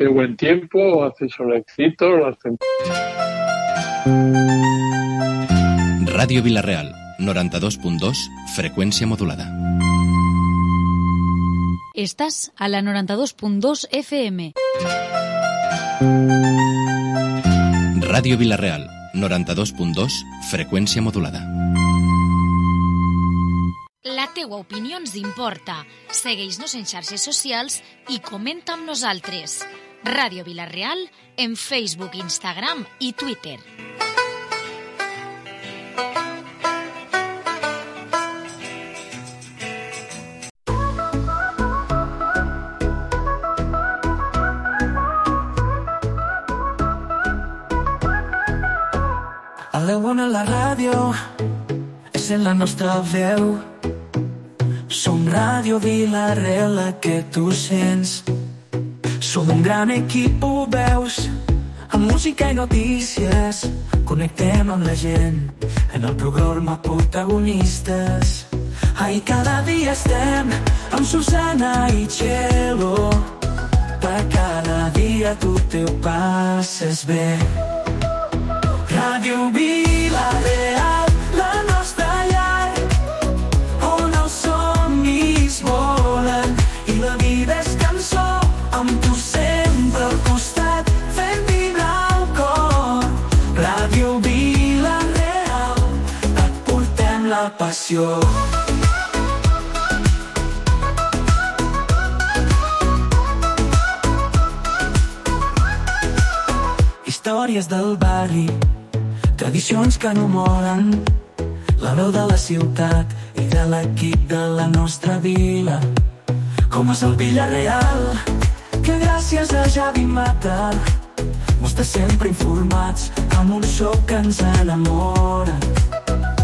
¿Hace buen tiempo? ¿Hace solecito? Ràdio Vila-real, 92.2, freqüència modulada. Estás a la 92.2 FM. Ràdio Vila-real, 92.2, freqüència modulada. La teua opinió ens importa. Segueix-nos en xarxes socials i comenta amb nosaltres. Ràdio Vila-real en Facebook, Instagram i Twitter. A l'Eona la ràdio és en la nostra veu. Som Ràdio Vila-real, la que tu sents. Som un gran equip, ho veus, amb música i notícies. Connectem amb la gent en el programa Protagonistes. Ai, cada dia estem amb Susana i Txelo. Per cada dia tu te ho passes bé. Ràdio Vila-real, la nostra llar, on els somnis volen i la vida és cançó, amb tu sempre al costat, fent vibrar el cor. Ràdio Vila-real, et portem la passió. Històries del barri, tradicions que no moren, la veu de la ciutat i de l'equip de la nostra vila. Com és el Vila-real, que gràcies a Javi Mata mos té sempre informats amb un so que ens enamora.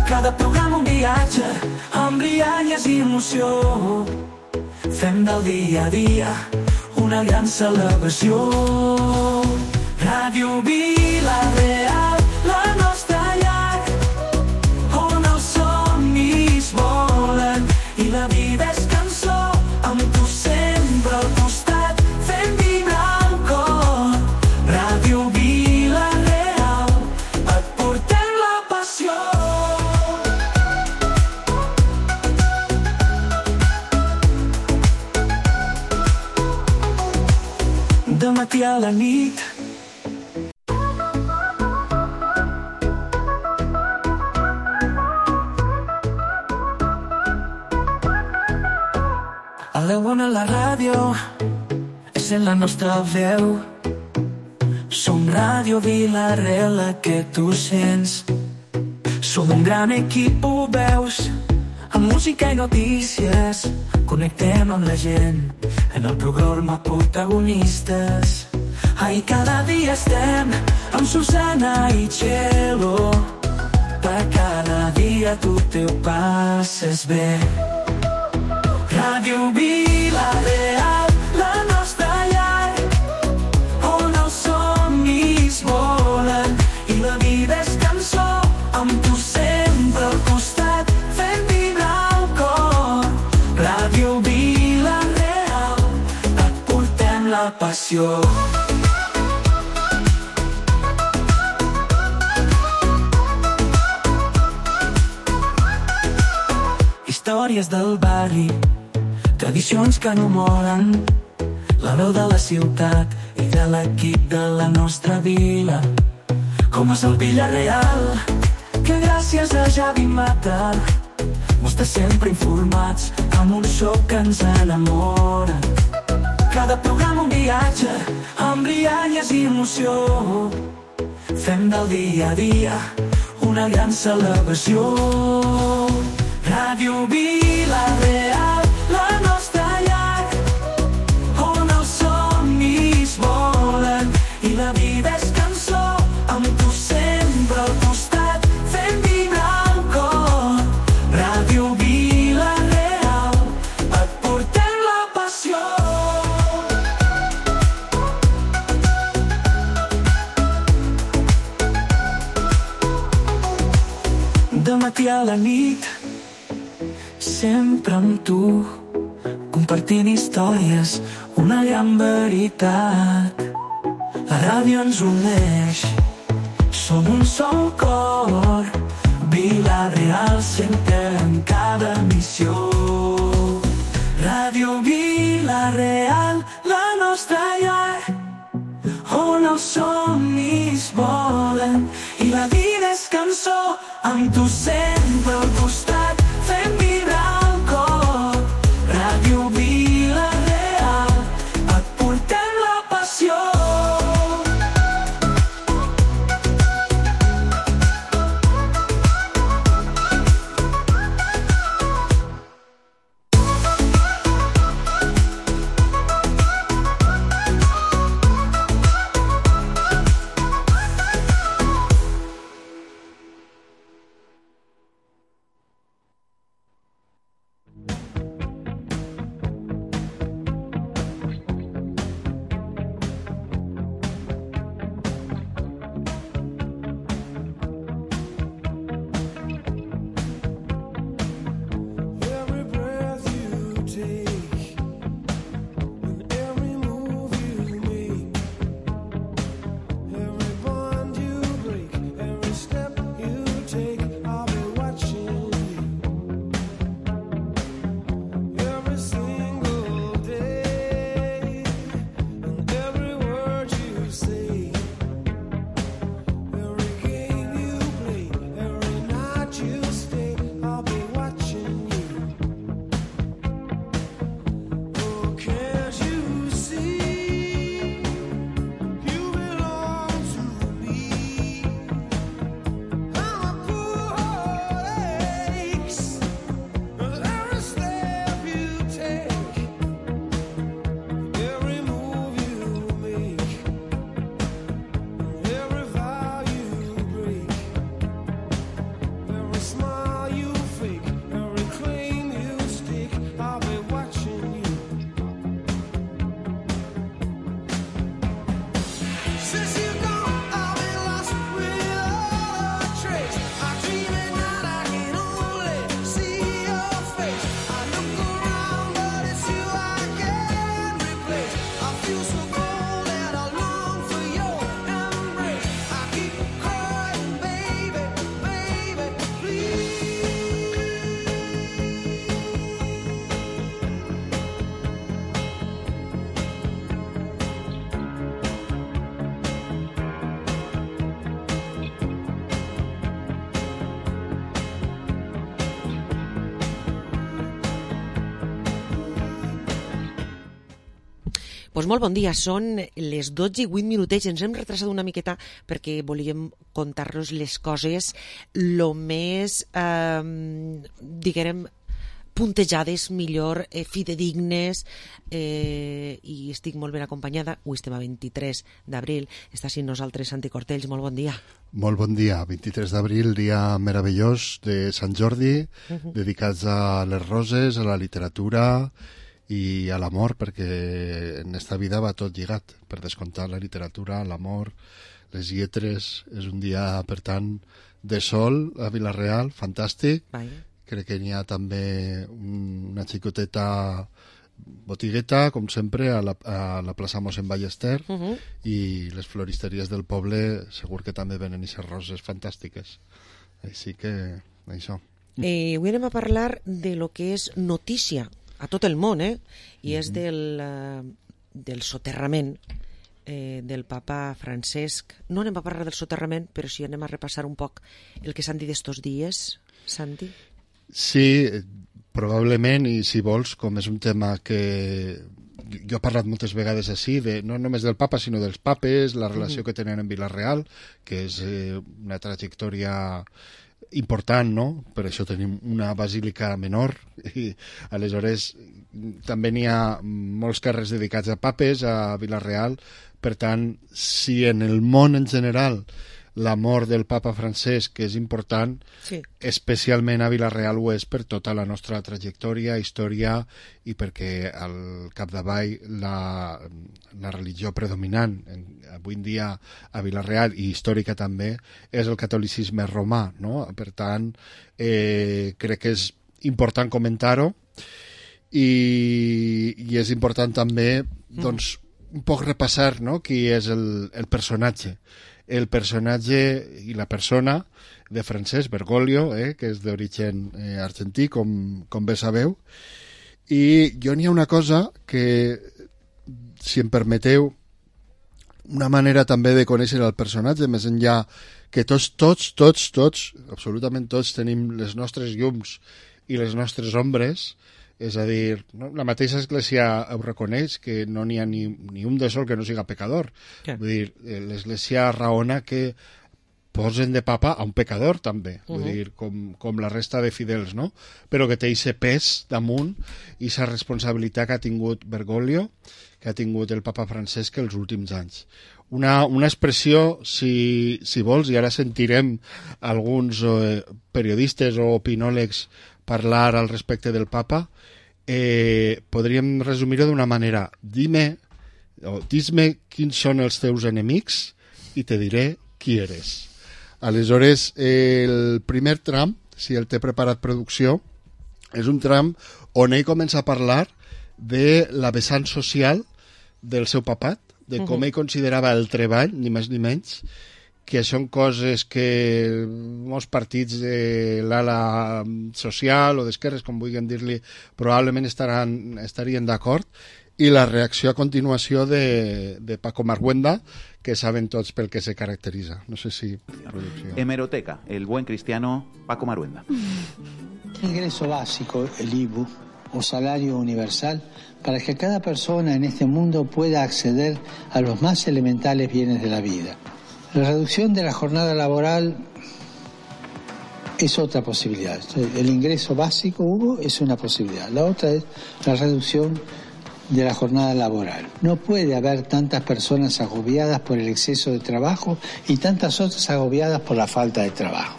Cada programa un viatge amb rialles i emoció. Fem del dia a dia una gran celebració. Ràdio Vila-real, la nostra llar, on els somnis volen i la vida és cançó, amb tu sempre al costat, fent vibrar el cor. Ràdio Vila-real, et portem la passió. De matí a la nit, a l'Eona la ràdio és en la nostra veu. Som Ràdio Vila-real, la que tu sents. Som un gran equip, ho veus, amb música i notícies. Connectem amb la gent en el programa Protagonistes. Ai, cada dia estem amb Susana i Txelo. Per cada dia tu te ho passes bé. Ràdio Vila-real, la nostra llar, on els somnis volen i la vida és cançó, amb tu sempre al costat, fent vibrar el cor. Ràdio Vila-real, et portem la passió. Històries del barri, tradicions que no moren, la veu de la ciutat i de l'equip de la nostra vila. Com és el Vila-real, que gràcies a Javi Mata mos té sempre informats amb un so que ens enamora. Cada programa un viatge amb rialles i emoció. Fem del dia a dia una gran celebració. Ràdio Vila-real, la nostra llar, on els somnis volen i la vida és cançó, amb tu sempre al costat, fent vibrar el cor. Ràdio Vila-real, et portem la passió. De matí a la nit, sempre amb tu, compartint històries, una gran veritat. La ràdio ens uneix, som un sol cor. Vila-real sentem cada emissió. Ràdio Vila-real, la nostra llar, on els somnis volen i la vida és cançó. Amb tu sempre al costat, fem vibrar el cor. Ràdio Vila-real, et portem la passió. Pues molt bon dia, són les 12:08. Ens hem retrasat una miqueta perquè volíem contar-los les coses lo més, diguem, puntejades, millor, fidedignes, i estic molt ben acompanyada. Avui estem a 23 d'abril. Està així nosaltres, Santi Cortells. Molt bon dia. Molt bon dia. 23 d'abril, dia meravellós de Sant Jordi, dedicats a les roses, a la literatura i a l'amor, perquè en esta vida va tot lligat, per descomptar la literatura, l'amor, les lletres. És un dia, per tant, de sol a Vila-real, fantàstic. Crec que n'hi ha també una xicoteta botigueta, com sempre, a la plaça Mossèn Ballester, i les floristeries del poble segur que també venen aquestes roses fantàstiques. Així que, això. Avui anem a parlar de lo que és notícia a tot el món, i és del soterrament del papa Francesc. No anem a parlar del soterrament, però sí anem a repassar un poc el que s'han dit estos dies, Santi. Sí, probablement, i si vols, com és un tema que jo he parlat moltes vegades així, no només del papa, sinó dels papes, la relació que tenen en Vila-real, que és una trajectòria important, no? Per això tenim una basílica menor, i aleshores també n'hi ha molts carrers dedicats a papes a Vila-real. Per tant, si en el món en general l'amor del papa Francesc és important, sí, especialment a Vila-real ho és per tota la nostra trajectòria, història, i perquè al capdavall la religió predominant avui en dia a Vila-real, i històrica també, és el catolicisme romà, no? Per tant, crec que és important comentar-ho, i és important també, doncs, un poc repassar, no?, qui és el personatge. El personatge i la persona de Francesc Bergoglio, que és d'origen argentí, com bé sabeu. I jo n'hi ha una cosa que, si em permeteu, una manera també de conèixer el personatge, més enllà que tots, absolutament tots, tenim les nostres llums i les nostres ombres, és a dir, no? La mateixa Església ho reconeix, que no n'hi ha ni un de sol que no siga pecador. Yeah. Vull dir, l'Església raona que posen de papa a un pecador també, vull dir, com la resta de fidels, no? Però que té aquest pes damunt i aquesta responsabilitat que ha tingut Bergoglio, que ha tingut el papa Francesc els últims anys. Una expressió, si vols, i ara sentirem alguns periodistes o opinòlegs parlar al respecte del papa, podríem resumir-ho d'una manera. Dis-me quins són els teus enemics i te diré qui eres. Aleshores, el primer tram, si el té preparat producció, és un tram on ell comença a parlar de la vessant social del seu papat, de com ell considerava el treball, ni més ni menys, que són coses que molts partits de l'ala social o d'esquerres, com vulguem dir-li, probablement estarien d'acord, i la reacció a continuació de Paco Marhuenda, que saben tots pel que se caracteritza. No sé si... Hemeroteca, el buen cristiano Paco Marhuenda. Ingreso básico, el IBU, o salario universal, para que cada persona en este mundo pueda acceder a los más elementales bienes de la vida. La reducción de la jornada laboral es otra posibilidad. El ingreso básico, Hugo, es una posibilidad. La otra es la reducción de la jornada laboral. No puede haber tantas personas agobiadas por el exceso de trabajo y tantas otras agobiadas por la falta de trabajo.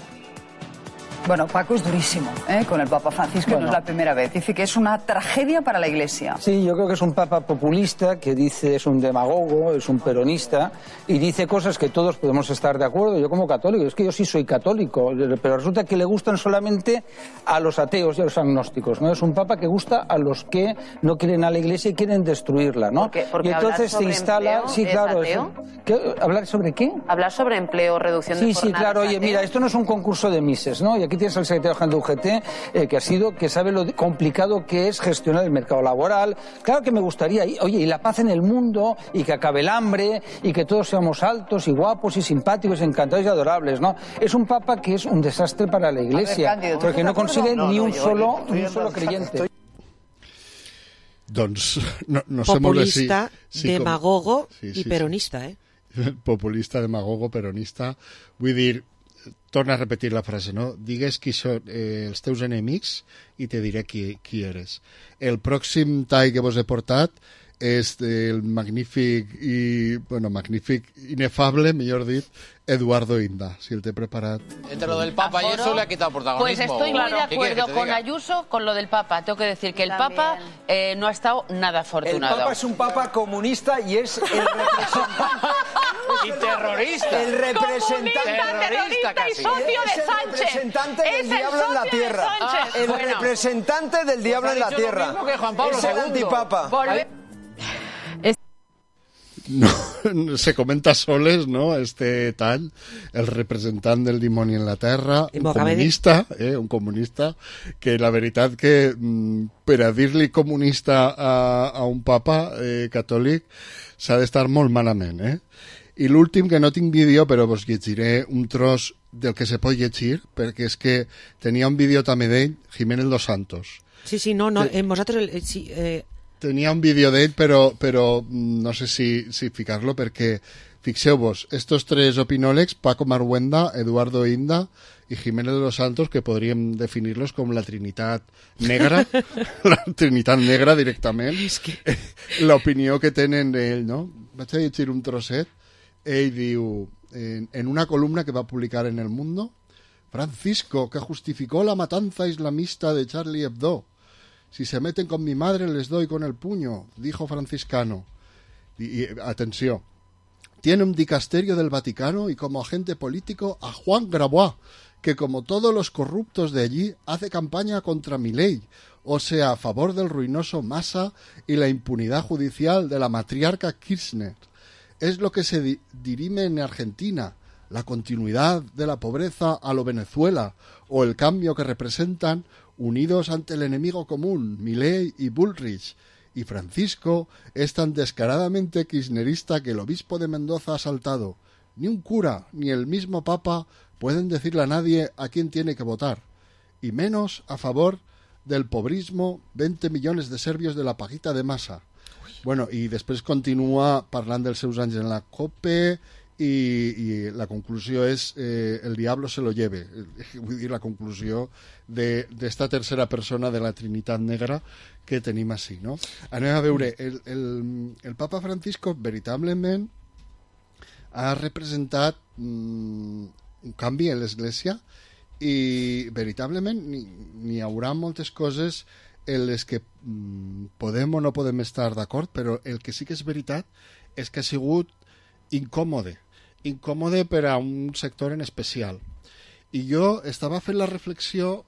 Bueno, Paco es durísimo, con el Papa Francisco, bueno, no es la primera vez. Dice que es una tragedia para la Iglesia. Sí, yo creo que es un papa populista, que dice es un demagogo, es un peronista, y dice cosas que todos podemos estar de acuerdo. Yo como católico, es que yo sí soy católico, pero resulta que le gustan solamente a los ateos y a los agnósticos, ¿no? Es un papa que gusta a los que no quieren a la Iglesia y quieren destruirla, ¿no? Porque y entonces se instala... Sí, claro. ¿Hablar sobre qué? Hablar sobre empleo, reducción de jornadas. Sí, claro. Oye, mira, esto no es un concurso de Mises, ¿no? Y aquí tienes al secretario general de UGT, que sabe lo complicado que es gestionar el mercado laboral. Claro que me gustaría, oye, y la paz en el mundo, y que acabe el hambre, y que todos seamos altos y guapos y simpáticos, encantados y adorables, ¿no? Es un papa que es un desastre para la Iglesia, Cándido, porque no consigue ni un solo creyente. Doncs no populista, sí, demagogo i peronista, Populista, demagogo, peronista. Vull dir, torna a repetir la frase, no? Digues qui són els teus enemics i te diré qui eres. El pròxim tall que vos he portat és del magnífic, inefable, millor dit, Eduardo Inda, si el té preparat. Entre lo del Papa y eso le ha quitado protagonismo. Pues estoy muy de acuerdo con Ayuso con lo del Papa. Tengo que decir que el Papa no ha estado nada afortunado. El Papa es un Papa comunista y es el representante... y terrorista. El representante terrorista y socio de Sánchez. El representante del diablo en la tierra. El representante del diablo en la tierra. Lo mismo que Juan Pablo es el antipapa. No, se comenta soles, no?, este tall, el representant del dimoni en la terra, un comunista, que la veritat que per a dir-li comunista a un papa catòlic s'ha d'estar molt malament, I l'últim, que no tinc vídeo, però vos llegiré un tros del que se pot llegir, perquè és que tenia un vídeo també d'ell, Jiménez Dos Santos. Sí, vosaltres... Tenia un vídeo d'ell, però no sé si ficar-lo, perquè, fixeu-vos, estos tres opinòlegs, Paco Marhuenda, Eduardo Inda i Jiménez de los Santos, que podríem definir-los com la Trinitat Negra, la Trinitat Negra directament, l'opinió que tenen d'ell, no? Vaig a llegir un trosset. Ell diu, en una columna que va publicar en El Mundo, Francisco, que justificó la matanza islamista de Charlie Hebdo. Si se meten con mi madre, les doy con el puño, dijo franciscano. Y atención, tiene un dicasterio del Vaticano y como agente político a Juan Grabois, que como todos los corruptos de allí, hace campaña contra Milei, o sea, a favor del ruinoso Massa y la impunidad judicial de la matriarca Kirchner. Es lo que se dirime en Argentina, la continuidad de la pobreza a lo Venezuela, o el cambio que representan unidos ante el enemigo común, Milei y Bullrich. Y Francisco es tan descaradamente kirchnerista que el obispo de Mendoza ha saltado. Ni un cura, ni el mismo papa pueden decirle a nadie a quién tiene que votar, y menos a favor del pobrismo 20 millones de serbios de la paguita de Massa. Bueno, i després continua parlant dels seus anys en la COPE i la conclusió és el diablo se lo lleve, vull dir, la conclusió d'esta tercera persona de la Trinitat Negra que tenim així, no? Anem a veure, el papa Francisco veritablement ha representat un canvi en l'Església i veritablement n'hi haurà moltes coses en les que podem o no podem estar d'acord, però el que sí que és veritat és que ha sigut incòmode per a un sector en especial. I jo estava fent la reflexió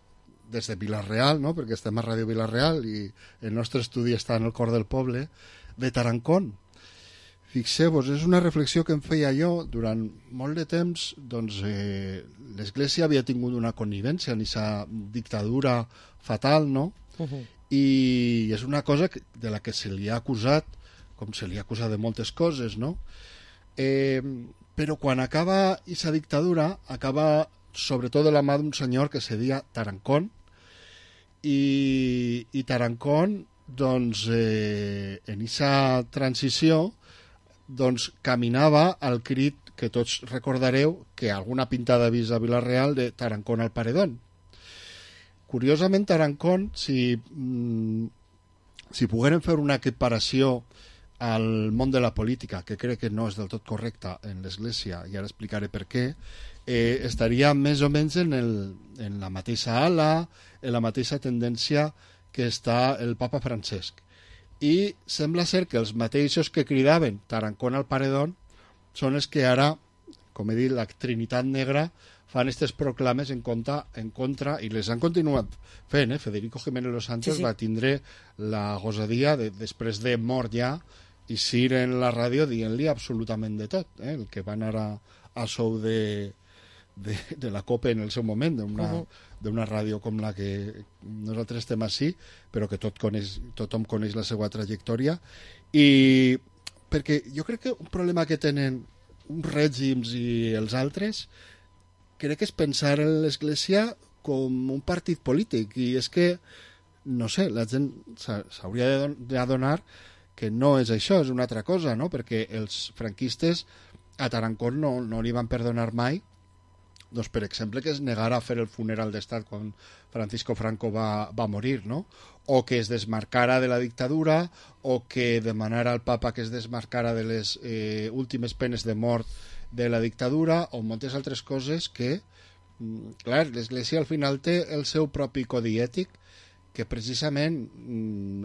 des de Vila-real, no? Perquè estem a Ràdio Vila-real i el nostre estudi està en el cor del poble, de Tarancón. Fixeu-vos, és una reflexió que em feia jo durant molt de temps. Doncs l'Església havia tingut una connivència en aquesta dictadura fatal, no? I és una cosa de la que se li ha acusat, com se li ha acusat de moltes coses, no? Però quan acaba aquesta dictadura, acaba sobretot de la mà d'un senyor que se deia Tarancón, i Tarancón, doncs, en aquesta transició, doncs, caminava al crit que tots recordareu que alguna pintada ha vist a Vila-real de Tarancón al paredón. Curiosament, Tarancón, si poguérem fer una equiparació al món de la política, que crec que no és del tot correcta en l'Església, i ara explicaré per què, estaria més o menys en la mateixa ala, en la mateixa tendència que està el papa Francesc. I sembla ser que els mateixos que cridaven Tarancón al paredón són els que ara, com he dit, la Trinitat Negra, fan aquestes proclames en contra, i les han continuat fent. Federico Jiménez Los Santos va tindre la gosadia, després de mort ja, i sir en la ràdio dient-li absolutament de tot. El que va anar a sou de la COPE en el seu moment, d'una ràdio com la que nosaltres estem així, però que tothom coneix la seva trajectòria. I perquè jo crec que un problema que tenen uns règims i els altres, crec que és pensar en l'Església com un partit polític, i és que, no sé, la gent s'hauria d'adonar que no és això, és una altra cosa, no? Perquè els franquistes a Tarancón no li van perdonar mai, doncs, per exemple, que es negara a fer el funeral d'estat quan Francisco Franco va morir, no? O que es desmarcara de la dictadura, o que demanara al papa que es desmarcara de les últimes penes de mort de la dictadura, o moltes altres coses que, clar, l'Església al final té el seu propi codi ètic, que precisament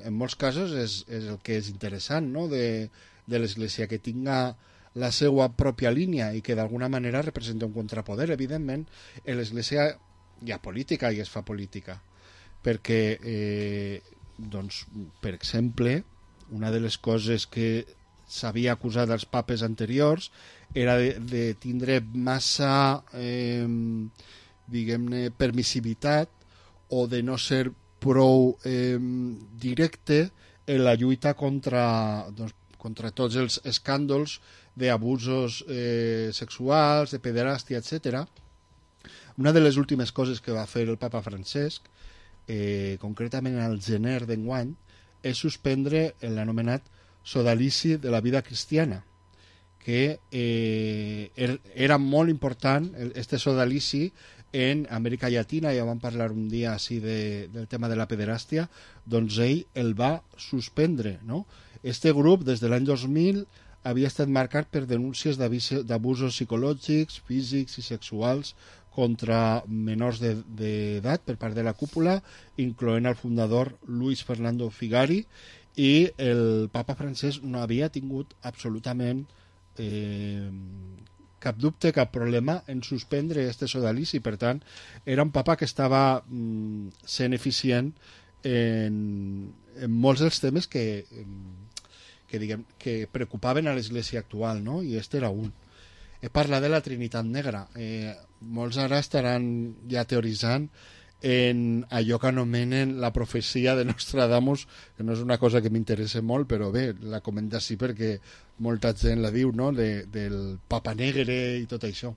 en molts casos és el que és interessant, no? de l'Església, que tinga la seva pròpia línia i que d'alguna manera representa un contrapoder. Evidentment, en l'Església hi ha política i es fa política, perquè, doncs, per exemple, una de les coses que s'havia acusat als papes anteriors era de tindre massa, diguem-ne, permissivitat, o de no ser prou directe en la lluita contra tots els escàndols d'abusos sexuals, de pederàstia, etc. Una de les últimes coses que va fer el papa Francesc, concretament al gener d'enguany, és suspendre l'anomenat sodalici de la vida cristiana, que era molt important, este sodalici, en Amèrica Llatina. Ja vam parlar un dia així del tema de la pederàstia, doncs ell el va suspendre, no? Este grup, des de l'any 2000, havia estat marcat per denúncies d'abusos psicològics, físics i sexuals contra menors d'edat per part de la cúpula, incloent el fundador Luis Fernando Figari, i el papa Francesc no havia tingut absolutament cap dubte, cap problema en suspendre este sodalici. Per tant, era un papa que estava sent eficient en molts dels temes que preocupaven a l'Església actual, no? I este era un. He parlat de la Trinitat Negra. Molts ara estaran ja teoritzant en allò que anomenen la profecia de Nostradamus, que no és una cosa que m'interessa molt, però bé, la comenta així perquè molta gent la diu, no?, del Papa Negre i tot això.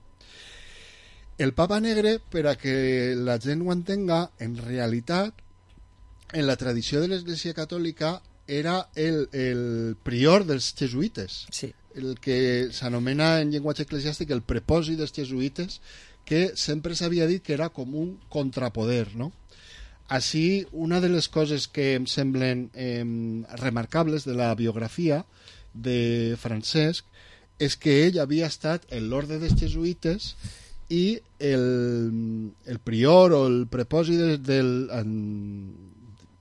El Papa Negre, per a que la gent ho entenga, en realitat, en la tradició de l'Església Catòlica, era el prior dels jesuïtes, sí. El que s'anomena en llenguatge eclesiàstic el prepòsit dels jesuïtes, que sempre s'havia dit que era com un contrapoder, no? Així, una de les coses que em semblen remarcables de la biografia de Francesc és que ell havia estat en l'orde dels jesuïtes i el prior o el prepòsit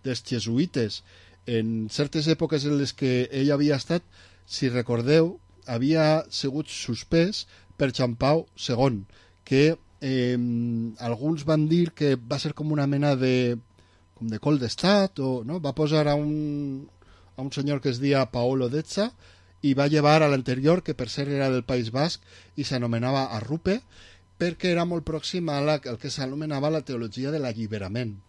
dels jesuïtes en certes èpoques en les que ell havia estat, si recordeu, havia sigut suspès per Joan Pau II, que alguns van dir que va ser com una mena de col d'estat, o no? Va posar a un senyor que es deia Paolo Dezza i va llevar a l'anterior, que per ser era del País Basc i s'anomenava Arrupe, perquè era molt pròxim a el que s'anomenava la teologia de l'alliberament.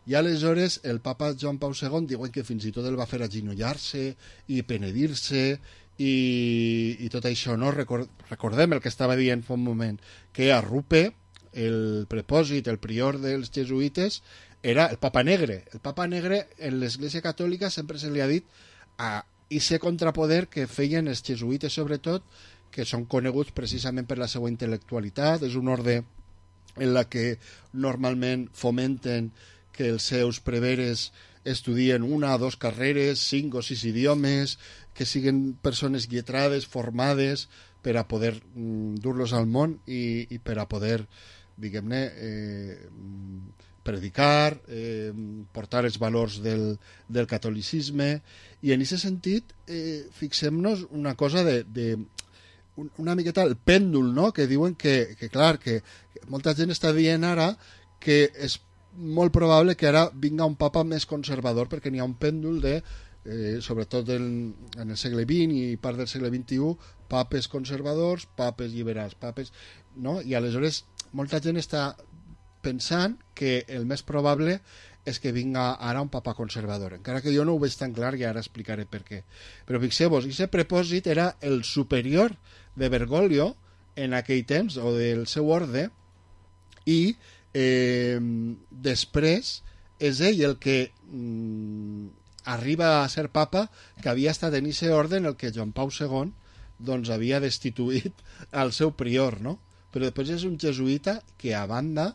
I aleshores el papa Joan Pau II diuen que fins i tot el va fer agenollar-se i penedir-se i tot això, no? Recordem el que estava dient fa un moment, que Arrupe, el prepòsit, el prior dels jesuïtes, era el Papa Negre. El Papa Negre en l'Església Catòlica sempre se li ha dit a ese contrapoder que feien els jesuïtes, sobretot, que són coneguts precisament per la seva intel·lectualitat. És un orde en la que normalment fomenten que els seus preveres estudien 1 o 2 carreres, 5 o 6 idiomes, que siguin persones lletrades, formades, per a poder dur-los al món i per a poder, diguem-ne, predicar, portar els valors del catolicisme. I en aquest sentit, fixem-nos una cosa una miqueta el pèndol, no?, que diuen que clar, que molta gent està dient ara que és molt probable que ara vinga un papa més conservador, perquè n'hi ha un pèndol de, sobretot en el segle XX i part del segle XXI, papes conservadors, papes liberals, papes, no? I aleshores molta gent està pensant que el més probable és que vinga ara un papa conservador, encara que jo no ho veig tan clar i ara explicaré per què. Però fixeu-vos, aquest prepòsit era el superior de Bergoglio en aquell temps, o del seu orde, i després és ell el que arriba a ser papa, que havia estat en aquest orde en el que Joan Pau II doncs havia destituït al seu prior, no? Però després és un jesuïta que a banda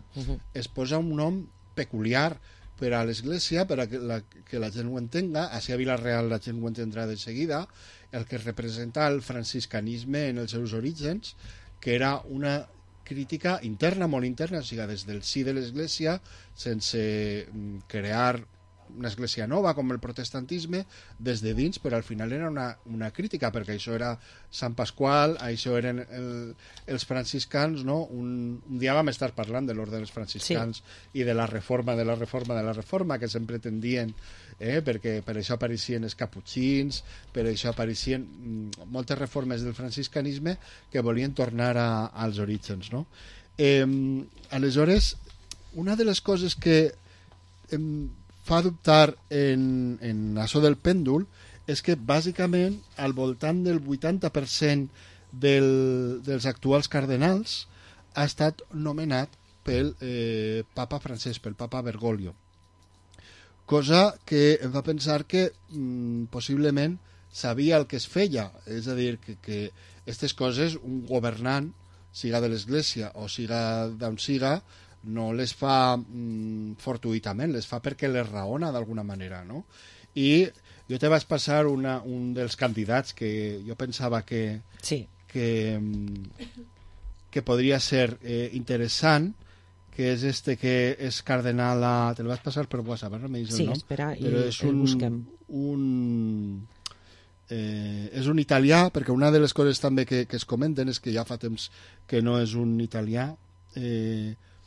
es posa un nom peculiar per a l'Església, per a que la gent ho entenga. Així a Vila-real la gent ho entendrà de seguida, el que representa el franciscanisme en els seus orígens, que era una crítica interna, molt interna, o sigui, des del si de l'Església, sense crear una església nova com el protestantisme, des de dins, però al final era una crítica, perquè això era Sant Pasqual, això eren els franciscans, no? Un dia vam estar parlant de l'ordre dels franciscans, sí, i de la reforma, que sempre tendien, perquè per això apareixien els caputxins, per això apareixien moltes reformes del franciscanisme que volien tornar als orígens, no? Aleshores, una de les coses que fa dubtar en això del pèndol és que bàsicament al voltant del 80% dels actuals cardenals ha estat nomenat pel papa francès, pel papa Bergoglio, cosa que em fa pensar que possiblement sabia el que es feia, és a dir, que aquestes coses un governant, siga de l'Església o siga d'on siga, no les fa fortuïtament, les fa perquè les raona d'alguna manera, no? I jo te vaig passar un dels candidats que jo pensava que podria ser interessant, que és que és cardenal te el vaig passar per WhatsApp, no me dius el nom? Sí, espera, però és el busquem. És un italià, perquè una de les coses també que es comenten és que ja fa temps que no és un italià,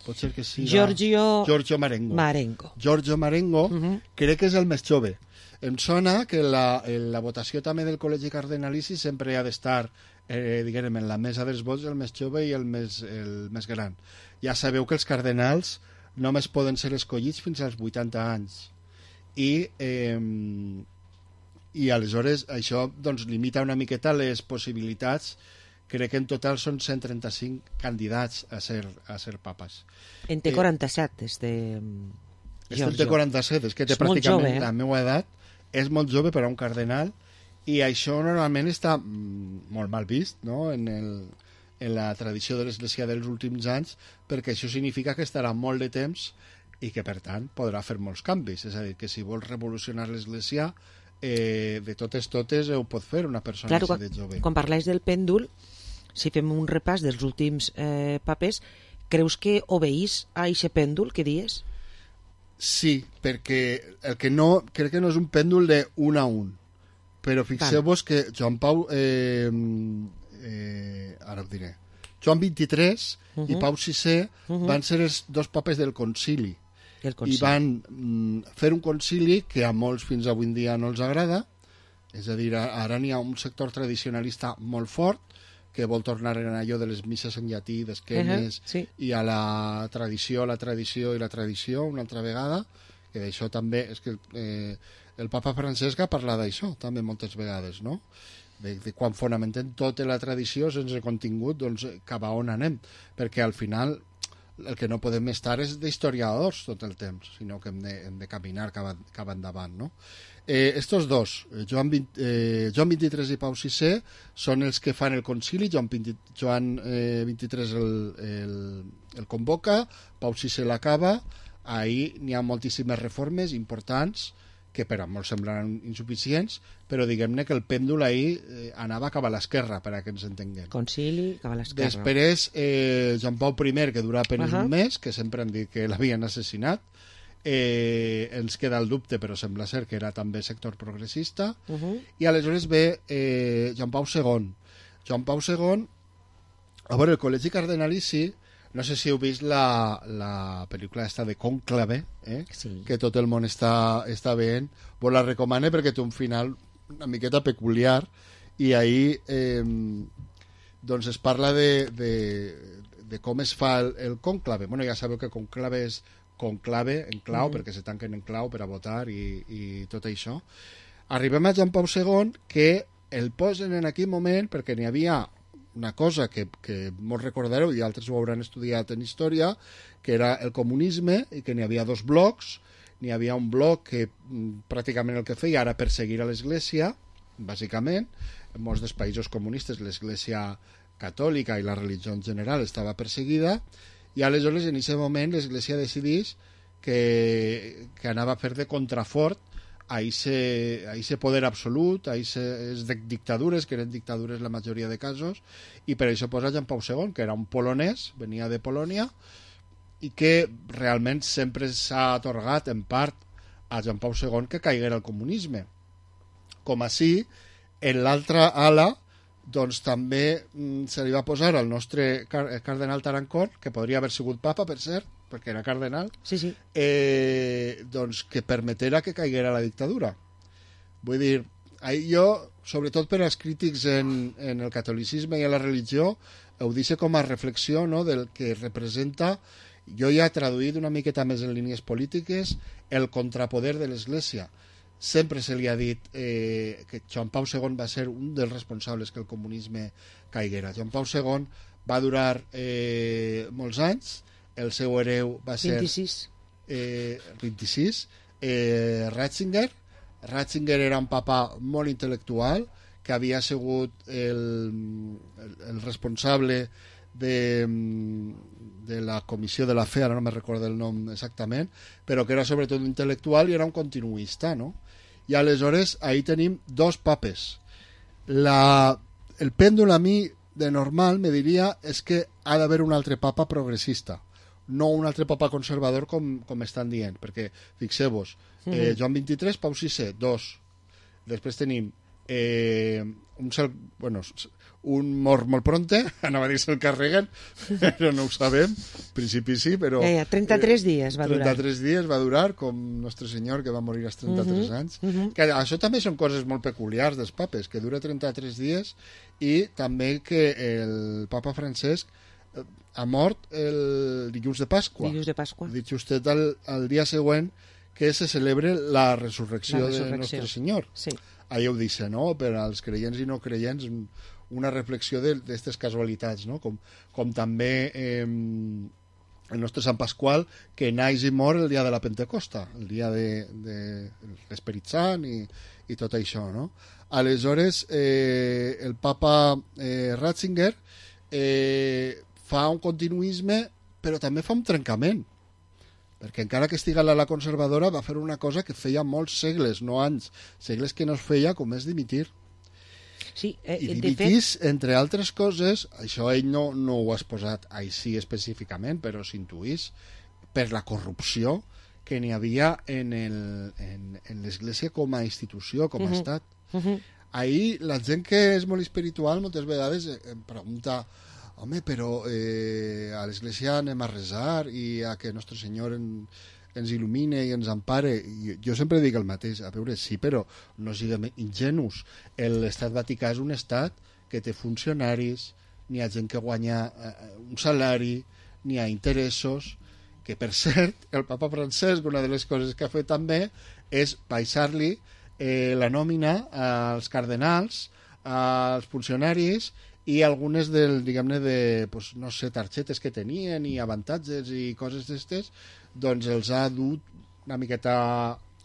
pot ser que sigui... Giorgio Marengo. Giorgio Marengo, crec que és el més jove. Em sona que la votació també del Col·legi Cardenalici sempre ha d'estar, diguem, en la mesa dels vots el més jove i el més gran. Ja sabeu que els cardenals només poden ser escollits fins als 80 anys. I aleshores això doncs, limita una miqueta les possibilitats. Crec que en total són 135 candidats a ser papes. En té 47, Giorgio. En té 47, és que té pràcticament la meva edat. És molt jove per a un cardenal i això normalment està molt mal vist, no?, en la tradició de l'Església dels últims anys, perquè això significa que estarà molt de temps i que, per tant, podrà fer molts canvis. És a dir, que si vols revolucionar l'Església, de totes ho pot fer una persona així de jove. Quan parlàs del pèndol, si fem un repàs dels últims papers, creus que obeís a aquest pèndol que dies? Sí, perquè el que no, crec que no és un pèndol de 1 a 1, però fixeu-vos que Joan Pau ara ho diré, Joan XXIII i Pau VI van ser els dos papes del concili i van fer un concili que a molts fins avui en dia no els agrada. És a dir, ara n'hi ha un sector tradicionalista molt fort que vol tornar en allò de les misses en llatí, d'esquenes, i a la tradició una altra vegada, que d'això també és que el papa Francesc ha parlat d'això també moltes vegades, no?, de quan fonamentem tota la tradició sense contingut, doncs cap a on anem, perquè al final el que no podem estar és d'historiadors tot el temps, sinó que hem de caminar cap endavant, no? Estos dos, Joan XXIII i Pau VI, són els que fan el concili. Joan XXIII el convoca, Pau VI l'acaba. Ahir n'hi ha moltíssimes reformes importants que per a molts semblaran insuficients, però diguem-ne que el pèndol ahir anava cap a l'esquerra, per a que ens entenguem. Concili, cap a l'esquerra. Després, Joan Pau I, que dura apenas un mes, que sempre han dit que l'havien assassinat, ens queda el dubte, però sembla ser que era també sector progressista, i aleshores ve Joan Pau II. Joan Pau II, a veure, el Col·legi Cardenalici, no sé si heu vist la pel·lícula esta de Cònclave, que tot el món està veient. Vos la recomane perquè té un final una miqueta peculiar, i ahir doncs es parla de com es fa el cònclave. Bueno, ja sabeu que cònclave és conclave en clau, perquè se tanquen en clau per a votar i tot això. Arribem a Joan Pau II, que el posen en aquell moment perquè n'hi havia una cosa que molts recordareu i altres ho hauran estudiat en història, que era el comunisme, i que n'hi havia dos blocs. N'hi havia un bloc que pràcticament el que feia era perseguir a l'Església, bàsicament. En molts dels països comunistes l'Església catòlica i la religió en general estava perseguida, i aleshores en aquest moment l'Església decideix que anava a fer de contrafort a ese poder absolut, a aquestes dictadures, que eren dictadures la majoria de casos, i per això posa Joan Pau II, que era un polonès, venia de Polònia, i que realment sempre s'ha atorgat en part a Joan Pau II que caiguera el comunisme. Com així, en l'altra ala, doncs també se li va posar al nostre cardenal Tarancón, que podria haver sigut papa, per cert, perquè era cardenal, doncs que permetera que caiguera la dictadura. Vull dir, jo, sobretot per als crítics en el catolicisme i en la religió, ho deixo com a reflexió, no?, del que representa. Jo ja he traduït una miqueta més en línies polítiques el contrapoder de l'Església. Sempre se li ha dit que Joan Pau II va ser un dels responsables que el comunisme caiguera. Joan Pau II va durar molts anys, el seu hereu va ser 26, Ratzinger. Ratzinger era un papa molt intel·lectual, que havia sigut el responsable de la Comissió de la Fe, ara no me recordo el nom exactament, però que era sobretot intel·lectual i era un continuista, no? I aleshores ahí tenim dos papes. El pèndol a mi de normal me diria és que ha d'haver un altre papa progressista, no un altre papa conservador com estan dient, perquè fixeu-vos, Joan XXIII, Pau VI, dos. Després tenim un mort molt pronte, anava a dir se'l carreguen, però no ho sabem, en principi sí, però... 33 dies va durar. 33 dies va durar, com Nostre Senyor, que va morir als 33 anys. Que això també són coses molt peculiars dels papes, que dura 33 dies, i també que el papa Francesc ha mort el dilluns de Pasqua. Dilluns de Pasqua. Dit justet el dia següent que se celebre la resurrecció de Nostre Senyor. Sí. Allà ho dice, no? Per als creients i no creients, una reflexió d'aquestes casualitats, no? Com també el nostre Sant Pasqual, que naix i mor el dia de la Pentecosta, el dia de l'Esperit Sant i tot això, no? Aleshores, el papa Ratzinger fa un continuisme, però també fa un trencament, perquè encara que estiga la conservadora va fer una cosa que feia molts segles, no anys, segles que no es feia, com és dimitir. Sí, I dimitís, entre altres coses, això ell no ho ha exposat així específicament, però s'intuís per la corrupció que n'hi havia en l'Església com a institució, com a estat. Ahir la gent que és molt espiritual moltes vegades em pregunta: home, però a l'Església anem a resar i a que Nostre Senyor ens il·lumine i ens empare. Jo sempre dic el mateix, a veure, sí, però no siguem ingenus. L'Estat Vaticà és un estat que té funcionaris, n'hi ha gent que guanya un salari, n'hi ha interessos, que per cert, el papa Francesc, una de les coses que ha fet també és baixar-li la nòmina als cardenals, als funcionaris, i algunes diguem-ne, pues, no sé, targetes que tenien i avantatges i coses d'estes, doncs els ha dut una miqueta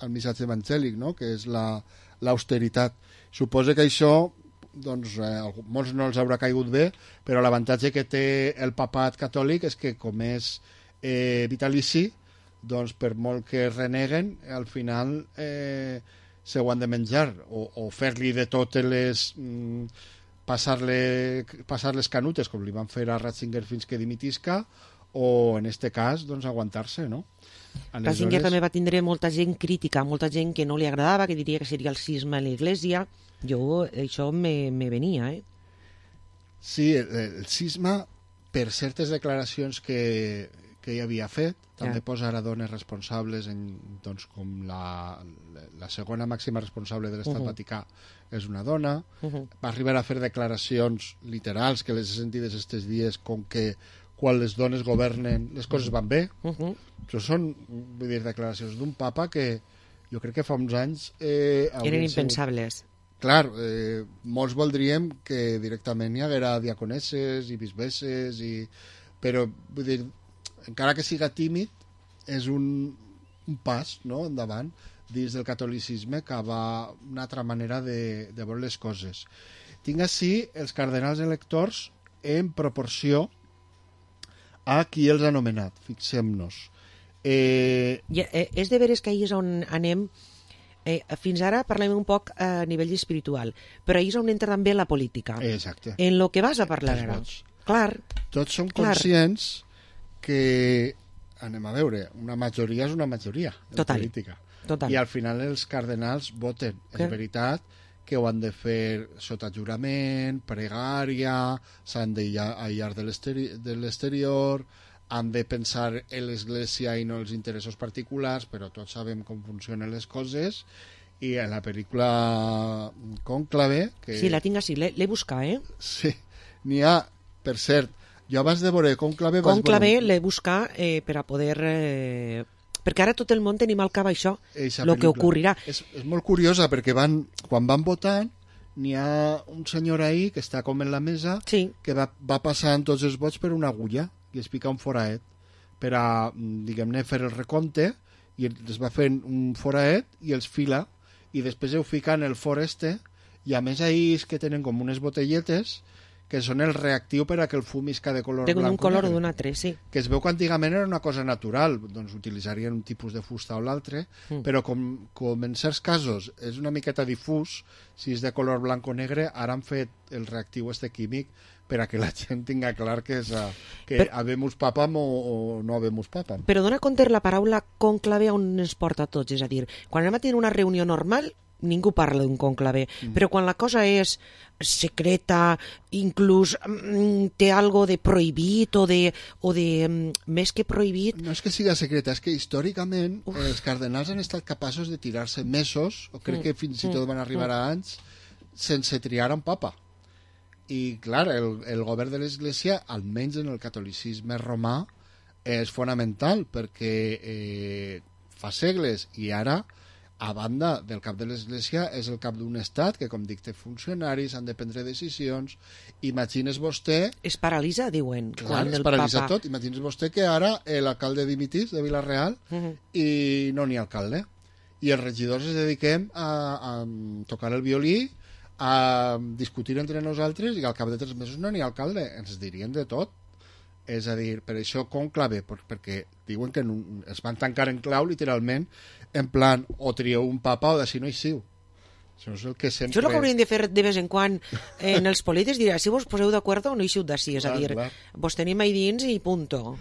al missatge evangèlic, no? Que és l'austeritat. Suposo que això, doncs, molts no els haurà caigut bé, però l'avantatge que té el papat catòlic és que, com és vitalici, doncs, per molt que reneguen, al final se ho han de menjar, o fer-li de totes les... passar les canutes, com li van fer a Ratzinger fins que dimitisca, o en este cas, doncs, aguantar-se, no? Ratzinger també va tindre molta gent crítica, molta gent que no li agradava, que diria que seria el cisma en l'Església. Això me venia, Sí, el cisma, per certes declaracions que hi havia fet, també posar a dones responsables, doncs, com la segona màxima responsable de l'Estat Vaticà és una dona. Va arribar a fer declaracions literals, que les he sentides estos dies, com que quan les dones governen les coses van bé. Això són, vull dir, declaracions d'un papa que jo crec que fa uns anys... eren impensables. Clar, molts voldríem que directament hi haguera diaconesses i bisbesses, però, vull dir, encara que siga tímid, és un pas, no?, endavant dins del catolicisme cap a una altra manera de veure les coses. Tinc així els cardenals electors en proporció a qui els ha nomenat, fixem-nos. És de veres que ahir és on anem. Fins ara parlem un poc a nivell espiritual, però ahir és on entra també la política. Exacte. En lo que vas a parlar ara. Clar. Tots som conscients que, anem a veure, una majoria és una majoria en política. Total. I al final els cardenals voten. És veritat que ho han de fer sota jurament, pregària, s'han d'aïllar de l'exterior, han de pensar en l'Església i no els interessos particulars, però tots sabem com funcionen les coses. I en la pel·lícula Cònclave... Sí, la tinc així, l'he buscat, Sí, n'hi ha, per cert, jo abans de veure Cònclave... Cònclave l'he buscat per a poder... perquè ara tot el món tenim al cap això, el que ocorrirà. És molt curiosa, perquè quan van votant, n'hi ha un senyor ahí que està com en la mesa, que va passant tots els vots per una agulla i es pica un foraet per a, diguem-ne, fer el recompte, i es va fent un foraet i els fila, i després ho fica en el for i a més ahí és que tenen com unes botelletes que són el reactiu per a que el fum isca de color blanc. D'un color o d'un altre, sí. Que es veu que antigament era una cosa natural, doncs utilitzarien un tipus de fusta o l'altre, però com en certs casos és una miqueta difús, si és de color blanc o negre, ara han fet el reactiu químic per a que la gent tinga clar que habemus papam o no habemus papam. Però dona compte la paraula conclave on ens porta a tots, és a dir, quan anem a tenir una reunió normal, ningú parla d'un conclave, però quan la cosa és secreta, inclús té algo de prohibit o de més que prohibit... No és que siga secreta, és que històricament els cardenals han estat capaços de tirar-se mesos, o crec que fins i tot van arribar a anys, sense triar un papa. I, clar, el govern de l'Església, almenys en el catolicisme romà, és fonamental, perquè fa segles i ara, a banda del cap de l'Església, és el cap d'un estat que, com dic, té funcionaris, han de prendre decisions. Imagines vostè... Es paralitza, diuen. Clar, es paralitza tot. Imagines vostè que ara l'alcalde dimitís de Vila-real i no n'hi ha alcalde. I els regidors es dediquem a tocar el violí, a discutir entre nosaltres i al cap de 3 mesos no n'hi ha alcalde. Ens dirien de tot. És a dir, per això conclave, perquè diuen que es van tancar en clau, literalment, en plan, o trieu un papa o d'ací no hi siu. Això és el que sempre... Això és el que haurien de fer de vez en quan en els polítics, dirà, si vos poseu d'acord o no hi siu d'ací, és a dir, vos tenim ahí dins i punto.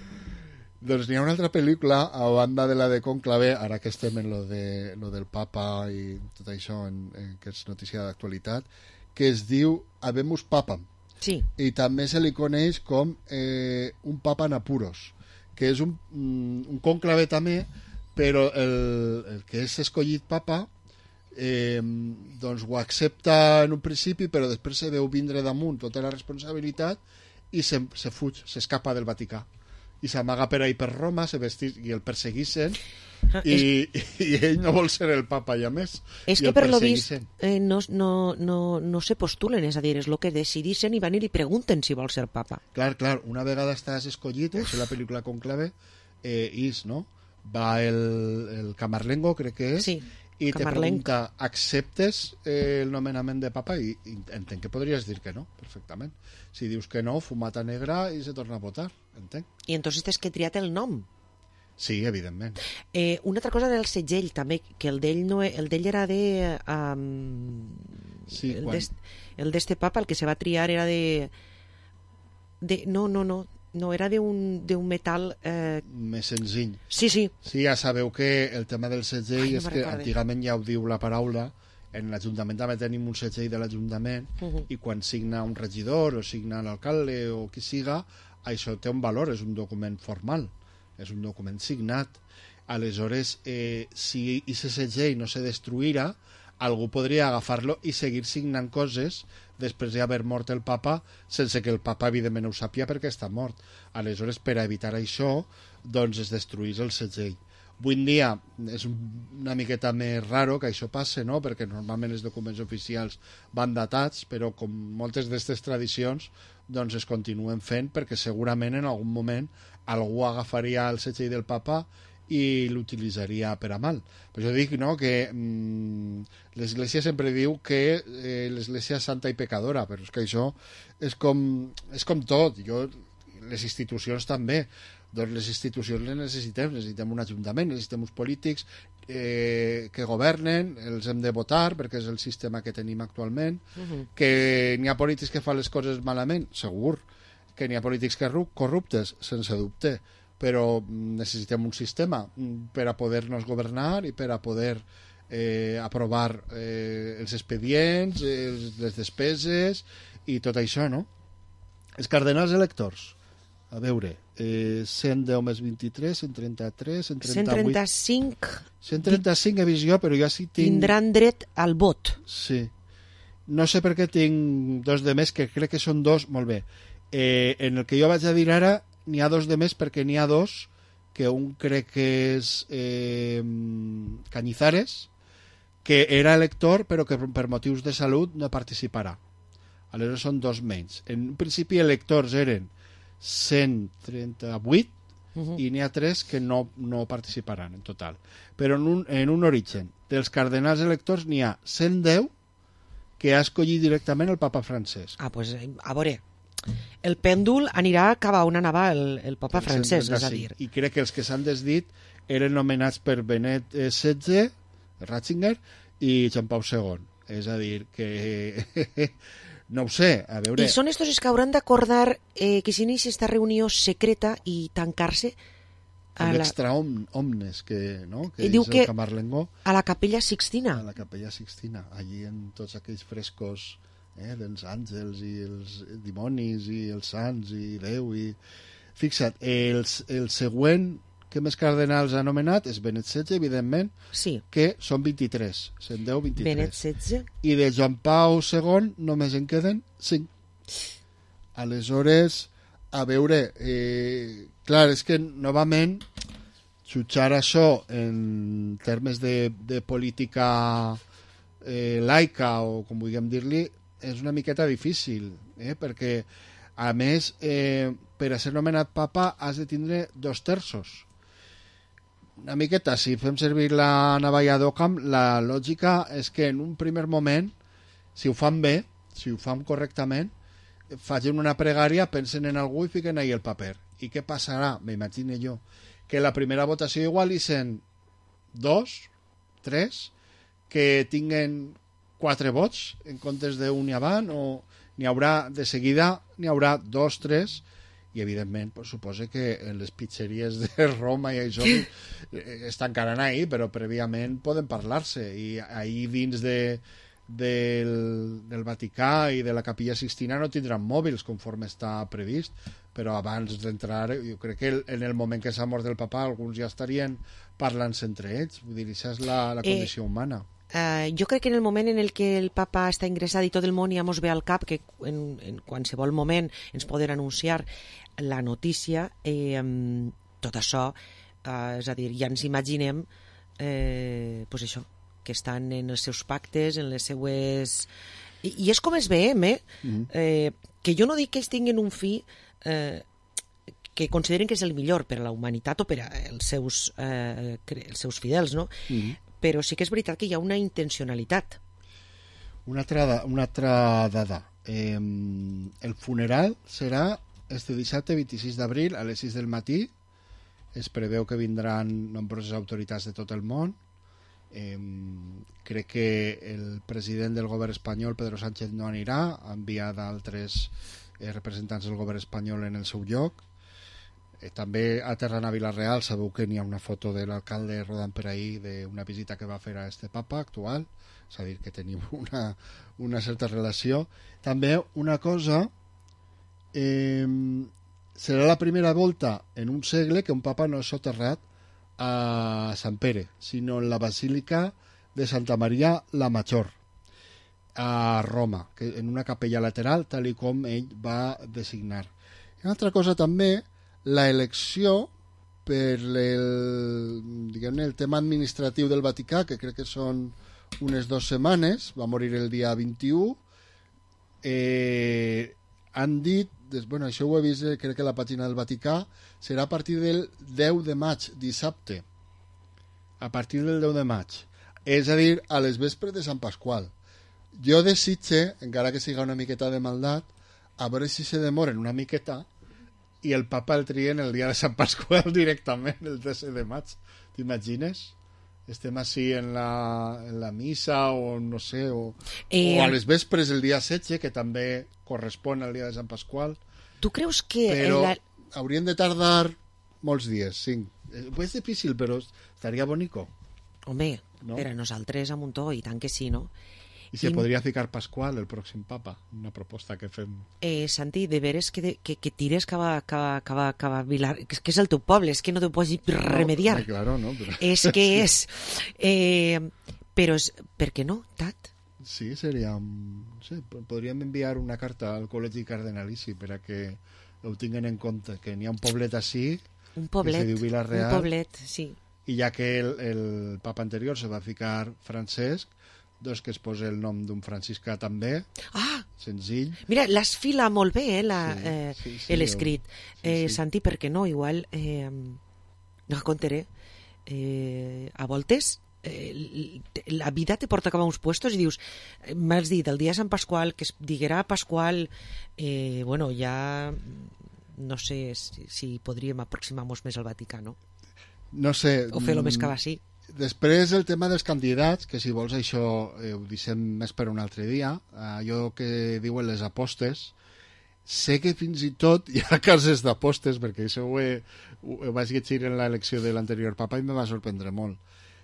Doncs n'hi ha una altra pel·lícula, a banda de la de conclave, ara que estem en lo del papa i tot això, que és notícia d'actualitat, que es diu Habemus Papam. Sí. I també se li coneix com un papa en apuros, que és un conclave també, però el que és escollit papa doncs ho accepta en un principi, però després se veu vindre damunt tota la responsabilitat i se fuig, s'escapa del Vaticà i s'amaga per ahí per Roma, i el perseguixen i ell no vol ser el papa ja més. És que per lo vist no se postulen, és a dir, és el que decidixen i van i li pregunten si vol ser papa. Clar, una vegada estàs escollit, és la pel·lícula Conclave, no? Va el Camarlengo, crec que és, sí, i te pregunta, acceptes el nomenament de papa? I entenc que podries dir que no, perfectament. Si dius que no, fumata negra i se torna a votar, entenc. I entonces tens que triat el nom. Sí, evidentment. Una altra cosa del segell, també, que el d'ell era de... sí, el d'este papa, el que se va triar era de... No, era d'un metal... Més senzill. Sí. Sí, ja sabeu que el tema del segell és que antigament ja ho diu la paraula, en l'Ajuntament també tenim un segell de l'Ajuntament i quan signa un regidor o signa l'alcalde o qui siga, això té un valor, és un document formal, és un document signat. Aleshores, si aquest segell no se destruïra, algú podria agafar-lo i seguir signant coses després d'haver mort el papa, sense que el papa evidentment ho sàpia perquè està mort. Aleshores, per a evitar això, doncs es destruís el segell. Avui en dia és una miqueta més raro que això passe, no? Perquè normalment els documents oficials van datats, però com moltes d'aquestes tradicions doncs es continuen fent perquè segurament en algun moment algú agafaria el segell del papa i l'utilitzaria per a mal. Per això dic, no?, que l'Església sempre diu que l'Església és santa i pecadora, però és que això és com tot. Les institucions també. Doncs les institucions les necessitem un ajuntament, necessitem uns polítics que governen, els hem de votar perquè és el sistema que tenim actualment, que n'hi ha polítics que fan les coses malament, segur, que n'hi ha polítics corruptes, sense dubte, però necessitem un sistema per a poder-nos governar i per a poder aprovar els expedients, les despeses i tot això, no? Els cardenals electors, a veure, 110 més 23, 133, 138... 135 he vist jo, però ja sí tinc... Tindran dret al vot. Sí. No sé per què tinc 2 de més, que crec que són 2, molt bé. En el que jo vaig a dir ara, n'hi ha 2 de més perquè n'hi ha 2, que un crec que és Cañizares, que era elector però que per motius de salut no participarà. Aleshores són 2 menys. En un principi electors eren 138 i n'hi ha 3 que no participaran en total. Però en un origen dels cardenals electors n'hi ha 110 que ha escollit directament el papa Francesc. Pues a veure, el pèndol anirà cap a on anava el papa Francesc, és a dir. I crec que els que s'han desdit eren nomenats per Benet XVI, Ratzinger, i Joan Pau II. És a dir, que... No ho sé, a veure... I són estos els que hauran d'acordar que s'inici aquesta reunió secreta i tancar-se l'extra omnes, que, no? Que diu és que el Camarlengo. A la Capella Sixtina. A la Capella Sixtina, allí en tots aquells frescos dels àngels i els dimonis i els sants i Déu. Fixa't, el següent que més cardenals ha anomenat és Benet XVI, evidentment, que són 23, se'n deu 23. Benet XVI. I de Joan Pau II només en queden 5. Aleshores, a veure, clar, és que novament jutjar això en termes de política laica, o com vulguem dir-li, és una miqueta difícil, perquè, a més, per a ser nomenat papa has de tindre 2/3. Una miqueta, si fem servir la navalla d'Occam, la lògica és que en un primer moment, si ho fan bé, si ho fan correctament, facin una pregària, pensen en algú i fiquen ahí el paper. I què passarà? M'imagino jo que la primera votació igual hi sent 2, 3, que tinguen 4 vots en comptes d'un i avant, o n'hi haurà de seguida, n'hi haurà 2, 3, i evidentment pues, suposa que en les pizzeries de Roma i això estan encara ahí, però prèviament poden parlar-se, i ahí dins del Vaticà i de la Capella Sixtina no tindran mòbils conforme està previst, però abans d'entrar jo crec que en el moment que s'ha mort el papa alguns ja estarien parlant-se entre ells, vull dir, això és la condició humana. Jo crec que en el moment en el que el papa està ingressat i tot el món ja mos ve al cap que en qualsevol moment ens poden anunciar la notícia, tot això, és a dir, ja ens imaginem pues això, que estan en els seus pactes, en les seues... I és com es veiem, que jo no dic que ells tinguin un fi que consideren que és el millor per a la humanitat o per als seus fidels, no? Però sí que és veritat que hi ha una intencionalitat. Una altra dada. El funeral serà este dissabte 26 d'abril a les 6 del matí. Es preveu que vindran nombroses autoritats de tot el món. Crec que el president del govern espanyol, Pedro Sánchez, no anirà, ha enviat altres representants del govern espanyol en el seu lloc. També aterrant a Vila-real, sabeu que n'hi ha una foto de l'alcalde rodant per ahí d'una visita que va fer a este papa actual, és a dir, que tenim una certa relació. També una cosa, serà la primera volta en un segle que un papa no és soterrat a Sant Pere, sinó en la Basílica de Santa Maria la Major, a Roma, que en una capella lateral, tal com ell va designar. I una altra cosa també, la elecció per el tema administratiu del Vaticà, que crec que són unes 2 setmanes, va morir el dia 21, han dit, bueno, això ho he vist, crec que a la pàgina del Vaticà, serà a partir del 10 de maig, dissabte, a partir del 10 de maig, és a dir, a les vespres de Sant Pasqual. Jo desitge, encara que siga una miqueta de maldat, a veure si se demoren una miqueta i el papa el trien el dia de Sant Pasqual directament, el 13 de maig. T'imagines? Estem així en la missa o no sé, o a les vespres el dia 16, que també correspon al dia de Sant Pasqual. Tu creus que... Però haurien de tardar molts dies, 5. És difícil, però estaria bonico. Home, no? Per a nosaltres a Montó, i tant que sí, no? I se podria ficar Pasqual, el pròxim papa, una proposta que fem. Santi, de veres que tires cap a Vilar, que és el teu poble, és que no t'ho pots remediar. No, claro, no, però... És que és. Però per què no, Tat? Sí, seria... No sé, podríem enviar una carta al Col·legi Cardenalici per a que ho tinguin en compte, que n'hi ha un poblet així, un poblet, que se diu Vila-real, un poblet, sí. I ja que el papa anterior se va ficar Francesc, doncs que es posa el nom d'un franciscà també, senzill. Mira, l'has filat molt bé, l'escrit. Santi, per què no? Igual, no contaré. A voltes, la vida te porta cap a uns puestos i dius, m'has dit, el dia de Sant Pasqual, que es diguerà Pasqual, bueno, ja no sé si podríem aproximar-nos més al Vaticà, no? No sé. O fer-lo més cap així. Després el tema dels candidats, que si vols això ho deixem més per un altre dia, allò que diuen les apostes, sé que fins i tot hi ha cases d'apostes, perquè això ho vaig llegir en l'elecció de l'anterior papa i me va sorprendre molt,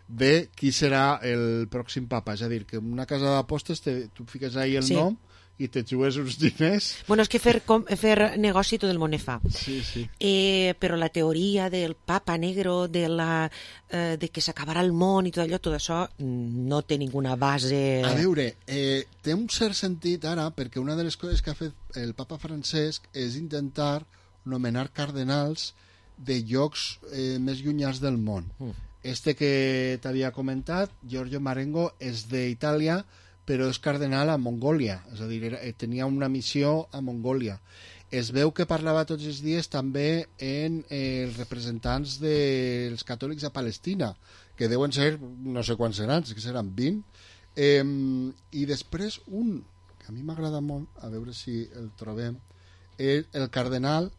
de qui serà el pròxim papa. És a dir, que en una casa d'apostes tu fiques ahí el nom i te jugues uns diners. Bueno, és que fer negoci tot el món fa. Sí, sí. Però la teoria del papa negro, de que s'acabarà el món i tot això, no té ninguna base... A veure, té un cert sentit ara, perquè una de les coses que ha fet el papa Francesc és intentar nomenar cardenals de llocs més llunyans del món. Que t'havia comentat, Giorgio Marengo, és d'Itàlia, però és cardenal a Mongòlia, és a dir, tenia una missió a Mongòlia. Es veu que parlava tots els dies també en els representants dels catòlics a Palestina, que deuen ser, no sé quants seran, que seran 20, i després un, que a mi m'agrada molt, a veure si el trobem, el cardenal,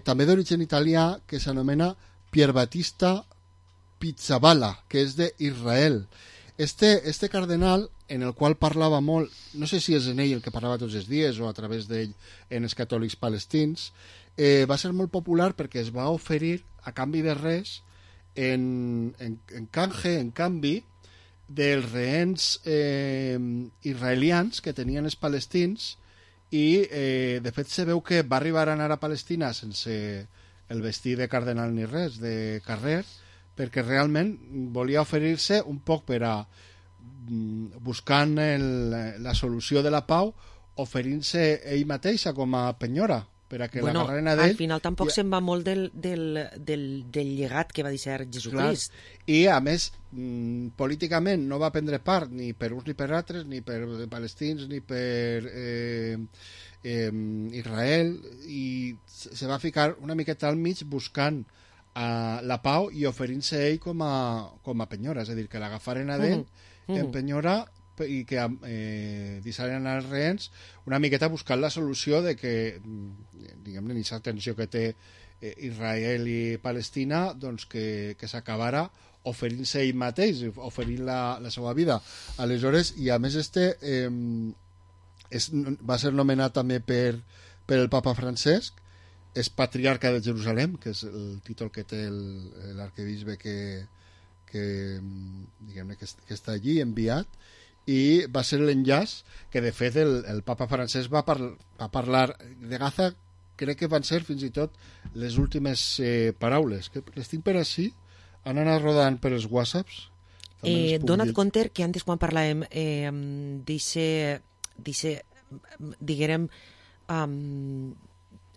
també d'origen italià, que s'anomena Pier Battista Pizzaballa, que és d'Israel. Este cardenal, en el qual parlava molt, no sé si és en ell el que parlava tots els dies o a través d'ell en els catòlics palestins, va ser molt popular perquè es va oferir a canvi de res en canvi dels rehens israelians que tenien els palestins i de fet se veu que va arribar a anar a Palestina sense el vestit de cardenal ni res, de carrer, perquè realment volia oferir-se un poc per a buscant la solució de la pau, oferint-se ell mateixa com a penyora per a que l'agarren a d'ell. Al final tampoc se'n va molt del llegat que va deixar Jesucrist. I a més, políticament no va prendre part ni per uns ni per altres, ni per palestins ni per Israel, i se va ficar una miqueta al mig buscant la pau i oferint-se ell com a penyora, és a dir, que l'agafaren a d'ell en penyora i que deixaren els rehens una miqueta buscant la solució de que, diguem-ne, aquesta tensió que té Israel i Palestina, doncs que s'acabara oferint-se ell mateix, oferint la seva vida. Aleshores, i a més va ser nomenat també per el papa Francesc, és patriarca de Jerusalem, que és el títol que té l'arquebisbe que està allí enviat, i va ser l'enllaç que de fet el papa Francesc va parlar de Gaza. Crec que van ser fins i tot les últimes paraules, que les tinc per així, han anat rodant per els whatsapps. Dona't compte que antes quan parlàvem diguérem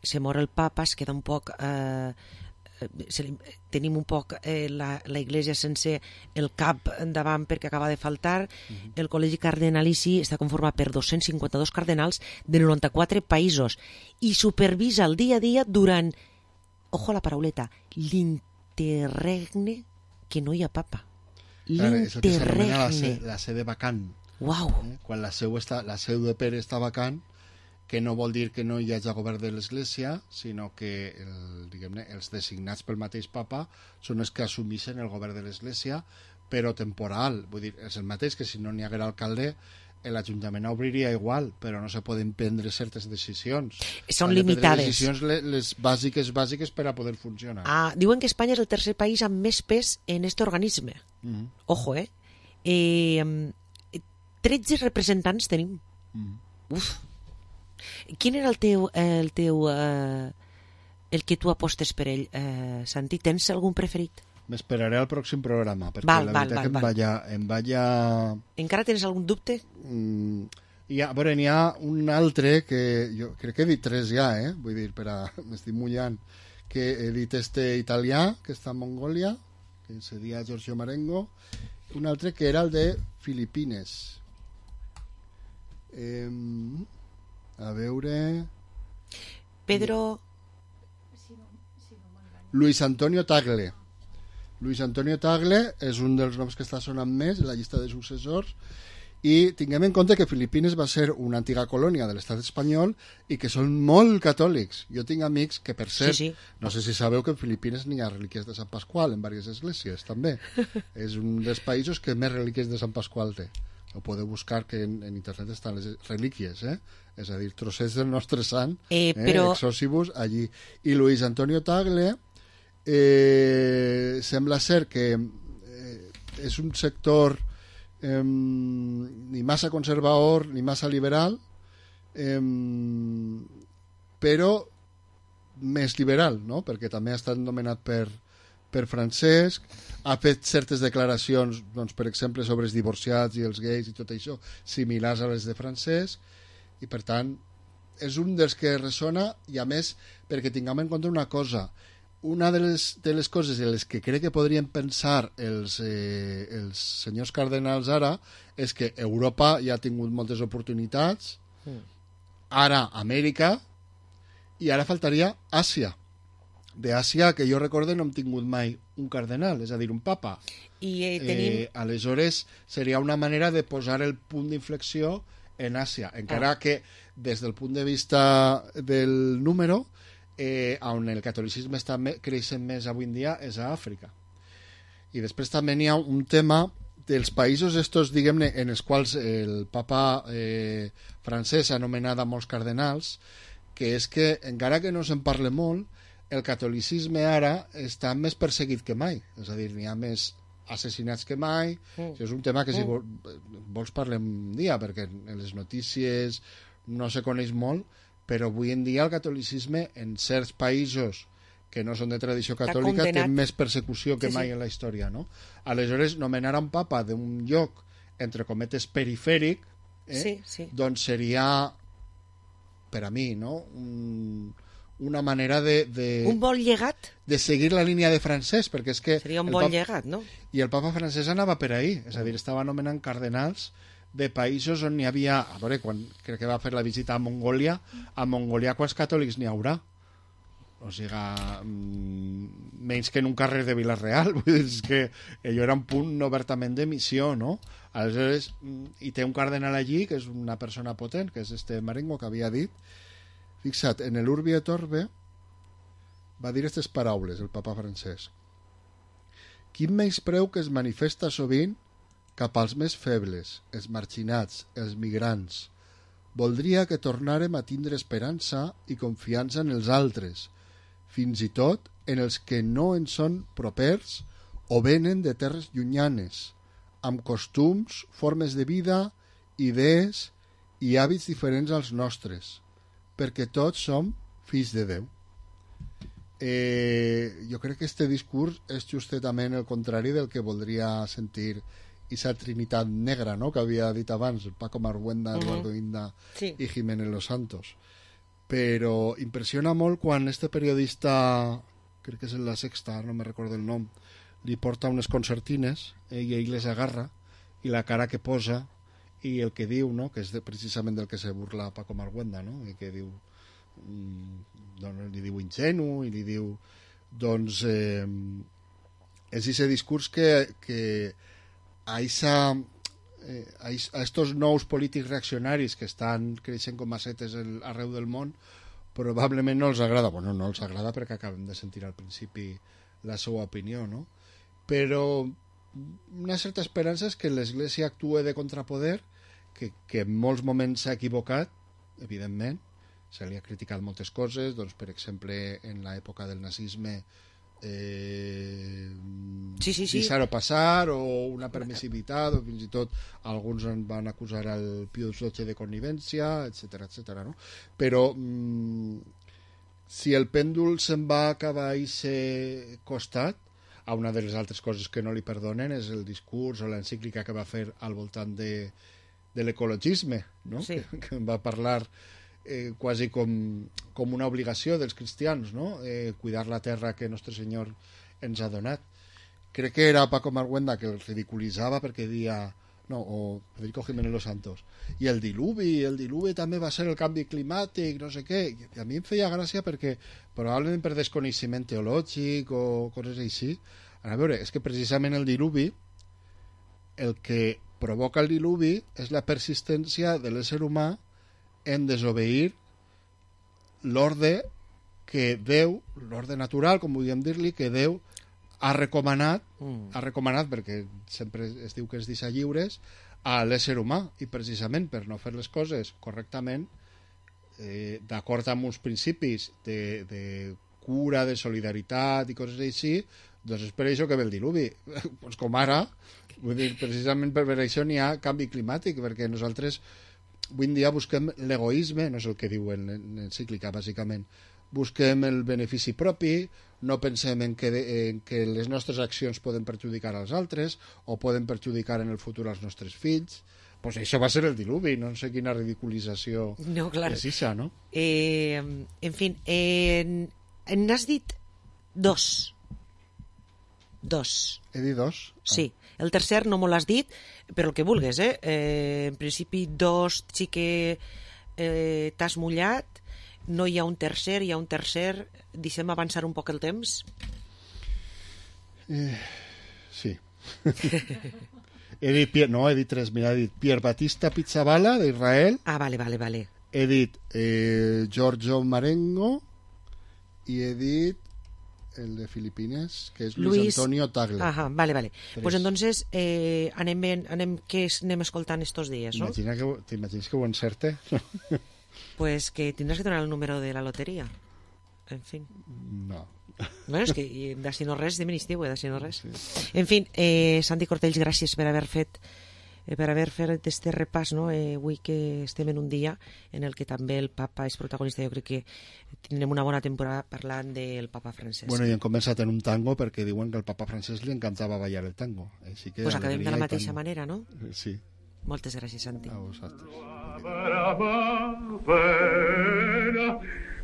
se mor el papa, es queda un poc tenim un poc la Iglesia sense el cap endavant perquè acaba de faltar. El col·legi cardenalici està conformat per 252 cardenals de 94 països i supervisa el dia a dia durant, ojo a la parauleta, l'interregne, que no hi ha papa. L'interregne. La sede vacant. Uau. Quan la seu de Pere està vacant, que no vol dir que no hi hagi govern de l'Església, sinó que els designats pel mateix papa són els que assumeixen el govern de l'Església, però temporal. Vull dir, és el mateix que si no n'hi haguera alcalde, l'Ajuntament obriria igual, però no se poden prendre certes decisions. Són limitades. Decisions les bàsiques per a poder funcionar. Diuen que Espanya és el tercer país amb més pes en aquest organisme. Ojo, 13 representants tenim. Uf. Quin era el que tu apostes per ell, Santi? Tens algun preferit? M'esperaré al pròxim programa, perquè la veritat que em vaya... Encara tens algun dubte? N'hi ha un altre que jo crec que he dit 3 ja, vull dir, m'estic mullant, que he dit italià, que està a Mongòlia, que se dia Giorgio Marengo, un altre que era el de Filipines. A veure... Pedro... Luis Antonio Tagle. Luis Antonio Tagle és un dels noms que està sonant més en la llista de successors, i tinguem en compte que Filipines va ser una antiga colònia de l'estat espanyol i que són molt catòlics. Jo tinc amics que, per cert, no sé si sabeu que en Filipines n'hi ha relíquies de Sant Pasqual en diverses esglésies, també. És un dels països que més relíquies de Sant Pasqual té. ho podeu buscar, que en internet estan les relíquies, és a dir, trossets del nostre sant, però... exòsibus, allí. I Luis Antonio Tagle sembla ser que és un sector ni massa conservador ni massa liberal, però més liberal, no? Perquè també ha estat nomenat per Francesc, ha fet certes declaracions, doncs, per exemple, sobre els divorciats i els gais i tot això, similars a les de Francesc, i per tant és un dels que ressona, i a més perquè tinguem en compte una cosa, una de les coses en les que crec que podrien pensar els senyors cardenals ara és que Europa ja ha tingut moltes oportunitats, ara Amèrica, i ara faltaria Àsia. D'Àsia, que jo recorde, no hem tingut mai un cardenal, és a dir, un papa. I tenim... Aleshores, seria una manera de posar el punt d'inflexió en Àsia, encara que des del punt de vista del número, on el catolicisme està creixent més avui en dia és a Àfrica. I després també n'hi ha un tema dels països estos, diguem-ne, en els quals el papa francès ha anomenat a molts cardenals, que és que, encara que no se'n parle molt, el catolicisme ara està més perseguit que mai, és a dir, n'hi ha més assassinats que mai. Això és un tema que si vols parlem un dia, perquè en les notícies no se coneix molt, però avui en dia el catolicisme en certs països que no són de tradició catòlica té més persecució que mai en la història, no? Aleshores, nomenar un papa d'un lloc, entre cometes, perifèric, doncs seria, per a mi, no?, una manera de... Un bon llegat? De seguir la línia de Francesc, perquè és que... Seria un bon llegat, no? I el papa francès anava per ahí, és a dir, estava anomenant cardenals de països on hi havia... A veure, quan crec que va fer la visita a Mongòlia quants catòlics n'hi haurà? O sigui, menys que en un carrer de Vila-real, vull dir, és que allò era un punt obertament de missió, no? Aleshores, i té un cardenal allí, que és una persona potent, que és este Marengo, que havia dit. Fixa't, en l'Urbi et Orbi va dir aquestes paraules, el papa francès. Quin menyspreu que es manifesta sovint cap als més febles, els marginats, els migrants. Voldria que tornàrem a tindre esperança i confiança en els altres, fins i tot en els que no en són propers o venen de terres llunyanes, amb costums, formes de vida, idees i hàbits diferents als nostres, perquè tots som fills de Déu. Jo crec que este discurs és justament el contrari del que voldria sentir esa trinitat negra, no?, que havia dit abans, Paco Marguenda, Eduardo Inda i Jiménez Los Santos. Però impressiona molt quan este periodista, crec que és en La Sexta, no me recordo el nom, li porta unes concertines i ell les agarra i la cara que posa i el que diu, no?, que és precisament del que se burla Paco Marguenda, no?, i que diu, doncs li diu ingenu i li diu, doncs és aquest discurs que a estos nous polítics reaccionaris que estan creixent com a setes arreu del món probablement no els agrada, bueno, no els agrada perquè acabem de sentir al principi la seva opinió, no?, però una certa esperança és que l'Església actue de contrapoder, que en molts moments s'ha equivocat, evidentment, se li ha criticat moltes coses, doncs, per exemple, en l'època del nazisme deixar-ho passar, o una permissivitat, o fins i tot alguns en van acusar al Pius XII de connivència, etc., no? Però si el pèndol se'n va acabar a aquest costat, a una de les altres coses que no li perdonen és el discurs o l'encíclica que va fer al voltant de l'ecologisme, no? Sí. Que va parlar quasi com una obligació dels cristians, no?, cuidar la terra que Nostre Senyor ens ha donat. Crec que era Paco Marguenda que el ridiculitzava perquè deia, no, o Federico Jiménez Los Santos, i el diluvi també va ser el canvi climàtic, no sé què, i a mi em feia gràcia perquè probablement per desconeixement teològic o coses així. A veure, és que precisament el diluvi, el que provoca el diluvi és la persistència de l'ésser humà en desobeir l'ordre que Déu, l'ordre natural, com podríem dir-li, que Déu ha recomanat perquè sempre es diu que ens deixa lliures, a l'ésser humà, i precisament per no fer les coses correctament, d'acord amb uns principis de cura, de solidaritat i coses així, doncs és per això que ve el diluvi. Pues com ara, vull dir, precisament per això n'hi ha canvi climàtic, perquè nosaltres avui en dia busquem l'egoisme, no és el que diuen en encíclica, bàsicament. Busquem el benefici propi, no pensem en que les nostres accions poden perjudicar als altres o poden perjudicar en el futur als nostres fills. Pues això va ser el diluvi, no sé quina ridiculització és això, no? En fi, n'has dit dos. He dit dos? Sí, el tercer no me l'has dit, però el que vulguis, en principi dos sí que t'has mullat, no hi ha un tercer, deixem avançar un poc el temps? Sí. He dit tres, mira, he dit Pierre Batista Pizzaballa, d'Israel. Ah, vale. He dit Giorgio Marengo i he dit el de Filipines, que és Luis Antonio Tagle. Ajá, vale. Pues entonces anem escoltant estos días, ¿no? T'imagines que ho encerte? Pues que tindràs que donar el número de la loteria. En fin. No. Bueno, és que d'ací no res, de ministre, d'ací no res. En fi, Santi Cortells, gràcies per haver fet este repàs, no? Avui que estem en un dia en el que també el papa és protagonista. Jo crec que tindrem una bona temporada parlant del papa Francesc. Bueno, i hem començat en un tango perquè diuen que al papa Francesc li encantava ballar el tango. Pues acabem de la mateixa manera, no? Sí. Moltes gràcies, Santi. A vosaltres.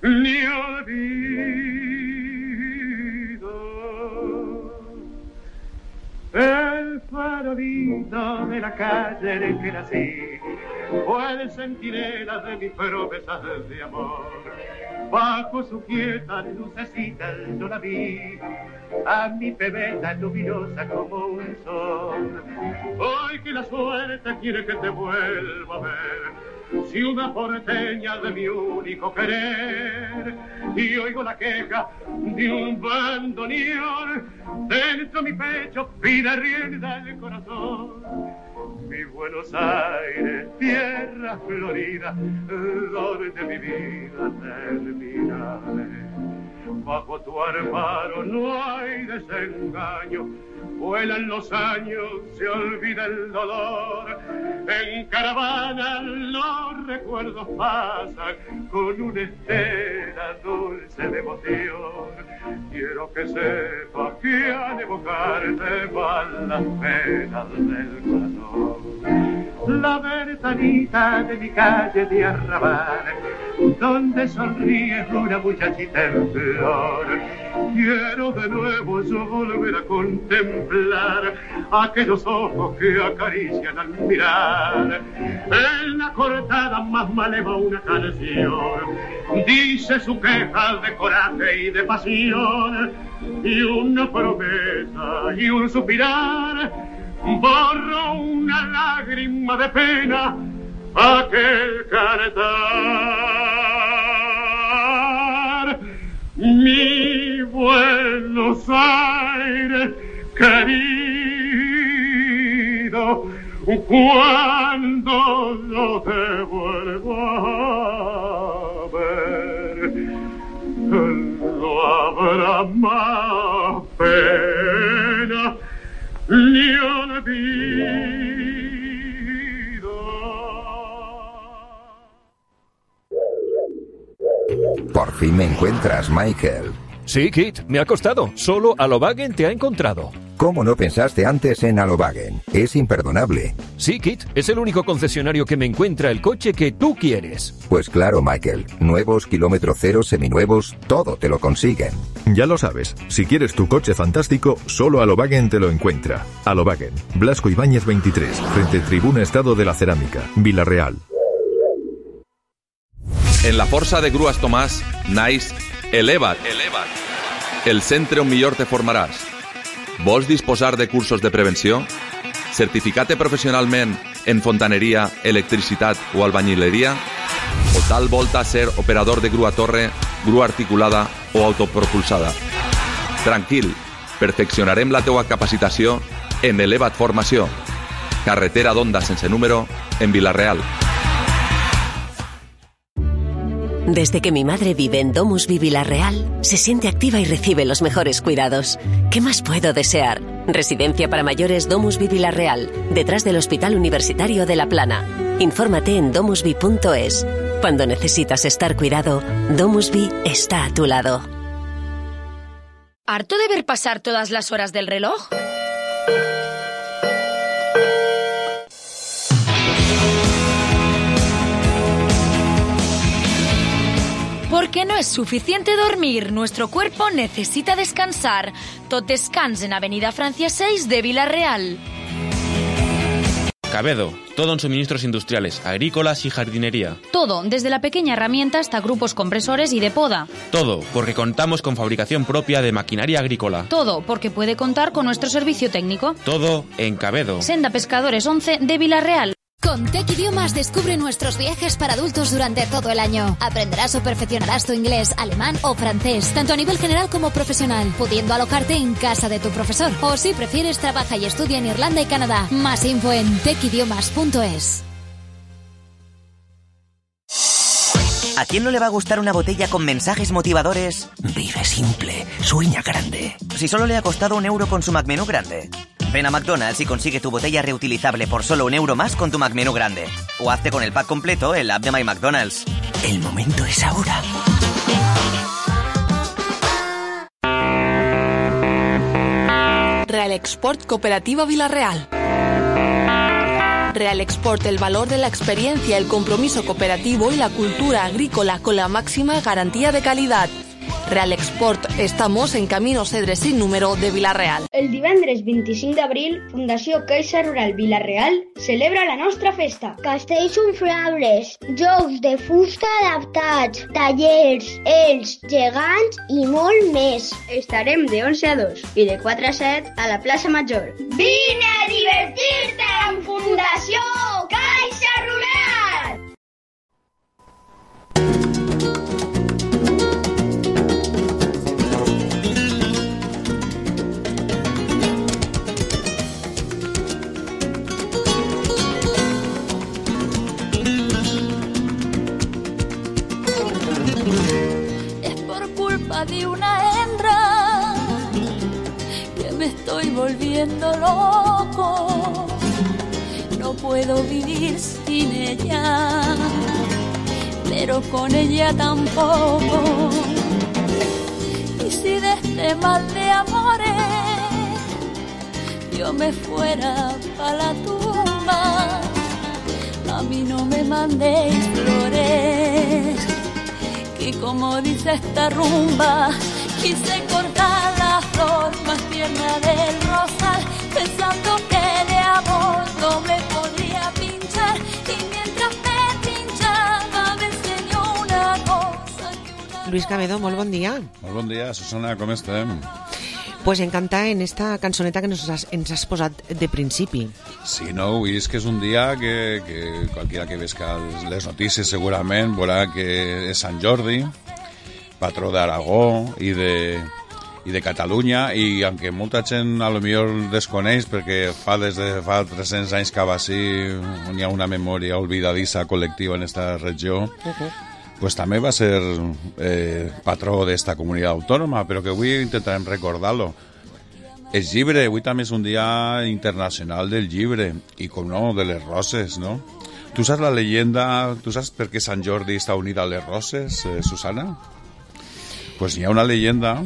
Ni olvido el farolito de la calle en el que nací fue el centinela de mis promesas de amor. Bajo su quieta lucecita yo la vi, a mi pebeta luminosa como un sol. Hoy que la suerte quiere que te vuelva a ver, ciudad porteña de mi único querer, y oigo la queja de un bandoneón, dentro mi pecho pide rienda el corazón. Mi Buenos Aires, tierra florida, donde mi vida terminaré. Bajo tu amparo no hay desengaño, vuelan los años, se olvida el dolor. En caravana los recuerdos pasan con una estela dulce de emoción. Quiero que sepas que al evocarte van las penas del corazón. La ventanita de mi calle de Arrabal, donde sonríe una muchachita en flor. Quiero de nuevo yo volver a contemplar aquellos ojos que acarician al mirar. En la cortada más maleva una canción dice su queja de coraje y de pasión, y una promesa y un suspirar borro una lágrima de pena aquel canetar. Mi Buenos Aires querido, cuando yo te vuelva a ver, no habrá más pena ni olvido. Por fin me encuentras, Michael. Sí, Kit, me ha costado. Solo Alobagen te ha encontrado. ¿Cómo no pensaste antes en Alobagen? Es imperdonable. Sí, Kit, es el único concesionario que me encuentra el coche que tú quieres. Pues claro, Michael. Nuevos, kilómetro cero, seminuevos, todo te lo consiguen. Ya lo sabes, si quieres tu coche fantástico, solo Alobagen te lo encuentra. Alobagen, Blasco Ibáñez 23, frente Tribuna Estado de la Cerámica, Vila-real. En la Força de Grues Tomàs naix Eleva't. El centre on millor te formaràs. Vols disposar de cursos de prevenció? Certificat professionalment en fontaneria, electricitat o albañileria? O tal volta ser operador de grua torre, grua articulada o autopropulsada? Tranquil, perfeccionarem la teua capacitació en Eleva't Formació. carretera d'Onda sense número, en Vila-real. Desde que mi madre vive en DomusVi Vila-real, se siente activa y recibe los mejores cuidados. ¿Qué más puedo desear? Residencia para mayores DomusVi Vila-real, detrás del Hospital Universitario de La Plana. Infórmate en domusvi.es. Cuando necesitas estar cuidado, DomusVi está a tu lado. ¿Harto de ver pasar todas las horas del reloj? Porque no es suficiente dormir, nuestro cuerpo necesita descansar. Tot descans en Avenida Francia 6 de Vila-real. Cabedo, todo en suministros industriales, agrícolas y jardinería. Todo, desde la pequeña herramienta hasta grupos compresores y de poda. Todo, porque contamos con fabricación propia de maquinaria agrícola. Todo, porque puede contar con nuestro servicio técnico. Todo en Cabedo. Senda Pescadores 11 de Vila-real. Con Tech Idiomas descubre nuestros viajes para adultos durante todo el año. Aprenderás o perfeccionarás tu inglés, alemán o francés, tanto a nivel general como profesional, pudiendo alojarte en casa de tu profesor. O si prefieres, trabaja y estudia en Irlanda y Canadá. Más info en techidiomas.es. ¿A quién no le va a gustar una botella con mensajes motivadores? Vive simple, sueña grande. Si solo le ha costado €1 con su McMenú grande. Ven a McDonald's y consigue tu botella reutilizable por solo €1 más con tu McMenú grande. O hazte con el pack completo en la app de My McDonald's. El momento es ahora. Real Export Cooperativa Vila-real. Real Export, el valor de la experiencia, el compromiso cooperativo y la cultura agrícola con la máxima garantía de calidad. Real Export, estamos en Camino Cedre sin número de Vila-real. El divendres 25 d'abril, Fundació Caixa Rural Vila-real celebra la nostra festa. Castells inflables, jocs de fusta adaptats, tallers, ells, gegants i molt més. Estarem de 11 a 2 i de 4 a 7 a la plaça Major. Vine a divertir-te amb Fundació Caixa Rural! De una hembra que me estoy volviendo loco, no puedo vivir sin ella, pero con ella tampoco. Y si de este mal de amores yo me fuera pa' la tumba, a mí no me mandéis flores, y como dice esta rumba, quise cortar la flor más tierna del rosal, pensando que de amor no me podría pinchar, y mientras me pinchaba me enseñó una cosa. Luis Cabedo, molt bon dia. Molt bon dia, Susana, com estem? Pues encantada en esta cançoneta que ens has posat de principi. Sí, no, és que és un dia que qualquiera que vesca les notícies segurament veurà que és Sant Jordi, patró d'Aragó i de Catalunya, i aunque molta gent a lo millor desconeix perquè des de fa 300 anys que va ser on hi ha una memòria olvidadissa col·lectiva en esta regió, pues també va ser patró d'esta comunitat autònoma, però que avui intentarem recordar-lo. El llibre, avui també és un dia internacional del llibre, i com no, de les roses, no? Tu saps la leyenda, tu saps per què Sant Jordi està unida a les roses, Susana? Pues hi ha una leyenda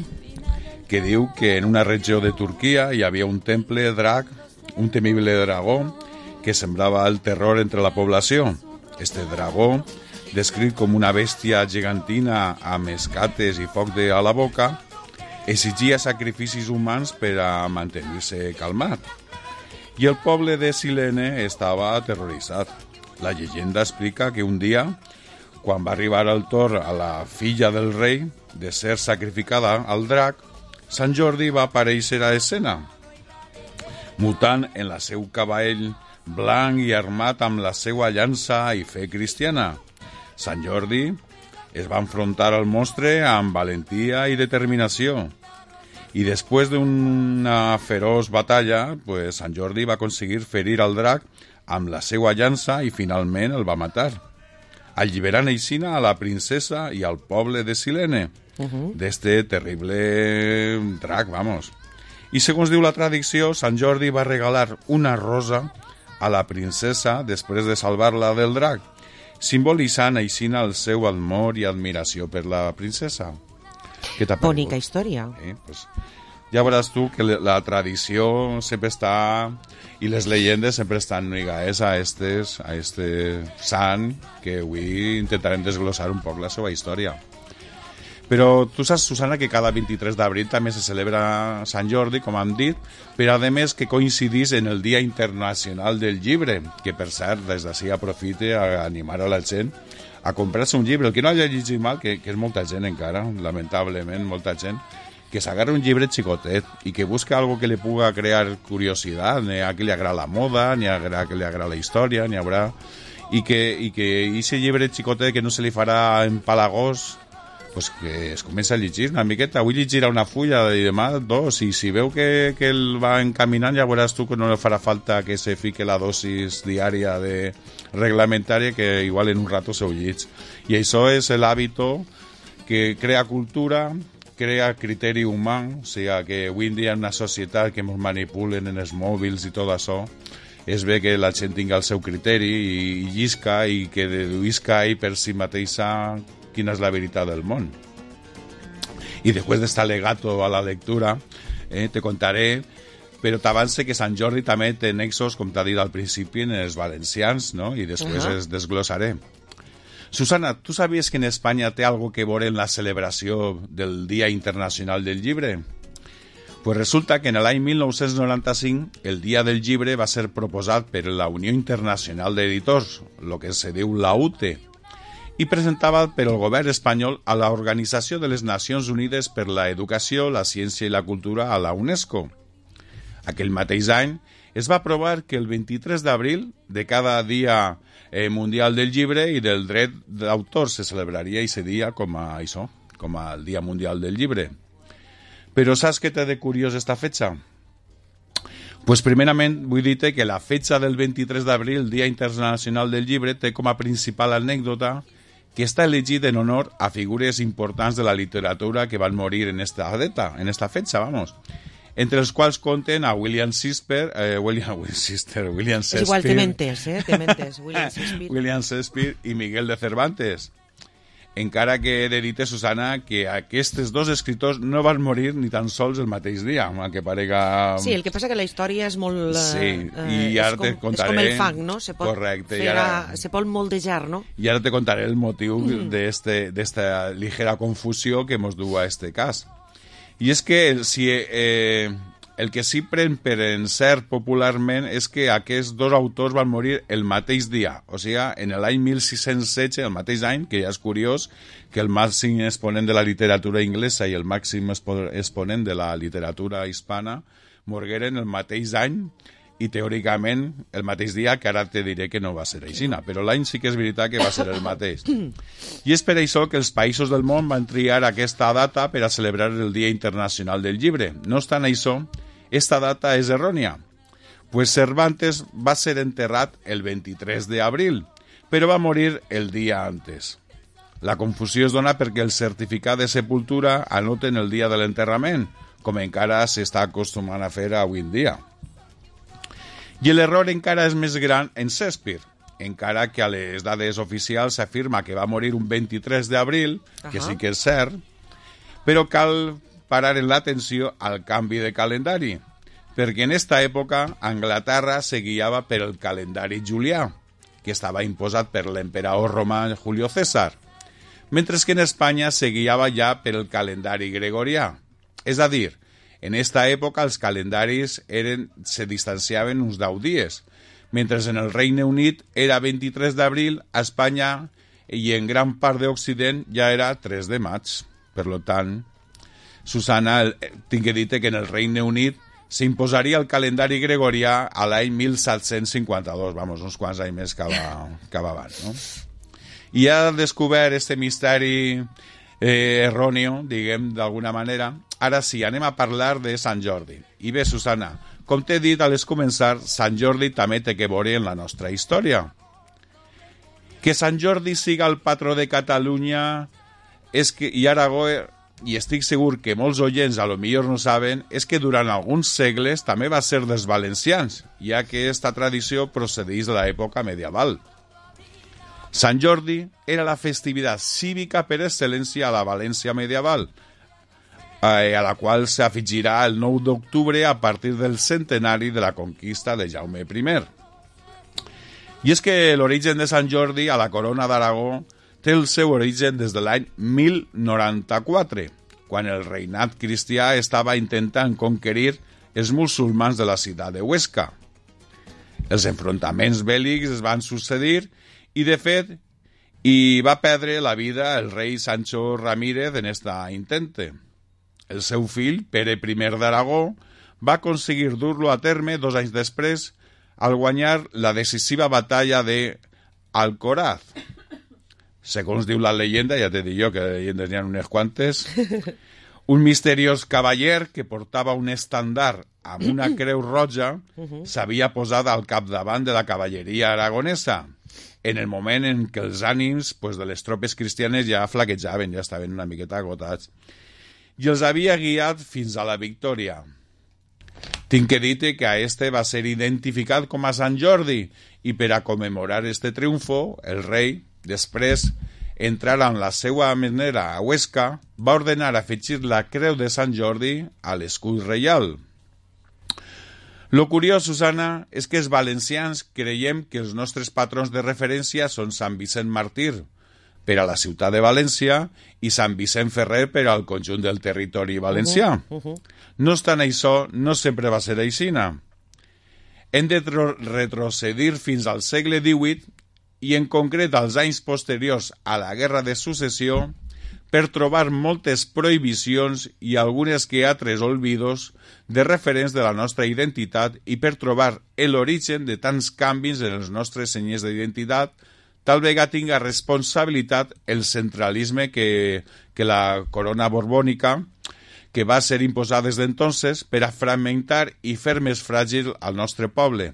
que diu que en una regió de Turquia hi havia un temple drac, un temible dragó, que sembrava el terror entre la població. Este dragó, descrit com una bèstia gegantina amb escates i foc a la boca, exigia sacrificis humans per a mantenir-se calmat. I el poble de Silene estava aterroritzat. La llegenda explica que un dia, quan va arribar el torn a la filla del rei de ser sacrificada al drac, Sant Jordi va aparèixer a escena, mutant en la seu cavall blanc i armat amb la seva llança i fe cristiana. Sant Jordi es va enfrontar al monstre amb valentia i determinació. I després d'una feroç batalla, pues, Sant Jordi va aconseguir ferir al drac amb la seva llança i finalment el va matar, alliberant aixina a la princesa i al poble de Silene d'este terrible drac, vamos. I segons diu la tradició, Sant Jordi va regalar una rosa a la princesa després de salvar-la del drac, simbolitzant aixina el seu amor i admiració per la princesa. Bonica història. Pues, ja veuràs tu que la tradició sempre està, i les llegendes sempre estan lligades a este sant, que avui intentarem desglossar un poc la seva història. Però tu saps, Susana, que cada 23 d'abril també se celebra Sant Jordi, com hem dit, però a més que coincidís en el Dia Internacional del Llibre, que per cert, des d'ací aprofite a animar a la gent a comprar-se un llibre. El que no hagi llegit mal, que és molta gent encara, lamentablement, molta gent, que s'agarra un llibre xicotet i que busca algo que li puga crear curiositat, n'hi ha que li agrada la moda, n'hi ha que li agrada la història, n'hi haurà... I que aquest llibre xicotet que no se li farà empalagós, pues que es comença a llegir una miqueta. Avui llegirà una fulla i demà dos, i si veu que el va encaminant, ja veuràs tu que no li farà falta que se fique la dosis diària de reglamentària, que igual en un rato se ho llits. I això és l'hàbito que crea cultura, crea criteri humà, o sigui que avui en dia en una societat que ens manipulen en els mòbils i tot això, és bé que la gent tingui el seu criteri i llisca i que deduïsca ell per si mateixa quina és la veritat del món. I després d'estar legato a la lectura, te contaré, però t'avance que Sant Jordi també té nexos, com t'ha dit al principi, en els valencians, no? I després es desglossaré. Susana, ¿tú sabies que en Espanya té algo que veure en la celebració del Dia Internacional del Llibre? Pues resulta que en l'any 1995 el Dia del Llibre va ser proposat per la Unió Internacional d'Editors, el que se diu la UTE, i presentava per el govern espanyol a l'Organització de les Nacions Unides per la Educació, la Ciència i la Cultura, a la UNESCO. Aquell mateix any es va aprovar que el 23 d'abril de cada dia mundial del llibre i del dret d'autor se celebraria aquest dia com a el Dia Mundial del Llibre. Però saps què té de curiós esta fetxa? Pues primerament vull dir-te que la fetxa del 23 d'abril, el Dia Internacional del Llibre, té com a principal anècdota que està elegit en honor a figures importants de la literatura que van morir en esta data, en esta fetxa, vamos. Entre els quals compten a William Shakespeare, William Shakespeare. És igual, te mentes, William Shakespeare. William Shakespeare i Miguel de Cervantes. Encara que he de dir-te, Susana, que aquests dos escriptors no van morir ni tan sols el mateix dia, que parega... Sí, el que passa que la història és molt... Sí, i ara te contaré... És com el fang, no? Correcte. Se pot moldejar, no? I ara te contaré el motiu d'esta ligera confusió que mos du a este cas. I és que si... el que sí pren per encert popularment és que aquests dos autors van morir el mateix dia, o sigui, en l'any 1616, el mateix any, que ja és curiós que el màxim exponent de la literatura inglesa i el màxim exponent de la literatura hispana morgueren el mateix any i teòricament el mateix dia, que ara te diré que no va ser així, però l'any sí que és veritat que va ser el mateix. I és per això que els països del món van triar aquesta data per a celebrar el Dia Internacional del Llibre. No obstant això, esta data és errònia, pues Cervantes va ser enterrat el 23 d'abril, però va morir el dia antes. La confusió es dona perquè el certificat de sepultura anoten el dia de l'enterrament, com encara s'està acostumant a fer avui en dia. I l'error encara és més gran en Shakespeare, encara que a les dades oficials s'afirma que va morir un 23 d'abril, que sí que és cert, però cal parar en l'atenció al canvi de calendari, perquè en esta època Anglaterra se guiava per el calendari julià, que estava imposat per l'emperador romà Julio César, mentre que en Espanya se guiava ja per el calendari gregorià. És a dir, en esta època els calendaris se distanciaven uns 10 dies, mentre en el Regne Unit era 23 d'abril, a Espanya i en gran part d'Occident ja era 3 de maig. Per tant, Susana, tinc que dir-te que en el Regne Unit s'imposaria el calendari gregorià a l'any 1752, vamos, uns quants anys més que abans, no? I ha descobert este misteri erròneo, diguem, d'alguna manera. Ara sí, anem a parlar de Sant Jordi. I bé, Susana, com t'he dit a les començar, Sant Jordi també té que veure en la nostra història. Que Sant Jordi siga el patró de Catalunya i Aragó, i estic segur que molts oients a lo millor no saben, és que durant alguns segles també va ser dels valencians, ja que esta tradició procedeix de l'època medieval. Sant Jordi era la festivitat cívica per excel·lència a la València medieval, a la qual s'afegirà el 9 d'octubre a partir del centenari de la conquista de Jaume I. I és que l'origen de Sant Jordi a la corona d'Aragó té el seu origen des de l'any 1094, quan el reinat cristià estava intentant conquerir els musulmans de la ciutat de Huesca. Els enfrontaments bèl·lics es van succeir i, de fet, hi va perdre la vida el rei Sancho Ramírez en esta intente. El seu fill, Pere I d'Aragó, va aconseguir dur-lo a terme 2 anys després al guanyar la decisiva batalla de Alcoraz. Segons diu la leyenda, ja t'he dit jo que llegendes n'hi ha unes quantes, un misteriós cavaller que portava un estandard amb una creu roja s'havia posat al capdavant de la cavalleria aragonesa, en el moment en què els ànims de les tropes cristianes ja flaquejaven, ja estaven una miqueta agotats, i els havia guiat fins a la victòria. Tinc que dir-te que a este va ser identificat com a Sant Jordi i per a commemorar este triomfo, el rei, després, entrar en la seva manera a Huesca, va ordenar afegir la creu de Sant Jordi a l'escut reial. Lo curiós, Susana, és que els valencians creiem que els nostres patrons de referència són Sant Vicent Màrtir per a la ciutat de València i Sant Vicent Ferrer per al conjunt del territori valencià. No obstant això, no sempre va ser aixina. Hem de retrocedir fins al segle XVIII i en concret als anys posteriors a la Guerra de Successió per trobar moltes prohibicions i algunes que altres olvidos de referents de la nostra identitat i per trobar l'origen de tants canvis en els nostres senyes d'identitat, tal vegada tinga responsabilitat el centralisme que la corona borbònica, que va ser imposada des d'entonces per a fragmentar i fer més fràgil al nostre poble.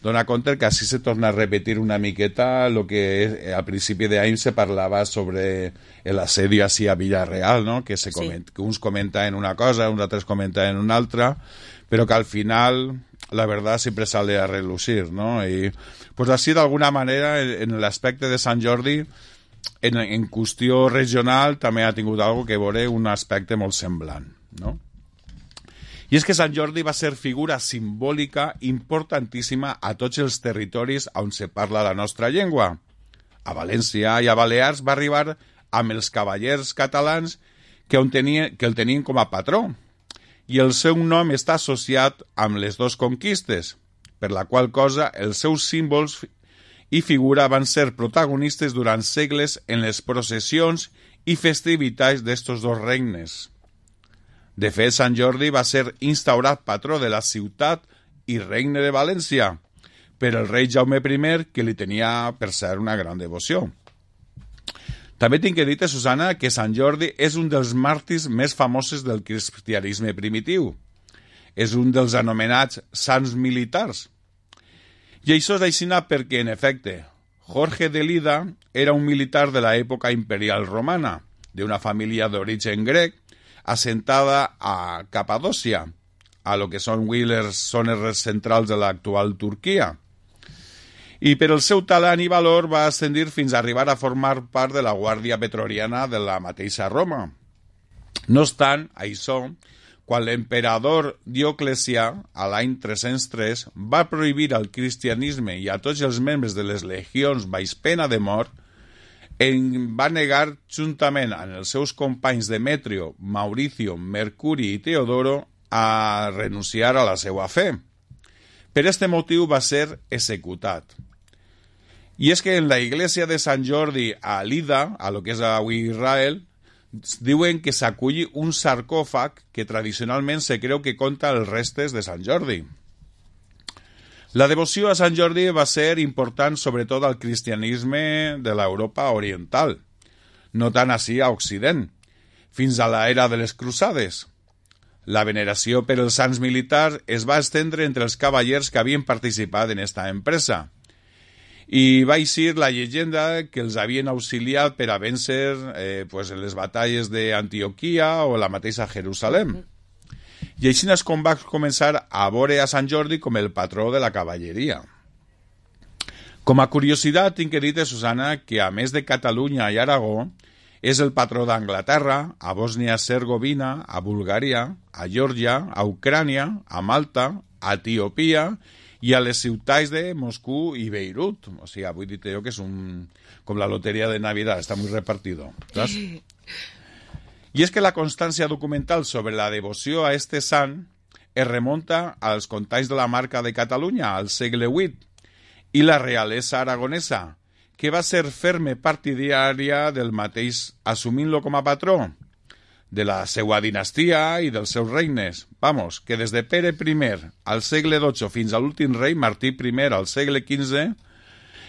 Dona compte que així se torna a repetir una miqueta el que al principi d'any se parlava sobre l'assedio així a Villarreal, no? Que uns comenten una cosa, uns altres comenten una altra, però que al final la verdad siempre sale a relucir, ¿no? Y pues así, de alguna manera, en l'aspecte de Sant Jordi, en qüestió regional, també ha tingut algo que veure un aspecte molt semblant, no? I és que Sant Jordi va ser figura simbòlica importantíssima a tots els territoris on se parla la nostra llengua. A València i a Balears va arribar amb els cavallers catalans que el tenien com a patró, i el seu nom està associat amb les dues conquistes, per la qual cosa els seus símbols i figura van ser protagonistes durant segles en les processions i festivitats d'estos dos regnes. De fet, Sant Jordi va ser instaurat patró de la ciutat i regne de València per el rei Jaume I, que li tenia, per cert, una gran devoció. També tinc que dir-te, Susana, que Sant Jordi és un dels màrtirs més famosos del cristianisme primitiu. És un dels anomenats sants militars. I això és així perquè, en efecte, Jorge de Lida era un militar de l'època imperial romana, d'una família d'origen grec, assentada a Capadòcia, a lo que són avui les zones centrals de l'actual Turquia. I per el seu talent i valor va ascendir fins a arribar a formar part de la guàrdia pretoriana de la mateixa Roma. No obstant això, quan l'emperador Dioclecià, a l'any 303, va prohibir al cristianisme i a tots els membres de les legions baix pena de mort, va negar, juntament amb els seus companys Demetrio, Mauricio, Mercuri i Teodoro, a renunciar a la seva fe. Per este motiu va ser executat. I és que en la iglesia de Sant Jordi a Lida, a lo que és avui Israel, diuen que s'aculli un sarcòfag que tradicionalment se creu que conta els restes de Sant Jordi. La devoció a Sant Jordi va ser important sobretot al cristianisme de l'Europa oriental, no tant així a Occident, fins a l'era de les cruzades. La veneració per els sants militars es va estendre entre els cavallers que havien participat en esta empresa. I va eixir la llegenda que els havien auxiliat per a vèncer en les batalles d'Antioquia o la mateixa Jerusalem. I així és com va començar a veure a Sant Jordi com el patró de la cavalleria. Com a curiositat, tinc que dir-te, Susana, que a més de Catalunya i Aragó, és el patró d'Anglaterra, a Bòsnia-Hercegovina, a Bulgària, a Geòrgia, a Ucrània, a Malta, a Etiòpia i a les ciutats de Moscú i Beirut. O sigui, vull dir-te jo que és com la loteria de Navidad, està molt repartido. ¿Sabes? I és que la constància documental sobre la devoció a este sant es remunta als contalls de la Marca de Catalunya, al segle VIII, i la realesa aragonesa, que va ser ferme partidària del mateix, assumint-lo com a patró de la seva dinastia i dels seus regnes. Vamos, que des de Pere I al segle XII fins a l'últim rei Martí I al segle XV,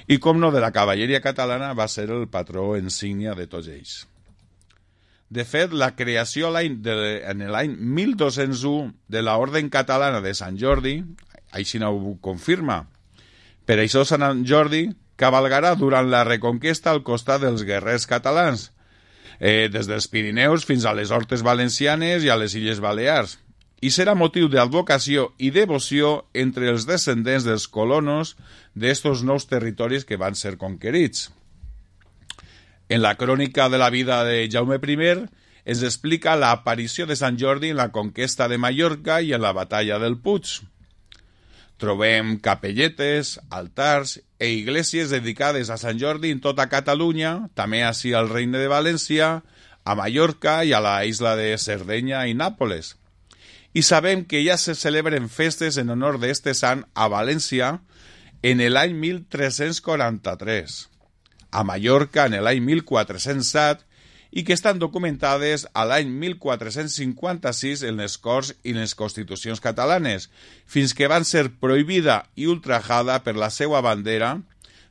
i com no de la cavalleria catalana, va ser el patró insígnia de tots ells. De fet, la creació en l'any 1201 de l'Orden Catalana de Sant Jordi, així no ho confirma. Per això Sant Jordi cavalgarà durant la Reconquesta al costat dels guerrers catalans, des dels Pirineus fins a les Hortes Valencianes i a les Illes Balears, i serà motiu d'advocació i devoció entre els descendents dels colonos d'estos nous territoris que van ser conquerits. En la crònica de la vida de Jaume I es explica l'aparició de Sant Jordi en la conquesta de Mallorca i en la batalla del Puig. Trobem capelletes, altars e iglesias dedicades a Sant Jordi en tota Catalunya, també així al Regne de València, a Mallorca i a la isla de Sardenya i Nàpoles. I sabem que ja se celebren festes en honor d'este sant a València en l'any 1343, a Mallorca en l'any 1407 i que estan documentades a l'any 1456 en les Corts i les Constitucions catalanes, fins que van ser prohibida i ultrajada per la seva bandera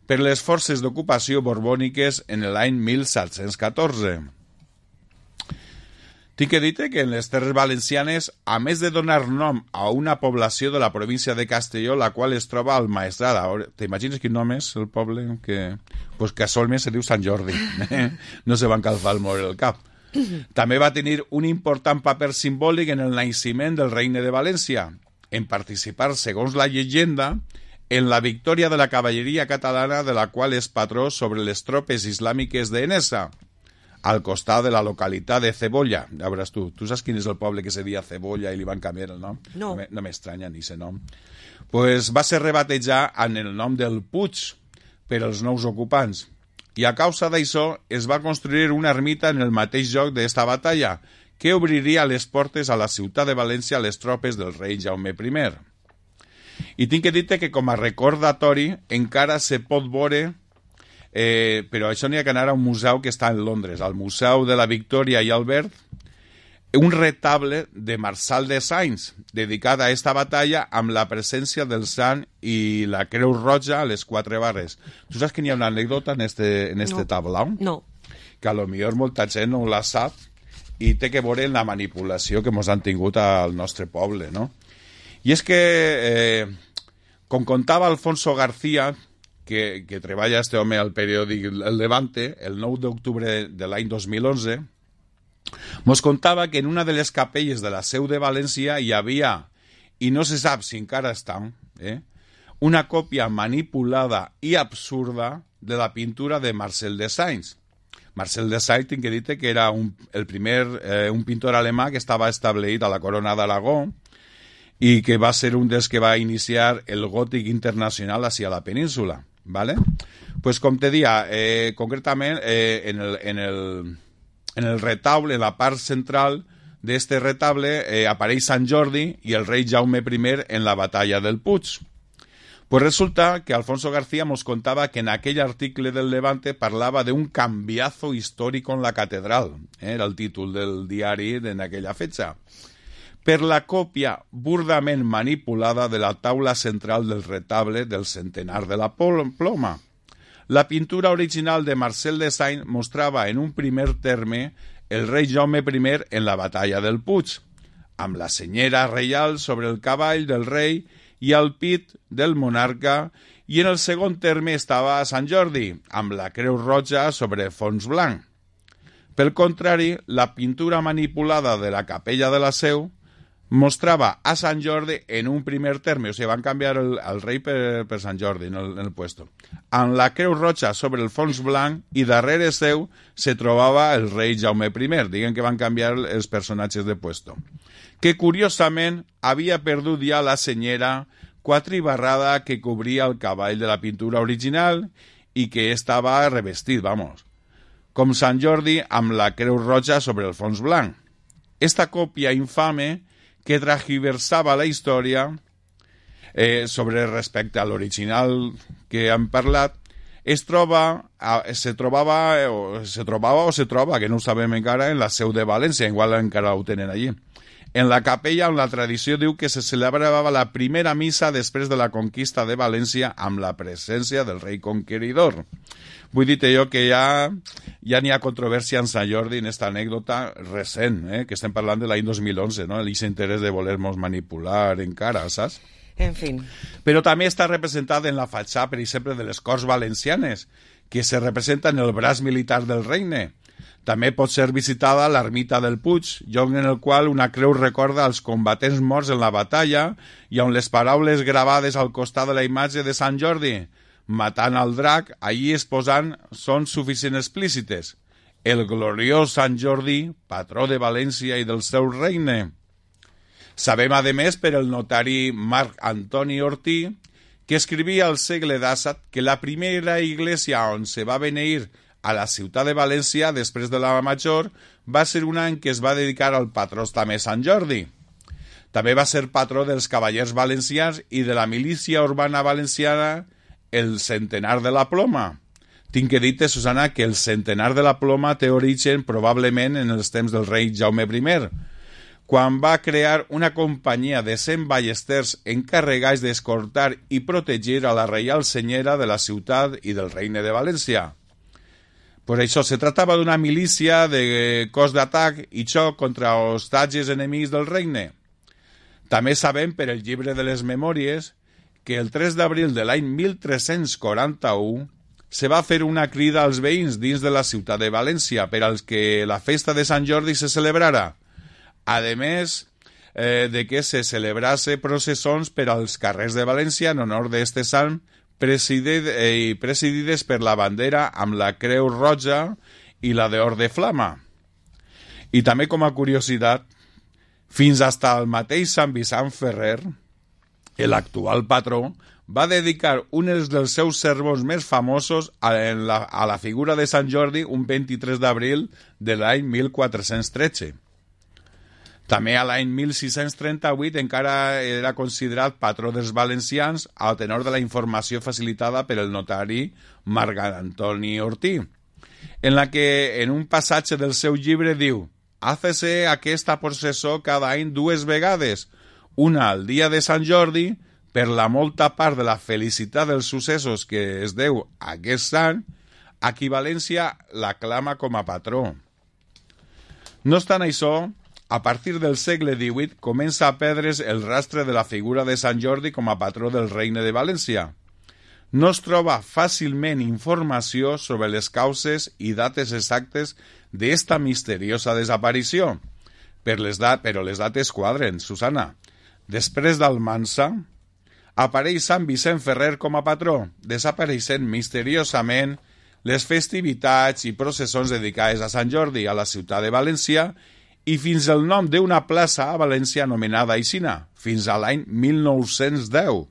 per les forces d'ocupació borbòniques en l'any 1714. Tinc que dir-te que en les Terres Valencianes, a més de donar nom a una població de la província de Castelló, la qual es troba al Maestrat. T'imagines quin nom és el poble? Pues casualment se diu Sant Jordi. No se van calfar el moure el cap. També va tenir un important paper simbòlic en el naixement del Regne de València, en participar, segons la llegenda, en la victòria de la cavalleria catalana de la qual és patró sobre les tropes islàmiques d'Enesa, al costat de la localitat de Cebolla. Ja veuràs tu. Tu saps quin és el poble que se deia Cebolla i li van canviar el nom? No. No m'estranya ni ese nom. Pues va ser rebatejat en el nom del Puig per als nous ocupants. I a causa d'això es va construir una ermita en el mateix lloc d'esta batalla, que obriria les portes a la ciutat de València a les tropes del rei Jaume I. I tinc que dir-te que com a recordatori encara se pot veure, però això n'hi ha que anar a un museu que està en Londres, al Museu de la Victòria i Albert, un retable de Marçal de Sainz, dedicat a esta batalla amb la presència del sant i la Creu Roja a les 4 barres. Tu saps que n'hi ha una anècdota en este tablau? No. Que a lo millor molta gent no la sap i té que veure la manipulació que ens han tingut al nostre poble, no? I és que, com contava Alfonso García, que treballa este home al periòdic El Levante, el 9 d'octubre de l'any 2011, mos contava que en una de les capelles de la Seu de València hi havia, i no se sap si encara està, una còpia manipulada i absurda de la pintura de Marcel de Sainz. Marcel de Sainz, tinc que dir-te que era un pintor alemà que estava establert a la Corona d'Aragó i que va ser un dels que va iniciar el gòtic internacional hacia la península. ¿Vale? Pues com te dia, concretament en el retable, en la part central d'este retable, apareix Sant Jordi i el rei Jaume I en la batalla del Puig. Pues resulta que Alfonso García nos contaba que en aquell article del Levante parlava de un cambiazo histórico en la catedral, era el títol del diari en aquella fecha, per la còpia burdament manipulada de la taula central del retable del centenar de la Ploma. La pintura original de Marcel de Sainz mostrava en un primer terme el rei Jaume I en la batalla del Puig, amb la senyera reial sobre el cavall del rei i el pit del monarca, i en el segon terme estava Sant Jordi, amb la creu roja sobre fons blanc. Pel contrari, la pintura manipulada de la capella de la Seu mostrava a Sant Jordi en un primer terme, o sigui, van canviar el rei per Sant Jordi en el puesto, amb la creu roja sobre el fons blanc, i darrere seu se trobava el rei Jaume I. Diguen que van canviar els personatges de puesto, que curiosament havia perdut ja la senyera quatribarrada que cobria el cavall de la pintura original i que estava revestit, vamos, com Sant Jordi amb la creu roja sobre el fons blanc. Esta còpia infame que transgiversava la història sobre respecte a l'original que hem parlat, se troba, que no ho sabem encara, en la Seu de València, igual encara ho tenen allí. En la capella on la tradició diu que se celebrava la primera missa després de la conquista de València amb la presència del rei conqueridor. Vull dir jo que ja n'hi ha controvèrsia en Sant Jordi en aquesta anècdota recent, que estem parlant de l'any 2011, no? Aquest interès de voler-nos manipular encara, saps? En fi. Però també està representat en la fatxada, per exemple, de les Corts Valencianes, que se representa en el braç militar del regne. També pot ser visitada l'ermita del Puig, lloc en el qual una creu recorda els combatents morts en la batalla i on les paraules gravades al costat de la imatge de Sant Jordi, matant al drac, allí exposant, són suficient explícites. El gloriós Sant Jordi, patró de València i del seu regne. Sabem, a més, per el notari Marc Antoni Ortí, que escrivia al segle XVII que la primera iglesia on se va beneir a la ciutat de València, després de la Major, va ser una en què es va dedicar al patró també Sant Jordi. També va ser patró dels cavallers valencians i de la milícia urbana valenciana, el Centenar de la Ploma. Tinc que dir-te, Susana, que el Centenar de la Ploma té origen probablement en els temps del rei Jaume I, quan va crear una companyia de 100 ballesters encarregats d'escortar i protegir a la reial senyera de la ciutat i del regne de València. Per això, se tractava d'una milícia de cos d'atac i xoc contra hostatges enemics del regne. També sabem, per el llibre de les memòries, que el 3 d'abril de l'any 1341 se va fer una crida als veïns dins de la ciutat de València per als que la festa de Sant Jordi se celebrara, a més de que se celebrase processons per als carrers de València en honor d'este sant, presidides per la bandera amb la creu roja i la d'or de flama. I també, com a curiositat, fins hasta el mateix Sant Vicent Ferrer, l'actual patró, va dedicar un dels seus sermons més famosos a la figura de Sant Jordi un 23 d'abril de l'any 1413. També a l'any 1638 encara era considerat patró dels valencians al tenor de la informació facilitada per el notari Marc Antoni Ortí, en la que en un passatge del seu llibre diu: «Hácese aquesta processó cada any 2 vegades, una al dia de Sant Jordi, per la molta part de la felicitat dels successos que es deu a aquest sant, a qui València l'aclama com a patró». No obstant això, a partir del segle XVIII comença a perdre's el rastre de la figura de Sant Jordi com a patró del regne de València. No es troba fàcilment informació sobre les causes i dates exactes d'esta misteriosa desaparició, però les dates quadren, Susana. Després d'Almansa, apareix Sant Vicent Ferrer com a patró, desapareixent misteriosament les festivitats i processons dedicades a Sant Jordi a la ciutat de València i fins el nom d'una plaça a València anomenada Aixina, fins a l'any 1910.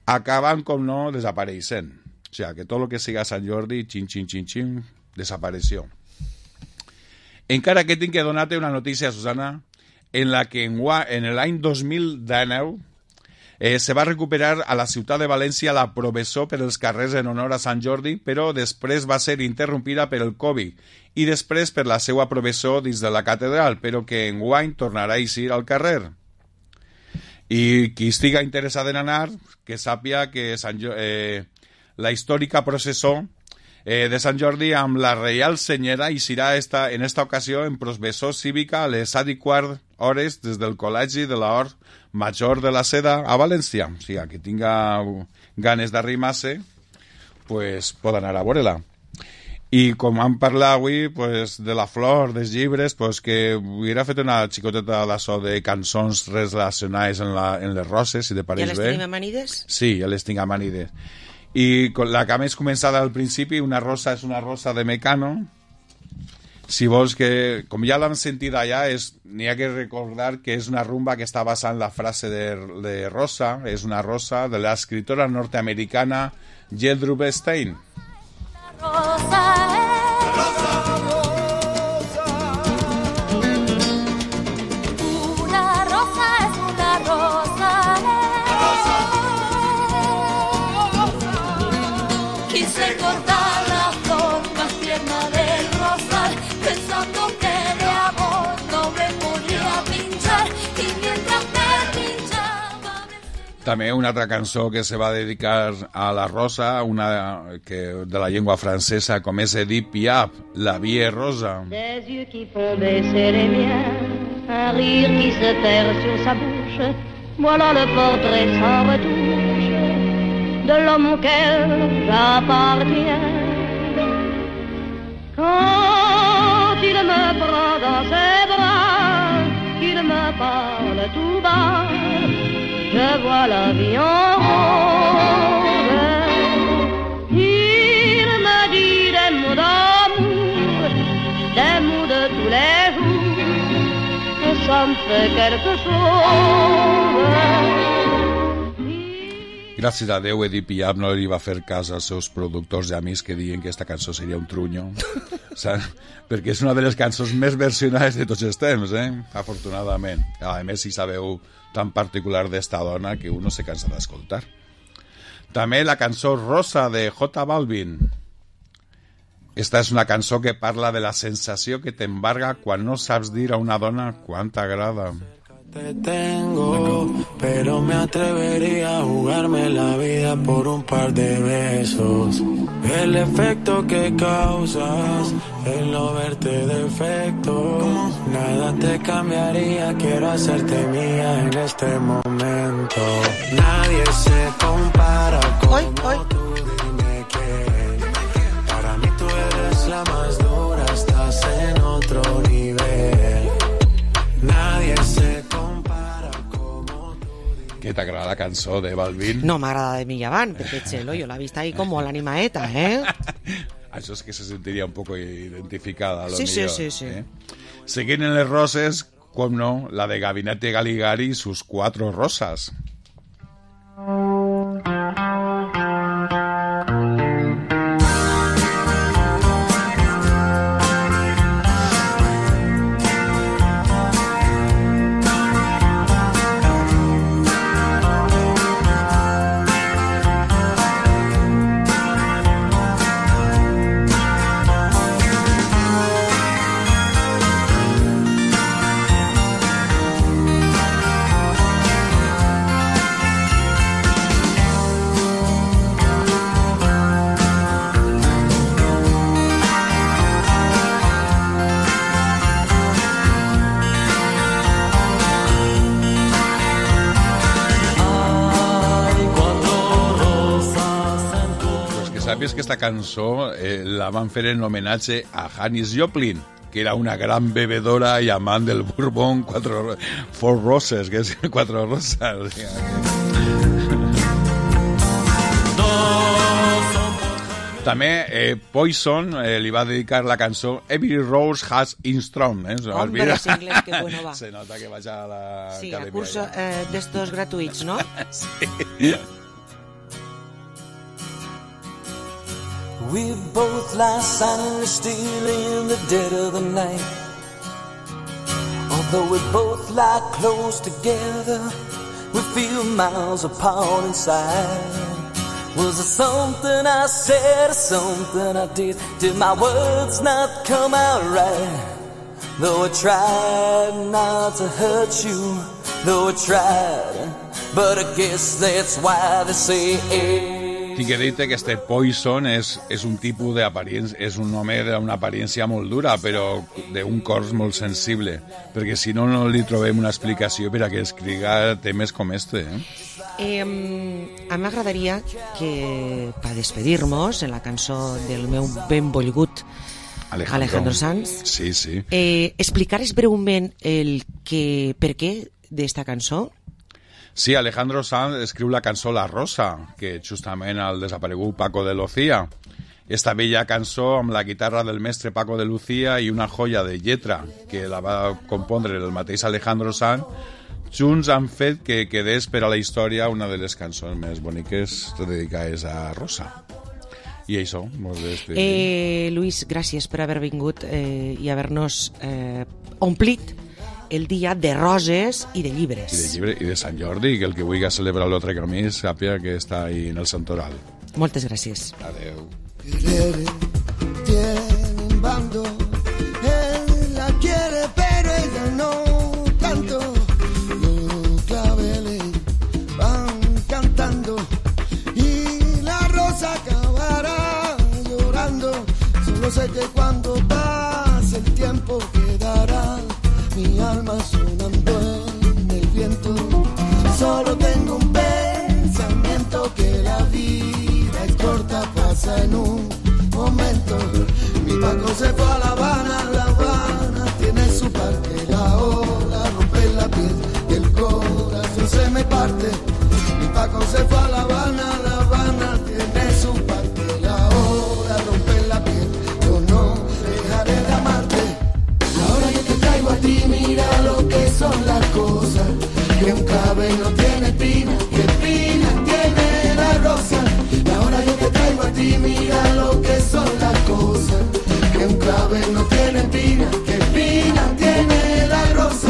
Acaben, com no, desapareixent. O sigui, que tot el que siga Sant Jordi, xin, desapareció. Encara que tinc que donar-te una notícia, Susana, en la que en l'any 2019 se va recuperar a la ciutat de València la processó per els carrers en honor a Sant Jordi, però després va ser interrompida per el Covid i després per la seva processó dins de la catedral, però que enguany tornarà a eixir al carrer. I qui estiga interessat en anar, que sàpia que la històrica processó de Sant Jordi amb la Reial Senyera i serà en esta ocasió en processó cívica a les 7:15 des del Col·legi de l'Hort Major de la Seda a València. O sigui, qui tinga ganes d'arrimar-se, pues, pot anar a veure-la. I com vam parlar avui pues, de la flor, dels llibres, pues, que hubiera fet una xicoteta d'això de cançons relacionades en les roses, si te pareix bé. Ja les tenim amanides? Sí, ja les tinc amanides. I la que més començada al principi, una rosa és una rosa de Mecano. Si vols que, com ja l'hem sentit allà, n'hi ha que recordar que és una rumba que està basada en la frase de Rosa, és una rosa de l'escriptora nord-americana Gertrude Stein. Quise cortar la flor más tierna del rosal, pensando que de amor no me podía pinchar, y mientras me pinchaba... També una altra cançó que se va dedicar a la Rosa, una que de la llengua francesa, com és Edith Piaf, La vie rosa. Des yeux qui font baisser les miens, un rire qui se perd sur sa bouche, voilà le portrait sans retouche de l'homme auquel j'appartiens. Quand il me prend dans ses bras, qu'il me parle tout bas, je vois la vie en rose. Il me dit des mots d'amour, des mots de tous les jours, et ça me fait quelque chose. Gràcies a Déu, Edith Piaf no li va fer cas als seus productors i amics que diuen que aquesta cançó seria un trunyo. Perquè és una de les cançons més versionades de tots els temps, afortunadament. A més, si sabeu tan particular d'esta dona que uno se cansa d'escoltar. També la cançó Rosa de J Balvin. Esta és una cançó que parla de la sensació que t'embarga quan no saps dir a una dona quant t'agrada. Te tengo, pero me atrevería a jugarme la vida por un par de besos. El efecto que causas, el no verte defecto, nada te cambiaría, quiero hacerte mía en este momento. Nadie se compara como tú, dime que para mí tú eres la más dura, estás en otro nivel. Nadie se Què t'agrada la cançó de Balvin? No m'agrada de mi avant, perquè Chelo, yo la he visto ahí como l'animaeta, Això és que se sentiria un poco identificada, a lo sí, millor. Sí. Seguint en les roses, com no, la de Gabinete Galigari y sus 4 rosas. Sabies que esta cançó la van fer en homenatge a Janis Joplin, que era una gran bebedora y amant del Bourbon Four Roses, que és 4 rosas. També Poison li va dedicar la cançó Every Rose Has its Thorn. Hombre, ese inglés, que bueno va. Se nota que vaig a la sí, academia. Sí, a cursos d'estos gratuïts, no? Sí. We both lie silently still in the dead of the night. Although we both lie close together, we feel miles apart inside. Was it something I said or something I did? Did my words not come out right? Though I tried not to hurt you, though I tried, but I guess that's why they say Tinc que dir-te que este Poison és un tipus d'aparença, és un home d'una aparència molt dura, però d'un cor molt sensible, perquè si no, no li trobem una explicació per a que escriga temes com este. A mi m'agradaria que, per despedir-nos, en la cançó del meu benvolgut Alejandro Sanz, sí. explicares breument per què d'esta cançó? Sí, Alejandro Sanz escriu la cançó La Rosa, que justament el desaparegut Paco de Lucía. Esta bella cançó amb la guitarra del mestre Paco de Lucía i una joia de lletra que la va compondre el mateix Alejandro Sanz, junts han fet que quedés per a la història una de les cançons més boniques dedicades a Rosa. I això, molt bé. Luis, gràcies per haver vingut i haver-nos omplit el dia de roses i de llibres. I de Sant Jordi, que el que vulgui celebrar l'altre camí sàpiga que està ahí en el Santoral. Moltes gràcies. Adeu. Tiene un bando, él la quiere pero ella no tanto. Los claveles van cantando y la rosa acabará llorando. Solo sé que cuando pase el tiempo quedará mi alma sonando en el viento. Solo tengo un pensamiento, que la vida es corta, pasa en un momento. Mi Paco se fue a La Habana tiene su parte. La ola rompe la piel y el corazón se me parte. Mi Paco se fue a La Habana tiene su parte. La ola rompe la piel, yo no dejaré de amarte. Ahora yo te traigo a ti, mira lo que son las cosas. Que un clavel no tiene espina, que espina tiene la rosa. Ahora yo te traigo a ti, mira lo que son las cosas. Que un clavel no tiene espina, que espina tiene la rosa.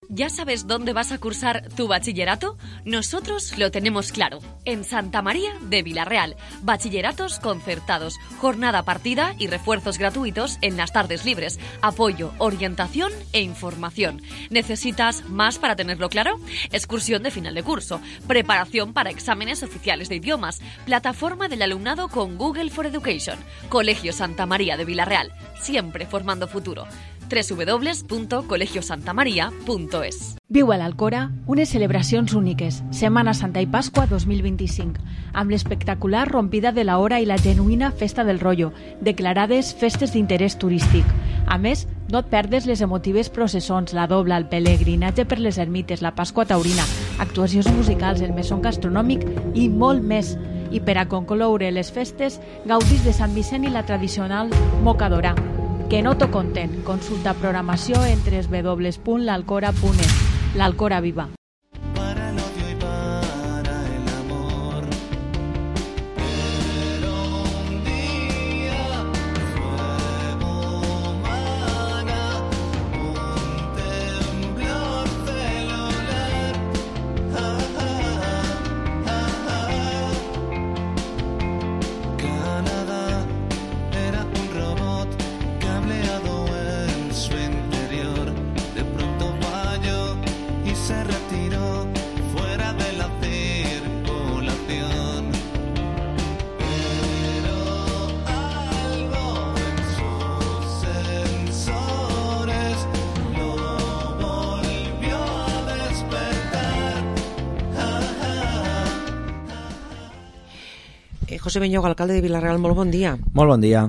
¿Ya sabes dónde vas a cursar tu bachillerato? Nosotros lo tenemos claro. En Santa María de Vilarreal. Bachilleratos concertados, jornada partida y refuerzos gratuitos en las tardes libres. Apoyo, orientación e información. ¿Necesitas más para tenerlo claro? Excursión de final de curso. Preparación para exámenes oficiales de idiomas. Plataforma del alumnado con Google for Education. Colegio Santa María de Vilarreal. Siempre formando futuro. www.colegiosantamaria.es. Viu a l'Alcora unes celebracions úniques, Setmana Santa i Pasqua 2025, amb l'espectacular rompida de la hora i la genuïna Festa del Rollo, declarades festes d'interès turístic. A més, no et perdes les emotives processons, la dobla, el pelegrinatge per les ermites, la Pasqua taurina, actuacions musicals, el mesón gastronòmic i molt més. I per a concloure les festes, gaudis de Sant Vicent i la tradicional mocadora. Que no t'ho conten. Consulta programació en www.lalcora.es. L'Alcora Viva. José Beñoga, alcalde de Vilarreal, molt bon dia. Molt bon dia.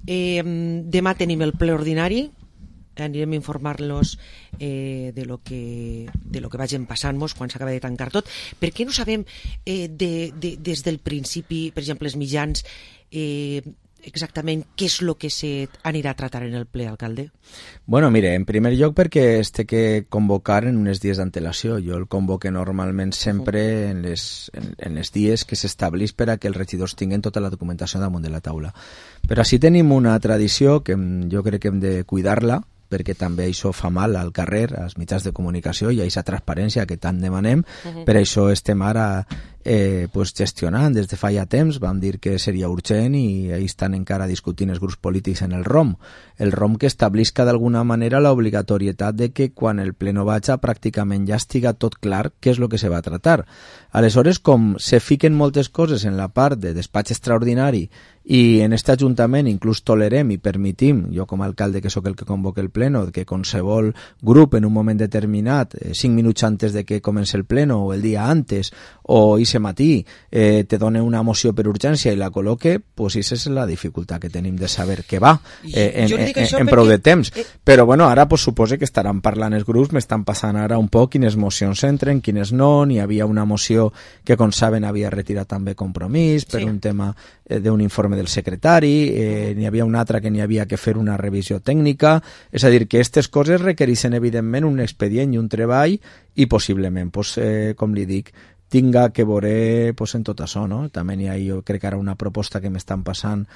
Demà tenim el ple ordinari, anirem a informar-los de lo que vagin passant-nos quan s'acaba de tancar tot. Per què no sabem des del principi, per exemple, els mitjans, exactament què és el que s'anirà a tratar en el ple, alcalde? Bueno, mire, en primer lloc perquè es té que convocar en uns dies d'antelació. Jo el convoque normalment sempre en les dies que s'establís per a que els regidors tinguin tota la documentació damunt de la taula. Però així tenim una tradició que jo crec que hem de cuidar-la, perquè també això fa mal al carrer, als mitjans de comunicació i a aquesta transparència que tant demanem. Per això estem ara pues gestionant des de fa ja temps. Vam dir que seria urgent i ahí estan encara discutint els grups polítics en el ROM que establisca d'alguna manera l'obligatorietat de que quan el pleno vaja pràcticament ja estiga tot clar què és el que se va a tratar. Aleshores, com se fiquen moltes coses en la part de despatx extraordinari i en este Ajuntament inclús tolerem i permitim, jo com a alcalde que sóc el que convoca el pleno, que qualsevol grup en un moment determinat, 5 minuts antes de que comenci el pleno o el dia antes o ese matí te done una moció per urgència i la col·loque, pues esa és la dificultat que tenim de saber què va en prou de temps. Però bueno, ara pues supose que estaran parlant els grups, m'estan passant ara un poc quines mocions entren, quines no, n'hi havia una moció que com saben havia retirat també Compromís per un tema d'un informe del secretari, n'hi havia una altra que n'hi havia que fer una revisió tècnica, és a dir, que aquestes coses requereixen evidentment un expedient i un treball i possiblement, pues, com li dic, tinga que veure pues, en tot això, no? També n'hi ha, jo crec que ara una proposta que m'estan passant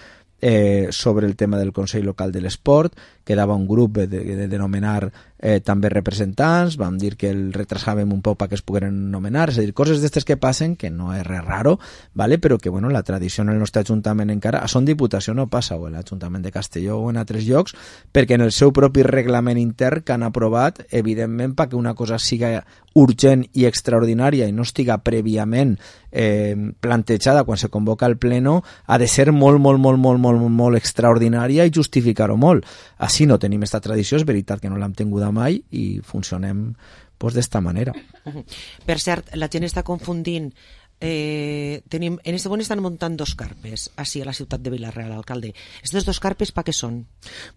sobre el tema del Consell Local de l'Esport, quedava un grup de nomenar també representants, vam dir que el retrasàvem un poc perquè es pogueren nomenar, és a dir, coses d'estes que passen, que no és res raro, ¿vale? Però que bueno, la tradició en el nostre Ajuntament encara, a Son Diputació no passa, o en l'Ajuntament de Castelló o en altres llocs, perquè en el seu propi reglament intern que han aprovat, evidentment, perquè una cosa siga urgent i extraordinària i no estiga prèviament plantejada quan se convoca el pleno, ha de ser molt extraordinària i justificar-ho molt. Així no tenim aquesta tradició, és veritat que no l'hem tinguda mai i funcionem pues, d'esta manera. Per cert, la gent està confundint. En este moment estan muntant 2 carpes així a la ciutat de Vila-real, alcalde. Aquestes 2 carpes per què són?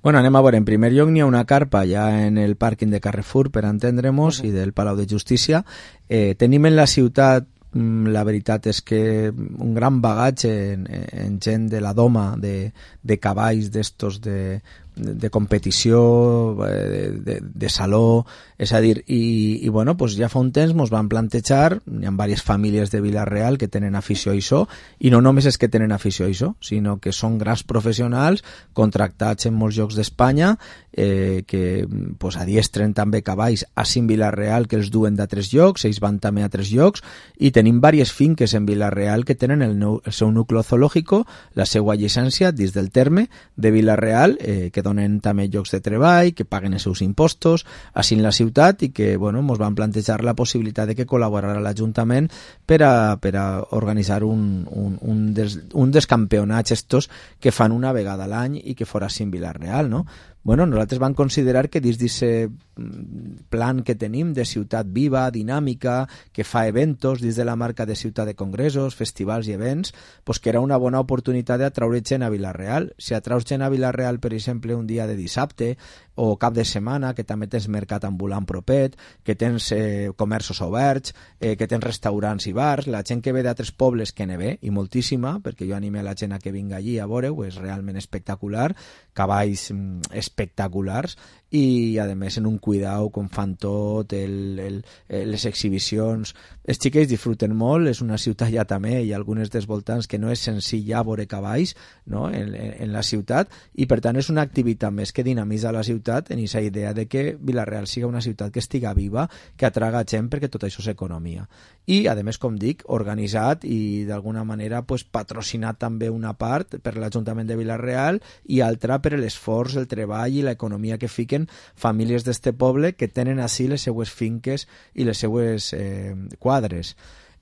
Bueno, anem a veure. En primer lloc n'hi ha una carpa ja en el pàrquing de Carrefour, per entendre'ns, i del Palau de Justícia. Tenim en la ciutat, la veritat és que un gran bagatge en gent de la doma, de cavalls d'estos de competició, de saló, és a dir, i bueno, pues ja fa un temps ens van plantejar, hi ha diverses famílies de Vila-real que tenen afició a això, i no només és que tenen afició a això, sinó que són grans professionals contractats en molts llocs d'Espanya, que pues, adiestren també cavalls a Vila-real que els duen d'altres llocs, ells van també a altres llocs, i tenim diverses finques en Vila-real que tenen el seu nucli zoològico, la seva llicència dins del terme de Vila-real, que donen també llocs de treball, que paguen els seus impostos així en la ciutat, i que bueno, ens van plantejar la possibilitat de que col·laborarà l'Ajuntament per a organitzar un dels campionats estos que fan una vegada a l'any i que fora així en Vila-real, no? Bueno, nosaltres vam considerar que dins d'aquest plan que tenim de ciutat viva, dinàmica, que fa eventos dins de la marca de ciutat de congressos, festivals i events, pues que era una bona oportunitat d'atraure gent a Vila-real. Si atraus gent a Vila-real, per exemple, un dia de dissabte o cap de setmana, que també tens mercat ambulant propet, que tens comerços oberts, que tens restaurants i bars, la gent que ve d'altres pobles que ne ve, i moltíssima, perquè jo anime la gent a que vinga allí a veure-ho, és realment espectacular, cavalls espectaculars, i a més en un cuidau com fan tot, les exhibicions, els xiquets disfruten molt, és una ciutat ja també, i algunes dels voltants que no és senzill ja veure cavalls, no? en la ciutat, i per tant és una activitat més que dinamitza la ciutat en aquesta idea de que Vila-real siga una ciutat que estiga viva, que atraga gent, perquè tot això és economia. I a més, com dic, organitzat i d'alguna manera pues, patrocinat també una part per l'Ajuntament de Vila-real i altra per l'esforç, el treball i l'economia que fiquen famílies d'este poble que tenen així les seues finques i les seues quadres.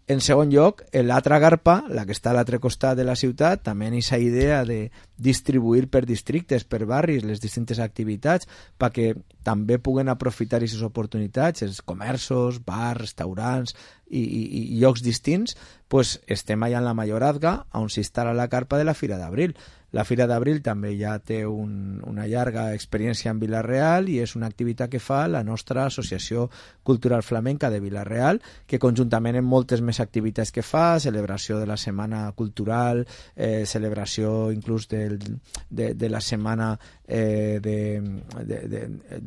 En segon lloc, l'altra garpa, la que està a l'altre costat de la ciutat, també en aquesta idea de distribuir per districtes, per barris, les distintes activitats, perquè també puguen aprofitar aquestes oportunitats, els comerços, bars, restaurants i llocs distints, pues estem allà en la Mayorazga, on s'instal·la la carpa de la Fira d'Abril. La Fira d'Abril també ja té una llarga experiència en Vila-real i és una activitat que fa la nostra Associació Cultural Flamenca de Vila-real, que conjuntament amb moltes més activitats que fa, celebració de la Setmana Cultural, celebració inclús de la setmana de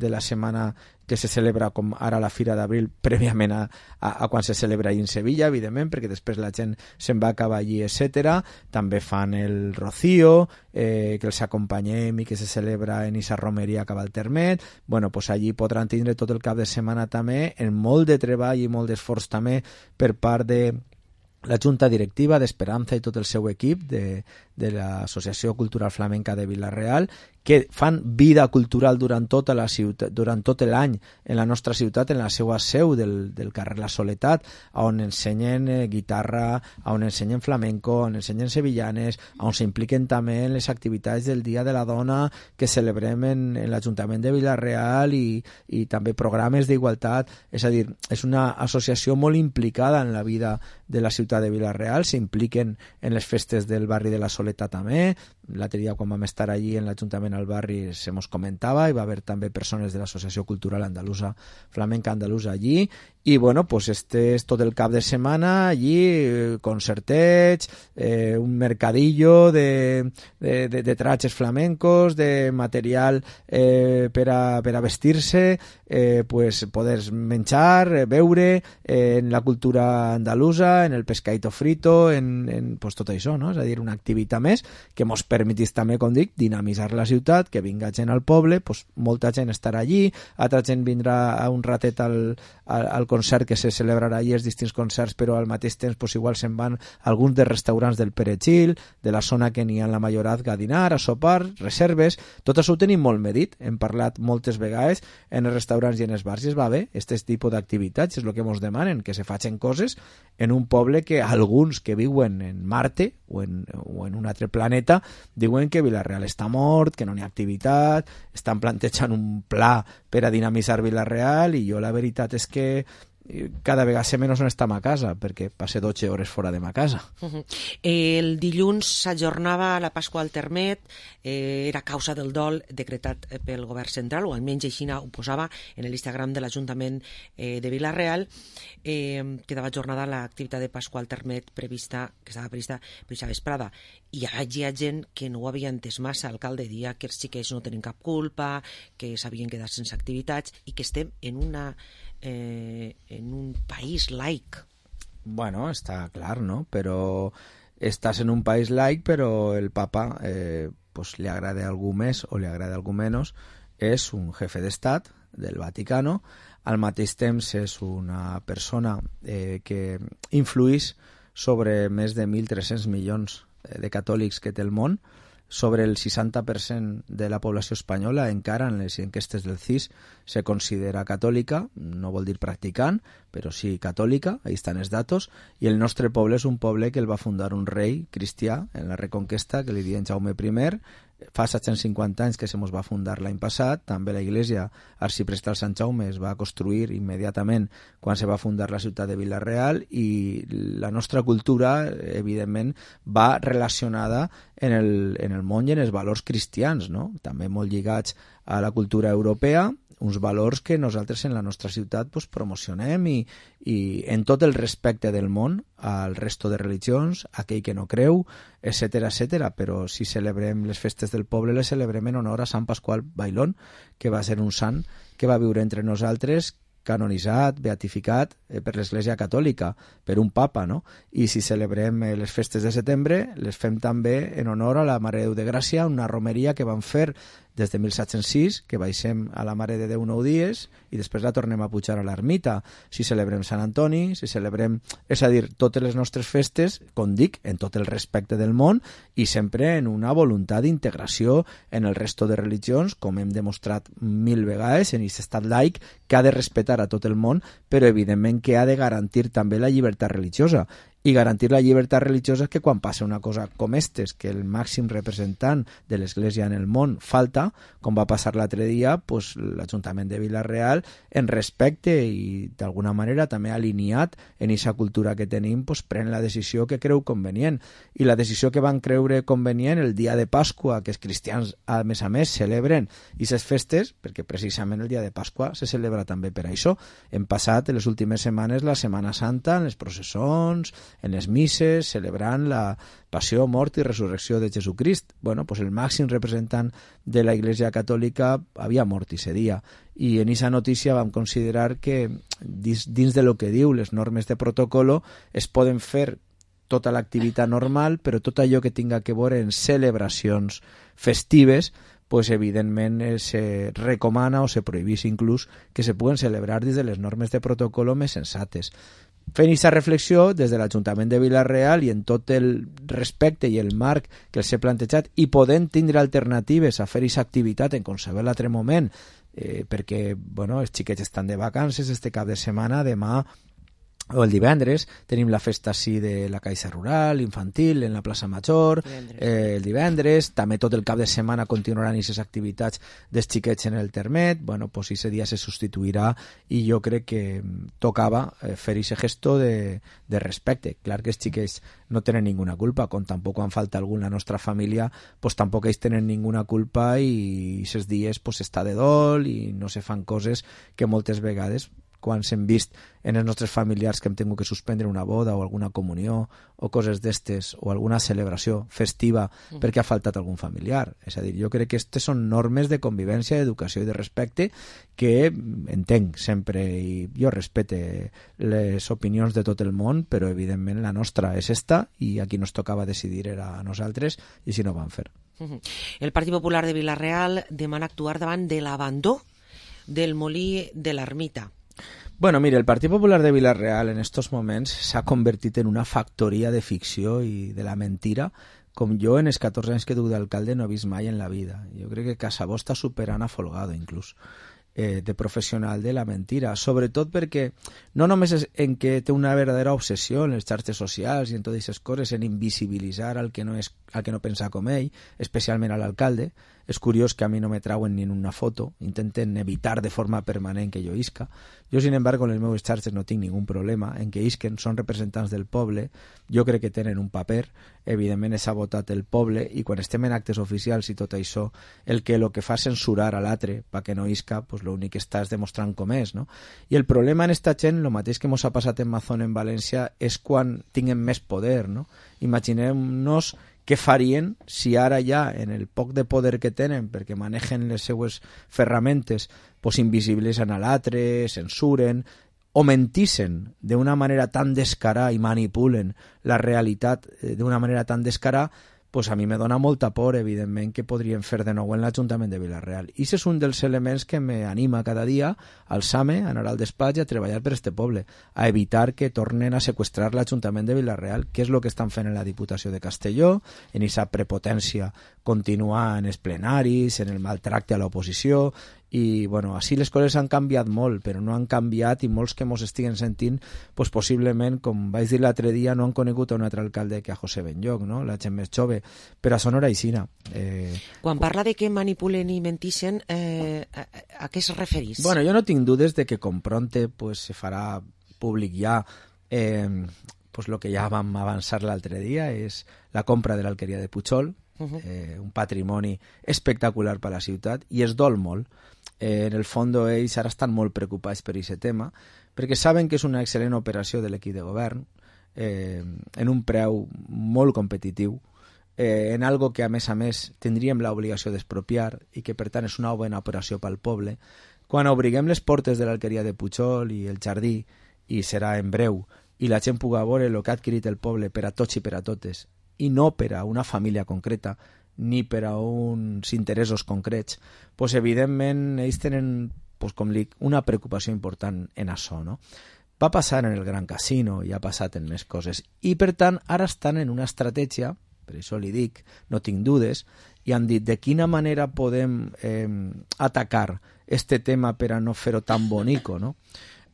la setmana que se celebra com ara la Fira d'Abril prèviament a quan se celebra en Sevilla, evidentment, perquè després la gent se'n va acabar allí, etc. També fan el Rocío, que els acompanyem i que se celebra en esa romeria que va al Termet. Bueno, pues allí podran tindre tot el cap de setmana també, en molt de treball i molt d'esforç també per part la Junta Directiva d'Esperanza i tot el seu equip de l'Associació Cultural Flamenca de Vila-real, que fan vida cultural durant tota la ciutat, durant tot l'any en la nostra ciutat, en la seva seu del carrer La Soledat, on ensenyen guitarra, on ensenyen flamenco, on ensenyen sevillanes, on s'impliquen també en les activitats del Dia de la Dona que celebrem en l'Ajuntament de Vila-real i també programes d'igualtat. És a dir, és una associació molt implicada en la vida de la ciutat de Vila-real, s'impliquen en les festes del barri de La Soledat també. L'altre dia, quan vam estar allí en l'Ajuntament al barri, se mos comentava, hi va haver també persones de l'Associació Cultural Andalusa, Flamenca Andalusa allí, i bueno, pues este és tot el cap de setmana allí, concertets, un mercadillo de trajes flamencos, de material per a vestir-se, pues poder menjar, beure, en la cultura andalusa, en el pescadito frito, en pues tot això, no? És a dir, una activitat més que mos permetís també, com dic, dinamitzar la ciutat, que vinga gent al poble, pues molta gent estarà allí, altra gent vindrà a un ratet al concert que se celebrarà allí, els distints concerts, però al mateix temps pues, igual se'n van alguns dels restaurants del Perejil, de la zona que n'hi ha en la Mayorazga a dinar, a sopar, reserves, tot això ho tenim molt medit, hem parlat moltes vegades en els restaurants i en els bars, i es va bé, aquest tipus d'activitats és el que ens demanen, que se facin coses en un poble que alguns que viuen en Marte o en un altre planeta diuen que Vila-real està mort, que no hi ha activitat, estan plantejant un pla per a dinamitzar Vila-real, i jo la veritat és que cada vegada sé menys on estem a casa, perquè passe 12 hores fora de ma casa. El dilluns s'ajornava la Pasqua al Termet, era causa del dol decretat pel govern central, o almenys així ho posava en l'Instagram de l'Ajuntament de Vila-real. Quedava ajornada l'activitat de Pasqua al Termet que estava prevista per aquesta vesprada. I hi ha gent que no ho havia entès massa. L'alcalde dia que els xiquets no tenen cap culpa, que s'havien quedat sense activitats i que estem en un país laic. Bueno, està clar, no? Però estàs en un país laic, però el papa, pues le agrade algú més o le agrade algú menys, és un jefe d'estat del Vaticano, al mateix temps és una persona que influïx sobre més de 1.300 milions de catòlics que té el món, sobre el 60% de la població espanyola encara en les enquestes del CIS se considera catòlica, no vol dir practicant, però sí catòlica, ahí estan els datos, i el nostre poble és un poble que el va fundar un rei cristià en la Reconquesta, que li diuen Jaume I, fa 750 anys que se mos va fundar l'any passat, també la iglesia arxiprestal Sant Jaume es va construir immediatament quan se va fundar la ciutat de Vila-real, i la nostra cultura, evidentment, va relacionada en el món i en els valors cristians, no? També molt lligats a la cultura europea, uns valors que nosaltres en la nostra ciutat pues, promocionem i en tot el respecte del món al resto de religions, aquell que no creu, etc. Però si celebrem les festes del poble, les celebrem en honor a Sant Pasqual Bailón, que va ser un sant que va viure entre nosaltres, canonitzat, beatificat per l'Església Catòlica, per un papa, no? I si celebrem les festes de setembre, les fem també en honor a la Mare de Déu de Gràcia, una romeria que van fer des de 1706, que baixem a la Mare de Déu 9 dies i després la tornem a pujar a l'ermita. Si celebrem Sant Antoni, si celebrem... És a dir, totes les nostres festes, com dic, en tot el respecte del món i sempre en una voluntat d'integració en el resto de religions, com hem demostrat 1000 vegades en aquest estat laic, que ha de respectar a tot el món, però evidentment que ha de garantir també la llibertat religiosa. I garantir la llibertat religiosa és que quan passa una cosa com estes, que el màxim representant de l'Església en el món falta, com va passar l'altre dia, pues, l'Ajuntament de Vila-real, en respecte i d'alguna manera també alineat en aquesta cultura que tenim, pues, pren la decisió que creu convenient. I la decisió que van creure convenient el dia de Pasqua, que els cristians a més celebren aquestes festes, perquè precisament el dia de Pasqua se celebra també per això. Hem passat en les últimes setmanes la Setmana Santa en les processons, en les misses, celebrant la passió, mort i resurrecció de Jesucrist. Bueno, pues el màxim representant de la Iglesia Catòlica havia mort ese dia. I en aquesta notícia vam considerar que dins de lo que diu les normes de protocolo es poden fer tota l'activitat normal, però tot allò que tinga que veure en celebracions festives, pues evidentment se recomana o se prohibís inclús que se puguen celebrar des de les normes de protocolo més sensates. fent aquesta reflexió des de l'Ajuntament de Vila-real i en tot el respecte i el marc que els he plantejat i podent tindre alternatives a fer aquesta activitat en qualsevol altre moment, perquè els xiquets estan de vacances este cap de setmana, demà o el divendres tenim la festa així de la Caixa Rural infantil en la plaça Major, el divendres també tot el cap de setmana continuaran aquestes activitats dels xiquets en el Termet. Pues ese dia se substituirà i jo crec que tocava fer aquest gesto de respecte. Clar que els xiquets no tenen ninguna culpa, com tampoc quan falta algú en la nostra família, pues tampoc ells tenen ninguna culpa i aquests dies pues està de dol i no se fan coses que moltes vegades quan s'hem vist en els nostres familiars que hem tingut que suspendre una boda o alguna comunió o coses d'estes o alguna celebració festiva perquè ha faltat algun familiar. És a dir, jo crec que aquestes són normes de convivència, d'educació i de respecte que entenc sempre i jo respecte les opinions de tot el món, però evidentment la nostra és esta i aquí nos tocava decidir era a nosaltres i així no ho vam fer. El Partit Popular de Vila-real demana actuar davant de l'abandó del molí de l'Ermita. Bueno, mire, el Partit Popular de Vila-real en estos moments s'ha convertit en una factoria de ficció i de la mentira com jo en els 14 anys que duc d'alcalde no he vist mai en la vida. Jo crec que Casabó està superant a Folgado, inclús, de professional de la mentira, sobretot perquè no només és en què té una verdadera obsessió en les xarxes socials i en totes aquestes coses, en invisibilitzar al que no pensa com ell, especialment a l'alcalde. És curiós que a mi no me trauen ni en una foto, intenten evitar de forma permanent que jo isca. Jo, sin embargo, en les meves xarxes no tinc ningun problema en que isquen, són representants del poble, jo crec que tenen un paper, evidentment s'ha votat el poble i quan estem en actes oficials i tot això, el que fa censurar a l'altre perquè no isca, pues l'únic que està és demostrant com és, no? I el problema en esta gent, el mateix que ens ha passat en Mazón en València, és quan tinguen més poder, no? Imaginem-nos què farien si ara ja, en el poc de poder que tenen, perquè manegen les seues ferramentes, pues invisibilitzen a l'altre, censuren, o mentissin d'una manera tan descarada i manipulen la realitat d'una manera tan descarada, pues a mi me dona molta por, evidentment, que podrien fer de nou en l'Ajuntament de Vila-real. I això és un dels elements que m'anima cada dia a alçar-me, a anar al despatx i a treballar per este poble, a evitar que tornen a seqüestrar l'Ajuntament de Vila-real, que és el que estan fent en la Diputació de Castelló, en aquesta prepotència continuar en els plenaris, en el maltracte a l'oposició, i així les coses han canviat molt, però no han canviat i molts que mos estiguen sentint, pues possiblement, com vaig dir l'altre dia, no han conegut a un altre alcalde que a José Benlloc, no? La gent més jove, però això no era aixina. Quan parla de que manipulen i mentixen, a què es referís? Bueno, jo no tinc dudes de que com pronte pues, se farà públic ja pues lo que ja vam avançar l'altre dia, és la compra de l'alqueria de Pujol, un patrimoni espectacular per a la ciutat, i es dol molt. En el fons ells ara estan molt preocupats per aquest tema, perquè saben que és una excel·lent operació de l'equip de govern, en un preu molt competitiu, en algo que a més tindríem l'obligació d'expropiar i que per tant és una bona operació pel poble. Quan obriguem les portes de l'alqueria de Pujol i el jardí, i serà en breu, i la gent pugui veure el que ha adquirit el poble per a tots i per a totes, i no per a una família concreta, ni per a uns interessos concrets, pues evidentment ells tenen, pues com dic, una preocupació important en això, no? Va passar en el Gran Casino i ha passat en més coses, i per tant ara estan en una estratègia, per això li dic, no tinc dudes, i han dit de quina manera podem atacar este tema per a no fer-ho tan bonico, no?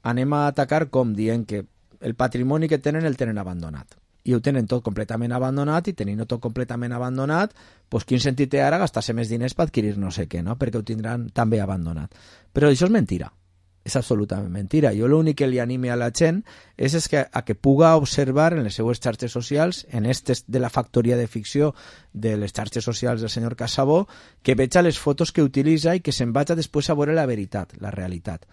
Anem a atacar com dient que el patrimoni que tenen el tenen abandonat, i ho tenen tot completament abandonat, i tenint tot completament abandonat, doncs quin sentit té ara gastar-se més diners per adquirir no sé què, no? Perquè ho tindran també abandonat. Però això és mentira, és absolutament mentira. Jo l'únic que li anime a la gent és que a que puga observar en les seues xarxes socials, en estes de la factoria de ficció de les xarxes socials del senyor Casabó, que veja les fotos que utilitza i que se'n vaja després a veure la veritat, la realitat.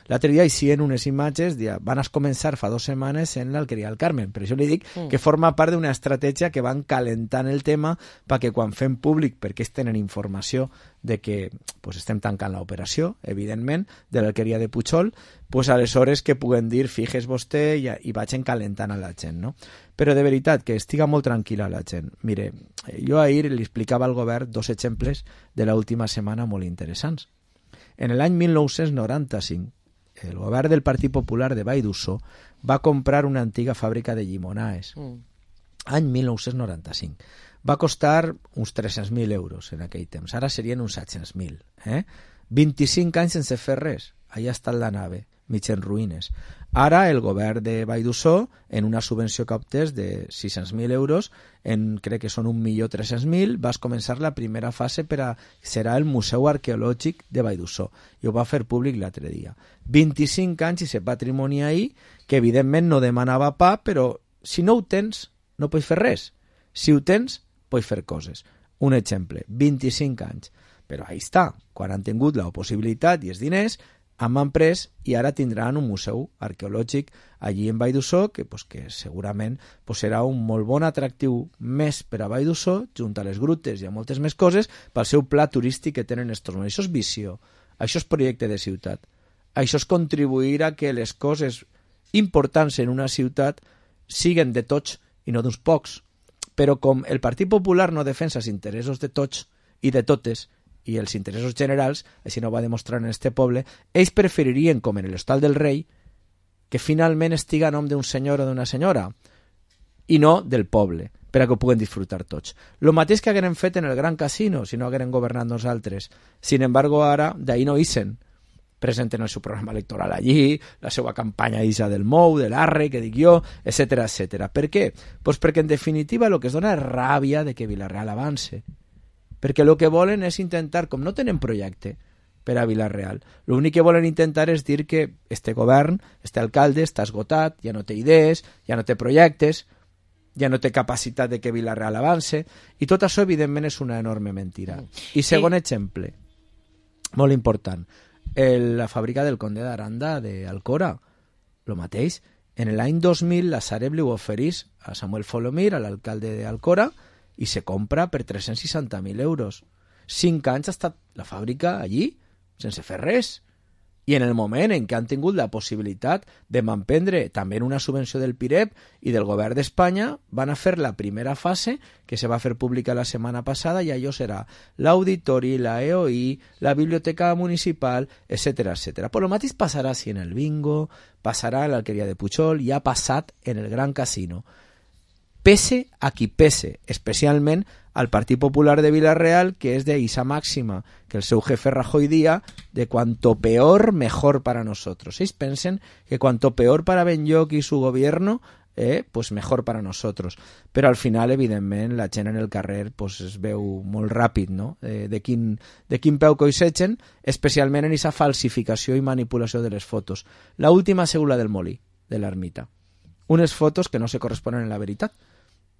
L'altre dia hi en unes imatges, van a començar fa 2 setmanes en l'Alqueria del Carmen. Per això li dic que forma part d'una estratègia que van calentant el tema perquè quan fem públic, perquè tenen informació de que pues, estem tancant l'operació, evidentment, de l'Alqueria de Pujol, pues, aleshores que puguen dir fijes vostè i vagin calentant a la gent, no? Però de veritat, que estiga molt tranquil·la la gent. Mire, jo ahir li explicava al govern 2 exemples de l'última setmana molt interessants. En l'any 1995, el govern del Partit Popular de Vall d'Usso va comprar una antiga fàbrica de llimonaes, any 1995. Va costar uns 300.000 euros en aquell temps, ara serien uns 700.000. 25 anys sense fer res, allà ha estat la nave, mig en ruïnes. Ara el govern de Vall d'Usso, en una subvenció que obtés de 600.000 euros, crec que són 1.300.000, vas començar la primera fase serà el Museu Arqueològic de Vall d'Usso, i ho va fer públic l'altre dia. 25 anys i ese patrimoni ahí, que evidentment no demanava pa, però si no ho tens, no pots fer res. Si ho tens, pots fer coses. Un exemple, 25 anys. Però ahí està, quan han tingut la possibilitat i els diners, han pres i ara tindran un museu arqueològic allí en Vall d'Usso que segurament serà un molt bon atractiu més per a Vall d'Usso, junt a les grutes i a moltes més coses, pel seu pla turístic que tenen estos moments. Això és visió, això és projecte de ciutat, això és contribuir a que les coses importants en una ciutat siguen de tots i no d'uns pocs. Però com el Partit Popular no defensa els interessos de tots i de totes, i els interessos generals, així no va demostrar en este poble, ells preferirien, com en l'Hostal del Rei, que finalment estiga a nom d'un senyor o d'una senyora, i no del poble, per a que ho puguen disfrutar tots. Lo mateix que hagueren fet en el Gran Casino, si no hagueren governat nosaltres. Sin embargo, ara, d'ahí no ixen. Presenten el seu programa electoral allí, la seva campanya isa del MOU, de l'Arre, que dic jo, etc etc. Per què? Pues perquè, en definitiva, el que es dona és ràbia de que Vila-real avance. Perquè el que volen és intentar, com no tenen projecte per a Vila-real, l'únic que volen intentar és dir que este govern, este alcalde, està esgotat, ja no té idees, ja no té projectes, ja no té capacitat de que Vila-real avance, i tot això, evidentment, és una enorme mentira. I segon exemple, molt important, la fàbrica del Conde d'Aranda d'Alcora, el mateix. En l'any 2000, la Sareb li oferís a Samuel Folomir, a l'alcalde d'Alcora, i se compra per 360.000 euros. 5 anys ha estat la fàbrica allí, sense fer res. I en el moment en què han tingut la possibilitat de manprendre també en una subvenció del PIREP i del govern d'Espanya, van a fer la primera fase, que se va fer pública la setmana passada, i allò serà l'auditori, la EOI, la biblioteca municipal, etc etc. Però el mateix passarà si en el bingo, passarà en l'alqueria de Pujol, i ha passat en el Gran Casino. Pese a qui pese, especialment al Partit Popular de Vila-real, que és de esa máxima que el seu jefe Rajoy dia de cuanto peor, mejor para nosotros. Ells pensen que cuanto peor para Benlloch i su gobierno, pues mejor para nosotros. Però al final, evidentment, la gent en el carrer pues, es veu molt ràpid, no? De quin peu coixegen, especialment en aquesta falsificació i manipulació de les fotos. La última ha sigut la del Molí, de l'ermita. Unes fotos que no se corresponen en la veritat.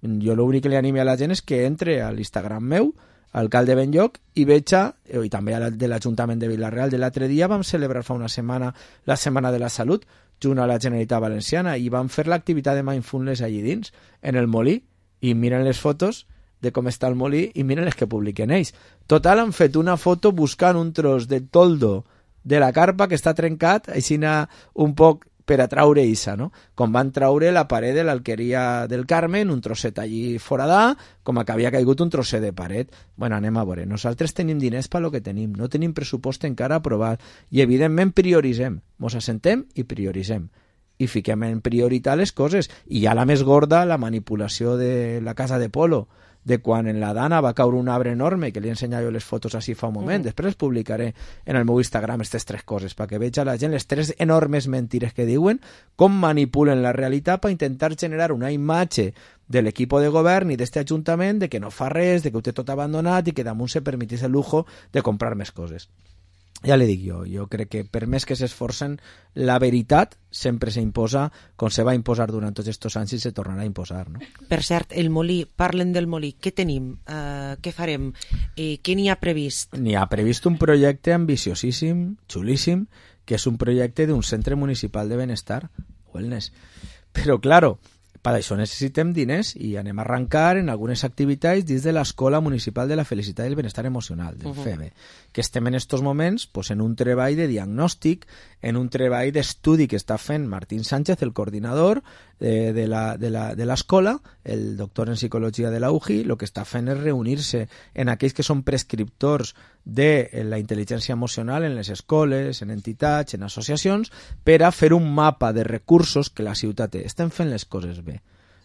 Jo l'únic que li anime a la gent és que entre a l'Instagram meu, alcalde Benlloch, i veja, i també de l'Ajuntament de Vila-real, de l'altre dia vam celebrar fa una setmana la Setmana de la Salut, junt a la Generalitat Valenciana, i vam fer l'activitat de mindfulness allí dins, en el Molí, i miren les fotos de com està el Molí i miren les que publiquen ells. Total, han fet una foto buscant un tros de toldo de la carpa que està trencat, així un poc per a traure issa, no? Com van traure la paret de l'alqueria del Carmen, un trosset allí foradà, com que havia caigut un trosset de paret. Bueno, anem a veure. Nosaltres tenim diners per lo que tenim, no tenim pressupost encara aprovat, i evidentment prioritzem. Mos assentem i prioritzem. I fiquem en prioritat les coses. I ja la més gorda, la manipulació de la casa de Polo, de quan en la Dana va caure un arbre enorme, que li he ensenyat jo les fotos així fa un moment, després les publicaré en el meu Instagram, aquestes 3 coses, perquè veja la gent les 3 enormes mentires que diuen, com manipulen la realitat per intentar generar una imatge de l'equip de govern i d'este ajuntament de que no fa res, de que ho té tot abandonat i que damunt se permetís el lujo de comprar més coses. Ja li dic jo crec que per més que s'esforcen, la veritat sempre s'imposa, com se va imposar durant tots aquests anys i se tornarà a imposar, no? Per cert, el Molí, parlen del Molí, què tenim? Què farem? Què n'hi ha previst? N'hi ha previst un projecte ambiciosíssim, xulíssim, que és un projecte d'un centre municipal de benestar, wellness. Però, claro, per això necessitem diners i anem a arrencar en algunes activitats dins de l'Escola Municipal de la Felicitat i el Benestar Emocional, del FEBE, que estem en estos moments pues, en un treball de diagnòstic en un treball d'estudi que està fent Martín Sánchez, el coordinador de l'escola, el doctor en psicologia de la UJI. El que està fent és reunir-se en aquells que són prescriptors de la intel·ligència emocional en les escoles, en entitats, en associacions, per a fer un mapa de recursos que la ciutat té. Estem fent les coses bé.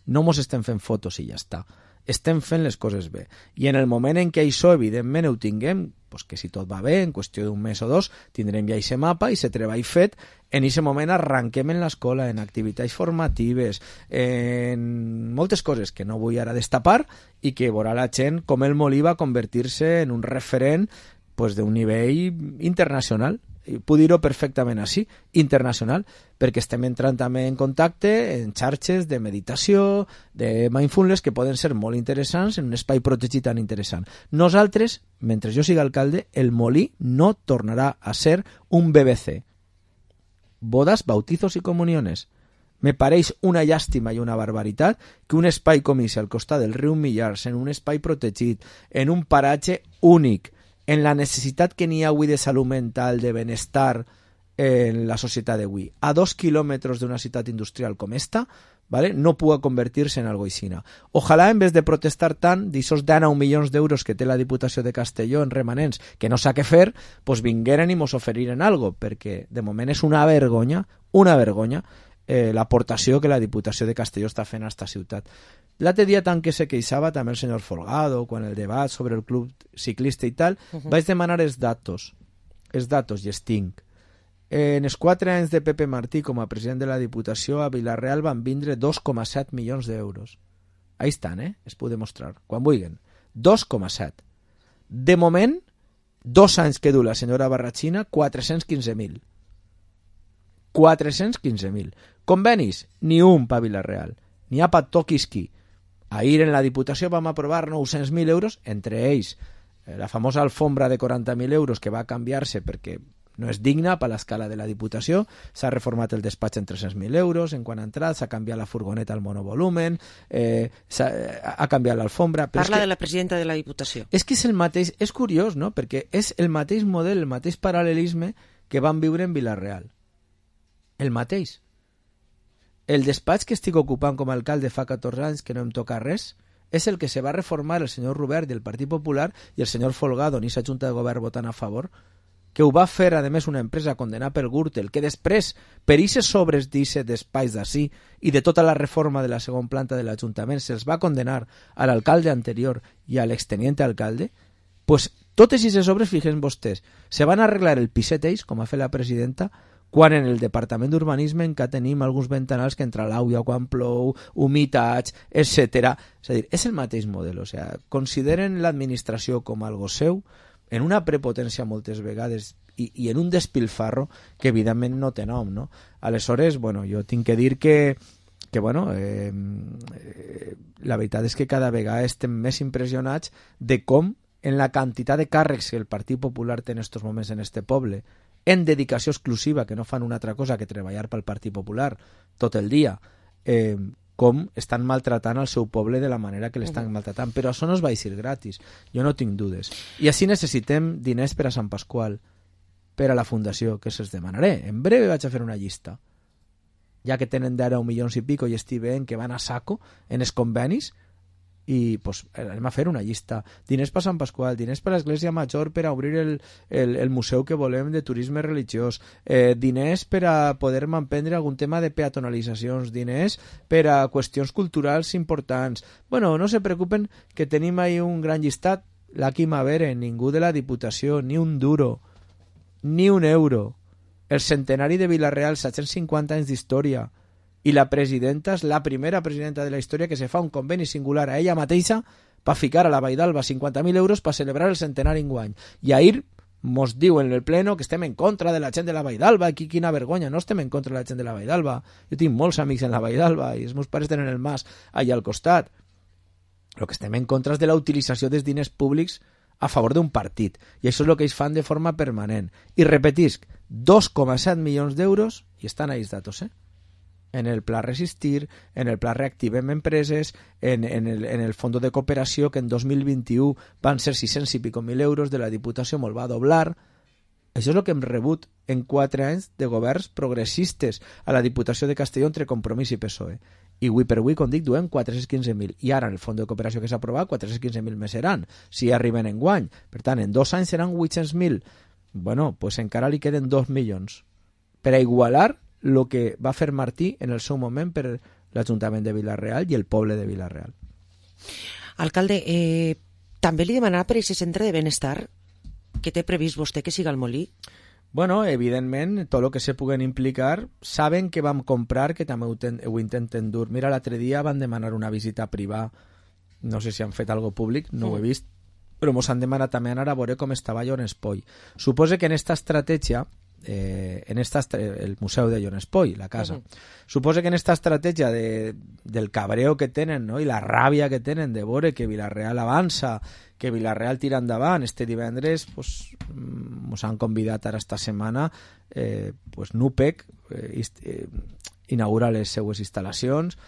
No mos estem fent fotos i ja està. Estem fent les coses bé. I en el moment en què això, evidentment, ho tinguem, pues que si tot va bé, en qüestió d'un mes o dos, tindrem ja aquest mapa i aquest treball fet. En aquest moment arranquem en l'escola, en activitats formatives, en moltes coses que no vull ara destapar i que veurà la gent com el Molí va convertir-se en un referent pues, d'un nivell internacional. Puc dir-ho perfectament així, internacional, perquè estem entrant també en contacte en xarxes de meditació, de mindfulness, que poden ser molt interessants en un espai protegit tan interessant. Nosaltres, mentre jo siga alcalde, el Molí no tornarà a ser un BBC. Bodas, bautizos y comuniones. Me pareix una llàstima i una barbaritat que un espai com ese al costat del riu Millars, en un espai protegit, en un paratge únic, en la necessitat que n'hi ha avui de salut mental, de benestar en la societat d'avui, a 2 quilòmetres d'una ciutat industrial com esta, ¿vale? No pugui convertir-se en algo aixina. Ojalà, en vez de protestar tant d'aixòs 19 milions d'euros que té la Diputació de Castelló en remanents, que no sap què fer, pues vingueren i mos oferiren algo, perquè de moment és una vergonya l'aportació que la Diputació de Castelló està fent a esta ciutat. L'altre dia, tant que se queixava també el senyor Folgado, quan el debat sobre el club ciclista i tal, vaig demanar els datos i els tinc. En els 4 anys de Pepe Martí com a president de la Diputació, a Vila-real van vindre 2,7 milions d'euros. Ahí estan, es puc demostrar, quan vulguin. 2,7. De moment, 2 anys que du la senyora Barratxina, 415.000. 415.000. Convenis? Ni un pa Vila-real. N'hi ha pa toquisqui. Ahir en la Diputació vam aprovar 900.000 euros, entre ells la famosa alfombra de 40.000 euros que va canviar-se perquè no és digna per l'escala de la Diputació. S'ha reformat el despatx en 300.000 euros en quan ha entrat, s'ha canviat la furgoneta al monovolumen, ha canviat l'alfombra. Parla de la presidenta de la Diputació. És que és el mateix, és curiós, no? Perquè és el mateix model, el mateix paral·lelisme que van viure en Vila-real. El mateix. El despatx que estic ocupant com a alcalde fa 14 anys, que no em toca res, és el que se va reformar el senyor Robert i el Partit Popular i el senyor Folgado ni sa Junta de Govern votant a favor, que ho va fer, a més, una empresa condenada per Gürtel, que després, per aquests sobres d'aquest despatx d'ací i de tota la reforma de la segona planta de l'Ajuntament, se'ls va condenar a l'alcalde anterior i a l'exteniente alcalde, pues totes aquestes obres, fixen vostès, se van arreglar el piset ells, com ha fet la presidenta, quan en el Departament d'Urbanisme encara tenim alguns ventanals que entra l'aigua quan plou, humitats, etc. És a dir, és el mateix model. O sigui, consideren l'administració com algo seu, en una prepotència moltes vegades i en un despilfarro que evidentment no té nom, no? Aleshores, bueno, jo tinc que dir que bueno, la veritat és que cada vegada estem més impressionats de com en la quantitat de càrrecs que el Partit Popular té en estos moments en este poble, en dedicació exclusiva, que no fan una altra cosa que treballar pel Partit Popular tot el dia, com estan maltratant el seu poble de la manera que l'estan maltratant. Però això no es va eixir gratis, jo no tinc dudes. I així necessitem diners per a Sant Pasqual, per a la Fundació, que se'ls demanaré. En breu vaig a fer una llista. Ja que tenen d'ara 1 milions i pico i estic veient que van a saco en els convenis, i pues, anem a fer una llista. Diners per Sant Pasqual, diners per l'Església Major per a obrir el museu que volem de turisme religiós, diners per a poder emprendre algun tema de peatonalitzacions, diners per a qüestions culturals importants. Bueno, no se preocupen que tenim ahí un gran llistat. L'Aqui Mavere, ningú de la Diputació, ni un duro, ni un euro. El centenari de Vila-real, 750 anys d'història. I la presidenta és la primera presidenta de la història que se fa un conveni singular a ella mateixa per ficar a la Vall d'Alba 50.000 euros per celebrar el centenari enguany. I ahir mos diuen en el pleno que estem en contra de la gent de la Vall d'Alba. Quina vergonya, no estem en contra de la gent de la Vall d'Alba. Jo tinc molts amics en la Vall d'Alba i els meus pares tenen el mas allà al costat. El que estem en contra és de la utilització dels diners públics a favor d'un partit. I això és el que ells fan de forma permanent. I repetisc, 2,7 milions d'euros, i estan ahí els datos, en el Pla Resistir, en el Pla Reactivem Empreses, en el Fondo de Cooperació, que en 2021 van ser 600 i pico mil euros de la Diputació, molt va doblar. Això és el que hem rebut en 4 anys de governs progressistes a la Diputació de Castelló entre Compromís i PSOE. I avui per avui, com dic, duem 415.000. I ara, en el fons de cooperació que s'ha aprovat, 415.000 més seran, si arriben en guany. Per tant, en 2 anys seran 800.000. Bueno, pues encara li queden 2 milions per a igualar el que va fer Martí en el seu moment per l'Ajuntament de Vila-real i el poble de Vila-real. Alcalde, també li demanarà per aquest centre de benestar que té previst vostè que siga al Molí? Bueno, evidentment, tot el que se puguen implicar, saben que vam comprar, que també ho intenten dur. Mira, l'altre dia van demanar una visita privada, no sé si han fet algo públic, no ho he vist, però mos han demanat també anar a veure com estava Jon Espoll. Suposo que en esta estratègia, el museu de Jon Espoll, la casa, suposo que en esta estratègia del cabreo que tenen, no? I la ràbia que tenen de veure que Vila-real avança, que Vila-real tira endavant, este divendres pues, mos han convidat ara esta setmana pues, NUPEC inaugura les seues instal·lacions.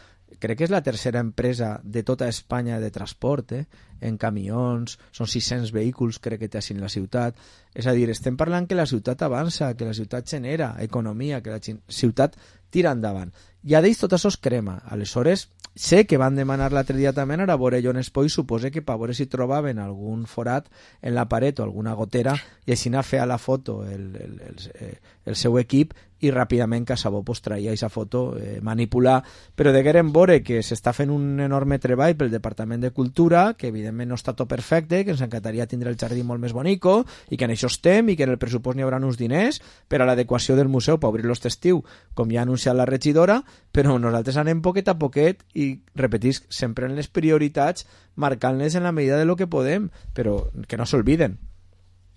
Crec que és la tercera empresa de tota Espanya de transport, en camions, són 600 vehicles crec que té així en la ciutat. És a dir, estem parlant que la ciutat avança, que la ciutat genera economia, que la ciutat tira endavant. I a d'ells tot això es crema. Aleshores, sé que van demanar l'altre dia també anar a veure Jon Espoll, suposa que per veure si trobaven algun forat en la paret o alguna gotera i així anar a fer a la foto el seu equip i ràpidament Casabó pues, traia aquesta foto, manipular, però degueren veure que s'està fent un enorme treball pel Departament de Cultura, que evidentment no està tot perfecte, que ens encantaria tindre el jardí molt més bonico i que en això estem i que en el pressupost n'hi haurà uns diners per a l'adequació del museu per obrir-lo aquest estiu, com ja ha anunciat la regidora, però nosaltres anem poquet a poquet i repetisc, sempre en les prioritats, marcant-les en la medida de lo que podem, però que no s'olviden.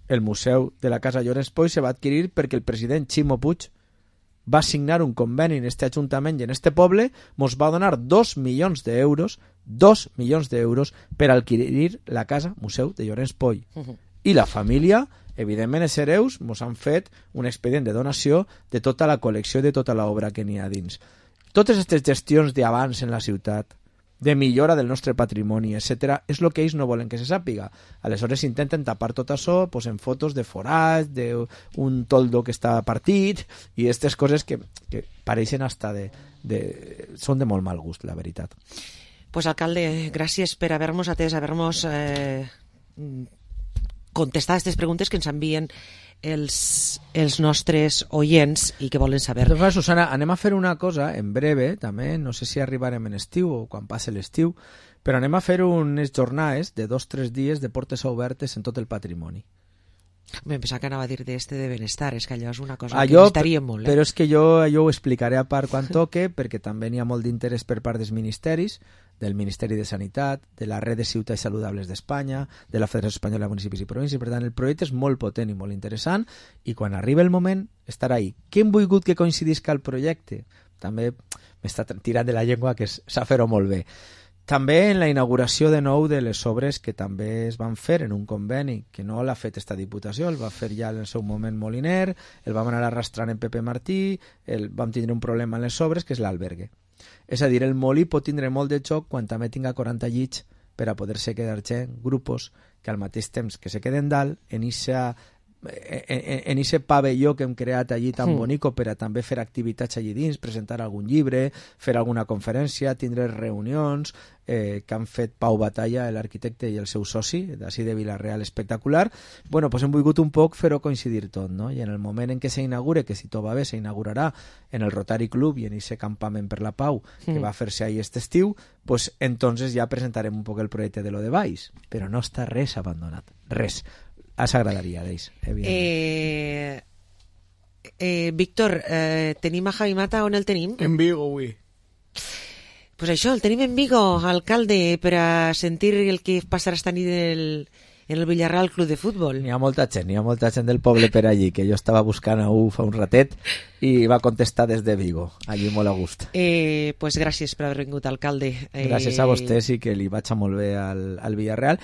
El museu de la Casa Jon Espoll se va adquirir perquè el president Ximo Puig va signar un conveni en este ajuntament i en este poble, mos va donar 2 milions d'euros per adquirir la casa museu de Jon Espoll. I la família, evidentment, els hereus mos han fet un expedient de donació de tota la col·lecció i de tota l'obra que n'hi ha dins. Totes aquestes gestions d'abans en la ciutat, de millora del nostre patrimoni, etc., és el que ells no volen que se sàpiga. Aleshores intenten tapar tot això pues, en fotos de forats, d'un toldo que està partit, i aquestes coses que pareixen hasta són de molt mal gust, la veritat. Pues, alcalde, gràcies per haver-nos atès, haver-nos contestat aquestes preguntes que ens envien els nostres oients i que volen saber. Doncs, Susana, anem a fer una cosa en breve, també, no sé si arribarem en estiu o quan passe l'estiu, però anem a fer unes jornades de 2-3 dies de portes obertes en tot el patrimoni. Em pensava que anava a dir de benestar, és que allò és una cosa que necessitaríem molt. Però és que jo ho explicaré a part quan toque, perquè també n'hi ha molt d'interès per part dels ministeris, del Ministeri de Sanitat, de la Red de Ciutats Saludables d'Espanya, de la Federació Espanyola de Municipis i Províncies. Per tant, el projecte és molt potent i molt interessant i quan arriba el moment estarà ahí. Què hem volgut que coincidisca el projecte? També m'està tirant de la llengua que s'ha fer-ho molt bé. També en la inauguració de nou de les obres que també es van fer en un conveni, que no l'ha fet esta Diputació, el va fer ja en el seu moment Moliner, el vam anar arrastrant en Pepe Martí, vam tindre un problema en les obres, que és l'albergue. És a dir, el Molí pot tindre molt de xoc quan també tinga 40 llits per a poder-se quedar gent, grupos, que al mateix temps que se queden dalt, en ese pavelló que hem creat allí tan bonico per a també fer activitats allí dins, presentar algun llibre, fer alguna conferència, tindre reunions que han fet Pau Batalla, l'arquitecte i el seu soci, d'ací de Vila-real, espectacular. Bueno, pues hem volgut un poc fer-ho coincidir tot, no? I en el moment en què s'inaugure, que si tot va bé s'inaugurarà en el Rotary Club i en ese campament per la Pau que va fer-se ahí este estiu, pues entonces ja presentarem un poc el projecte de lo de baix, però no està res abandonat, res. S'agradaria d'ells, evidentment. Víctor, tenim a Javi Mata, on el tenim? En Vigo, avui. Pues això, el tenim en Vigo, alcalde, per a sentir el que passarà esta nit en el Villarreal Club de Futbol. N'hi ha molta gent del poble per allí, que jo estava buscant a fa un ratet i va contestar des de Vigo, allí molt a gust. Pues gràcies per haver vingut, alcalde. Gràcies a vostès i que li vaig a molt bé al Villarreal.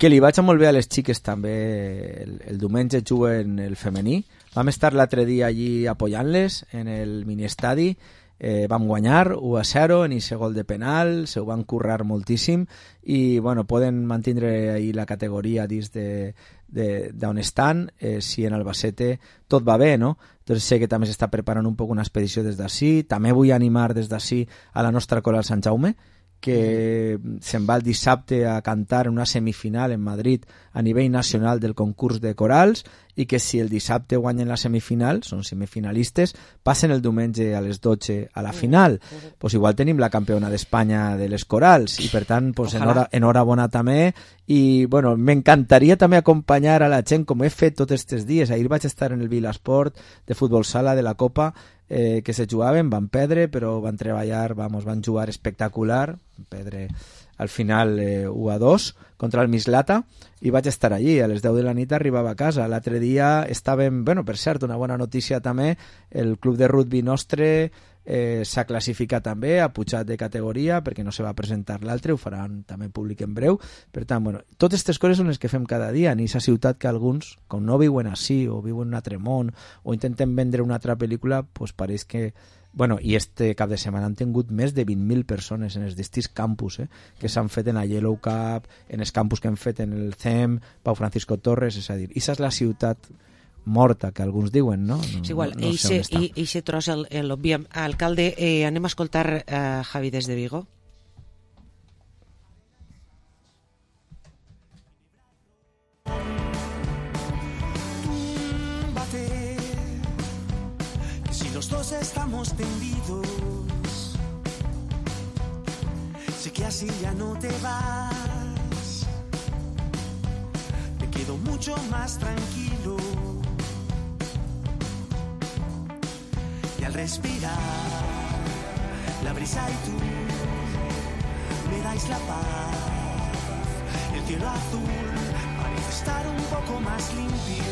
Que li vaig a molt bé a les xiques també. El diumenge juguen el femení. Vam estar l'altre dia allí apoyant-les en el miniestadi. vam guanyar 1-0 en ese gol de penal, se ho van currar moltíssim i bueno, poden mantindre ahí la categoria dins d'on estan, si en Albacete tot va bé, no? Entonces sé que també s'està preparant un poc una expedició des d'ací. També vull animar des d'ací a la nostra coral Sant Jaume, que se'n va el dissabte a cantar en una semifinal en Madrid a nivell nacional del concurs de corals, i que si el dissabte guanyen la semifinal, són semifinalistes, passen el diumenge a les 12 a la final. Pues igual tenim la campiona d'Espanya de les corals, i per tant pues, enhorabona també. I bueno, m'encantaria també acompanyar a la gent, com he fet tots aquests dies. Ahir vaig estar en el Vilasport de futbol sala de la Copa, que se jugaven, van perdre, però van treballar, van jugar espectacular, van perdre al final 1-2 contra el Mislata, i vaig estar allí, a les 10 de la nit arribava a casa. L'altre dia estàvem, bueno, per cert, una bona notícia també, el club de rugby nostre s'ha classificat també, ha pujat de categoria perquè no se va presentar l'altre, ho faran també públic en breu. Per tant, bueno, totes aquestes coses són les que fem cada dia en aquesta ciutat que alguns, com no viuen així o viuen en un altre món o intenten vendre una altra pel·lícula, pues pareix que bueno, i este cap de setmana han tingut més de 20.000 persones en els distints campus que s'han fet en la Yellow Cup, en els campus que han fet en el CEM, Pau Francisco Torres, és a dir, aquesta és la ciutat morta que alguns diuen, no? És igual, no sé on està. Eixe tros l'obviem. Alcalde, anem a escoltar Javi des de Vigo. Si los dos estamos tendidos, sé que así ya no te vas, me quedo mucho más tranquilo. Y al respirar, la brisa y tú me dais la paz. El cielo azul parece estar un poco más limpio.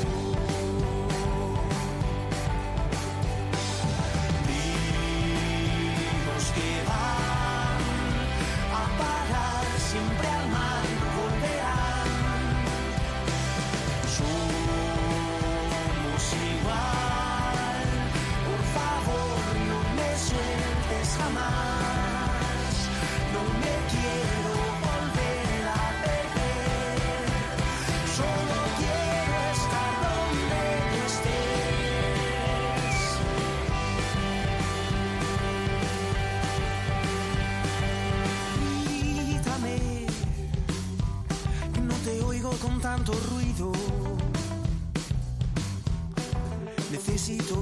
Ríos que van a parar siempre al mar volverán. Somos igual. Jamás, no me quiero volver a perder, solo quiero estar donde estés. Grítame, que no te oigo con tanto ruido, necesito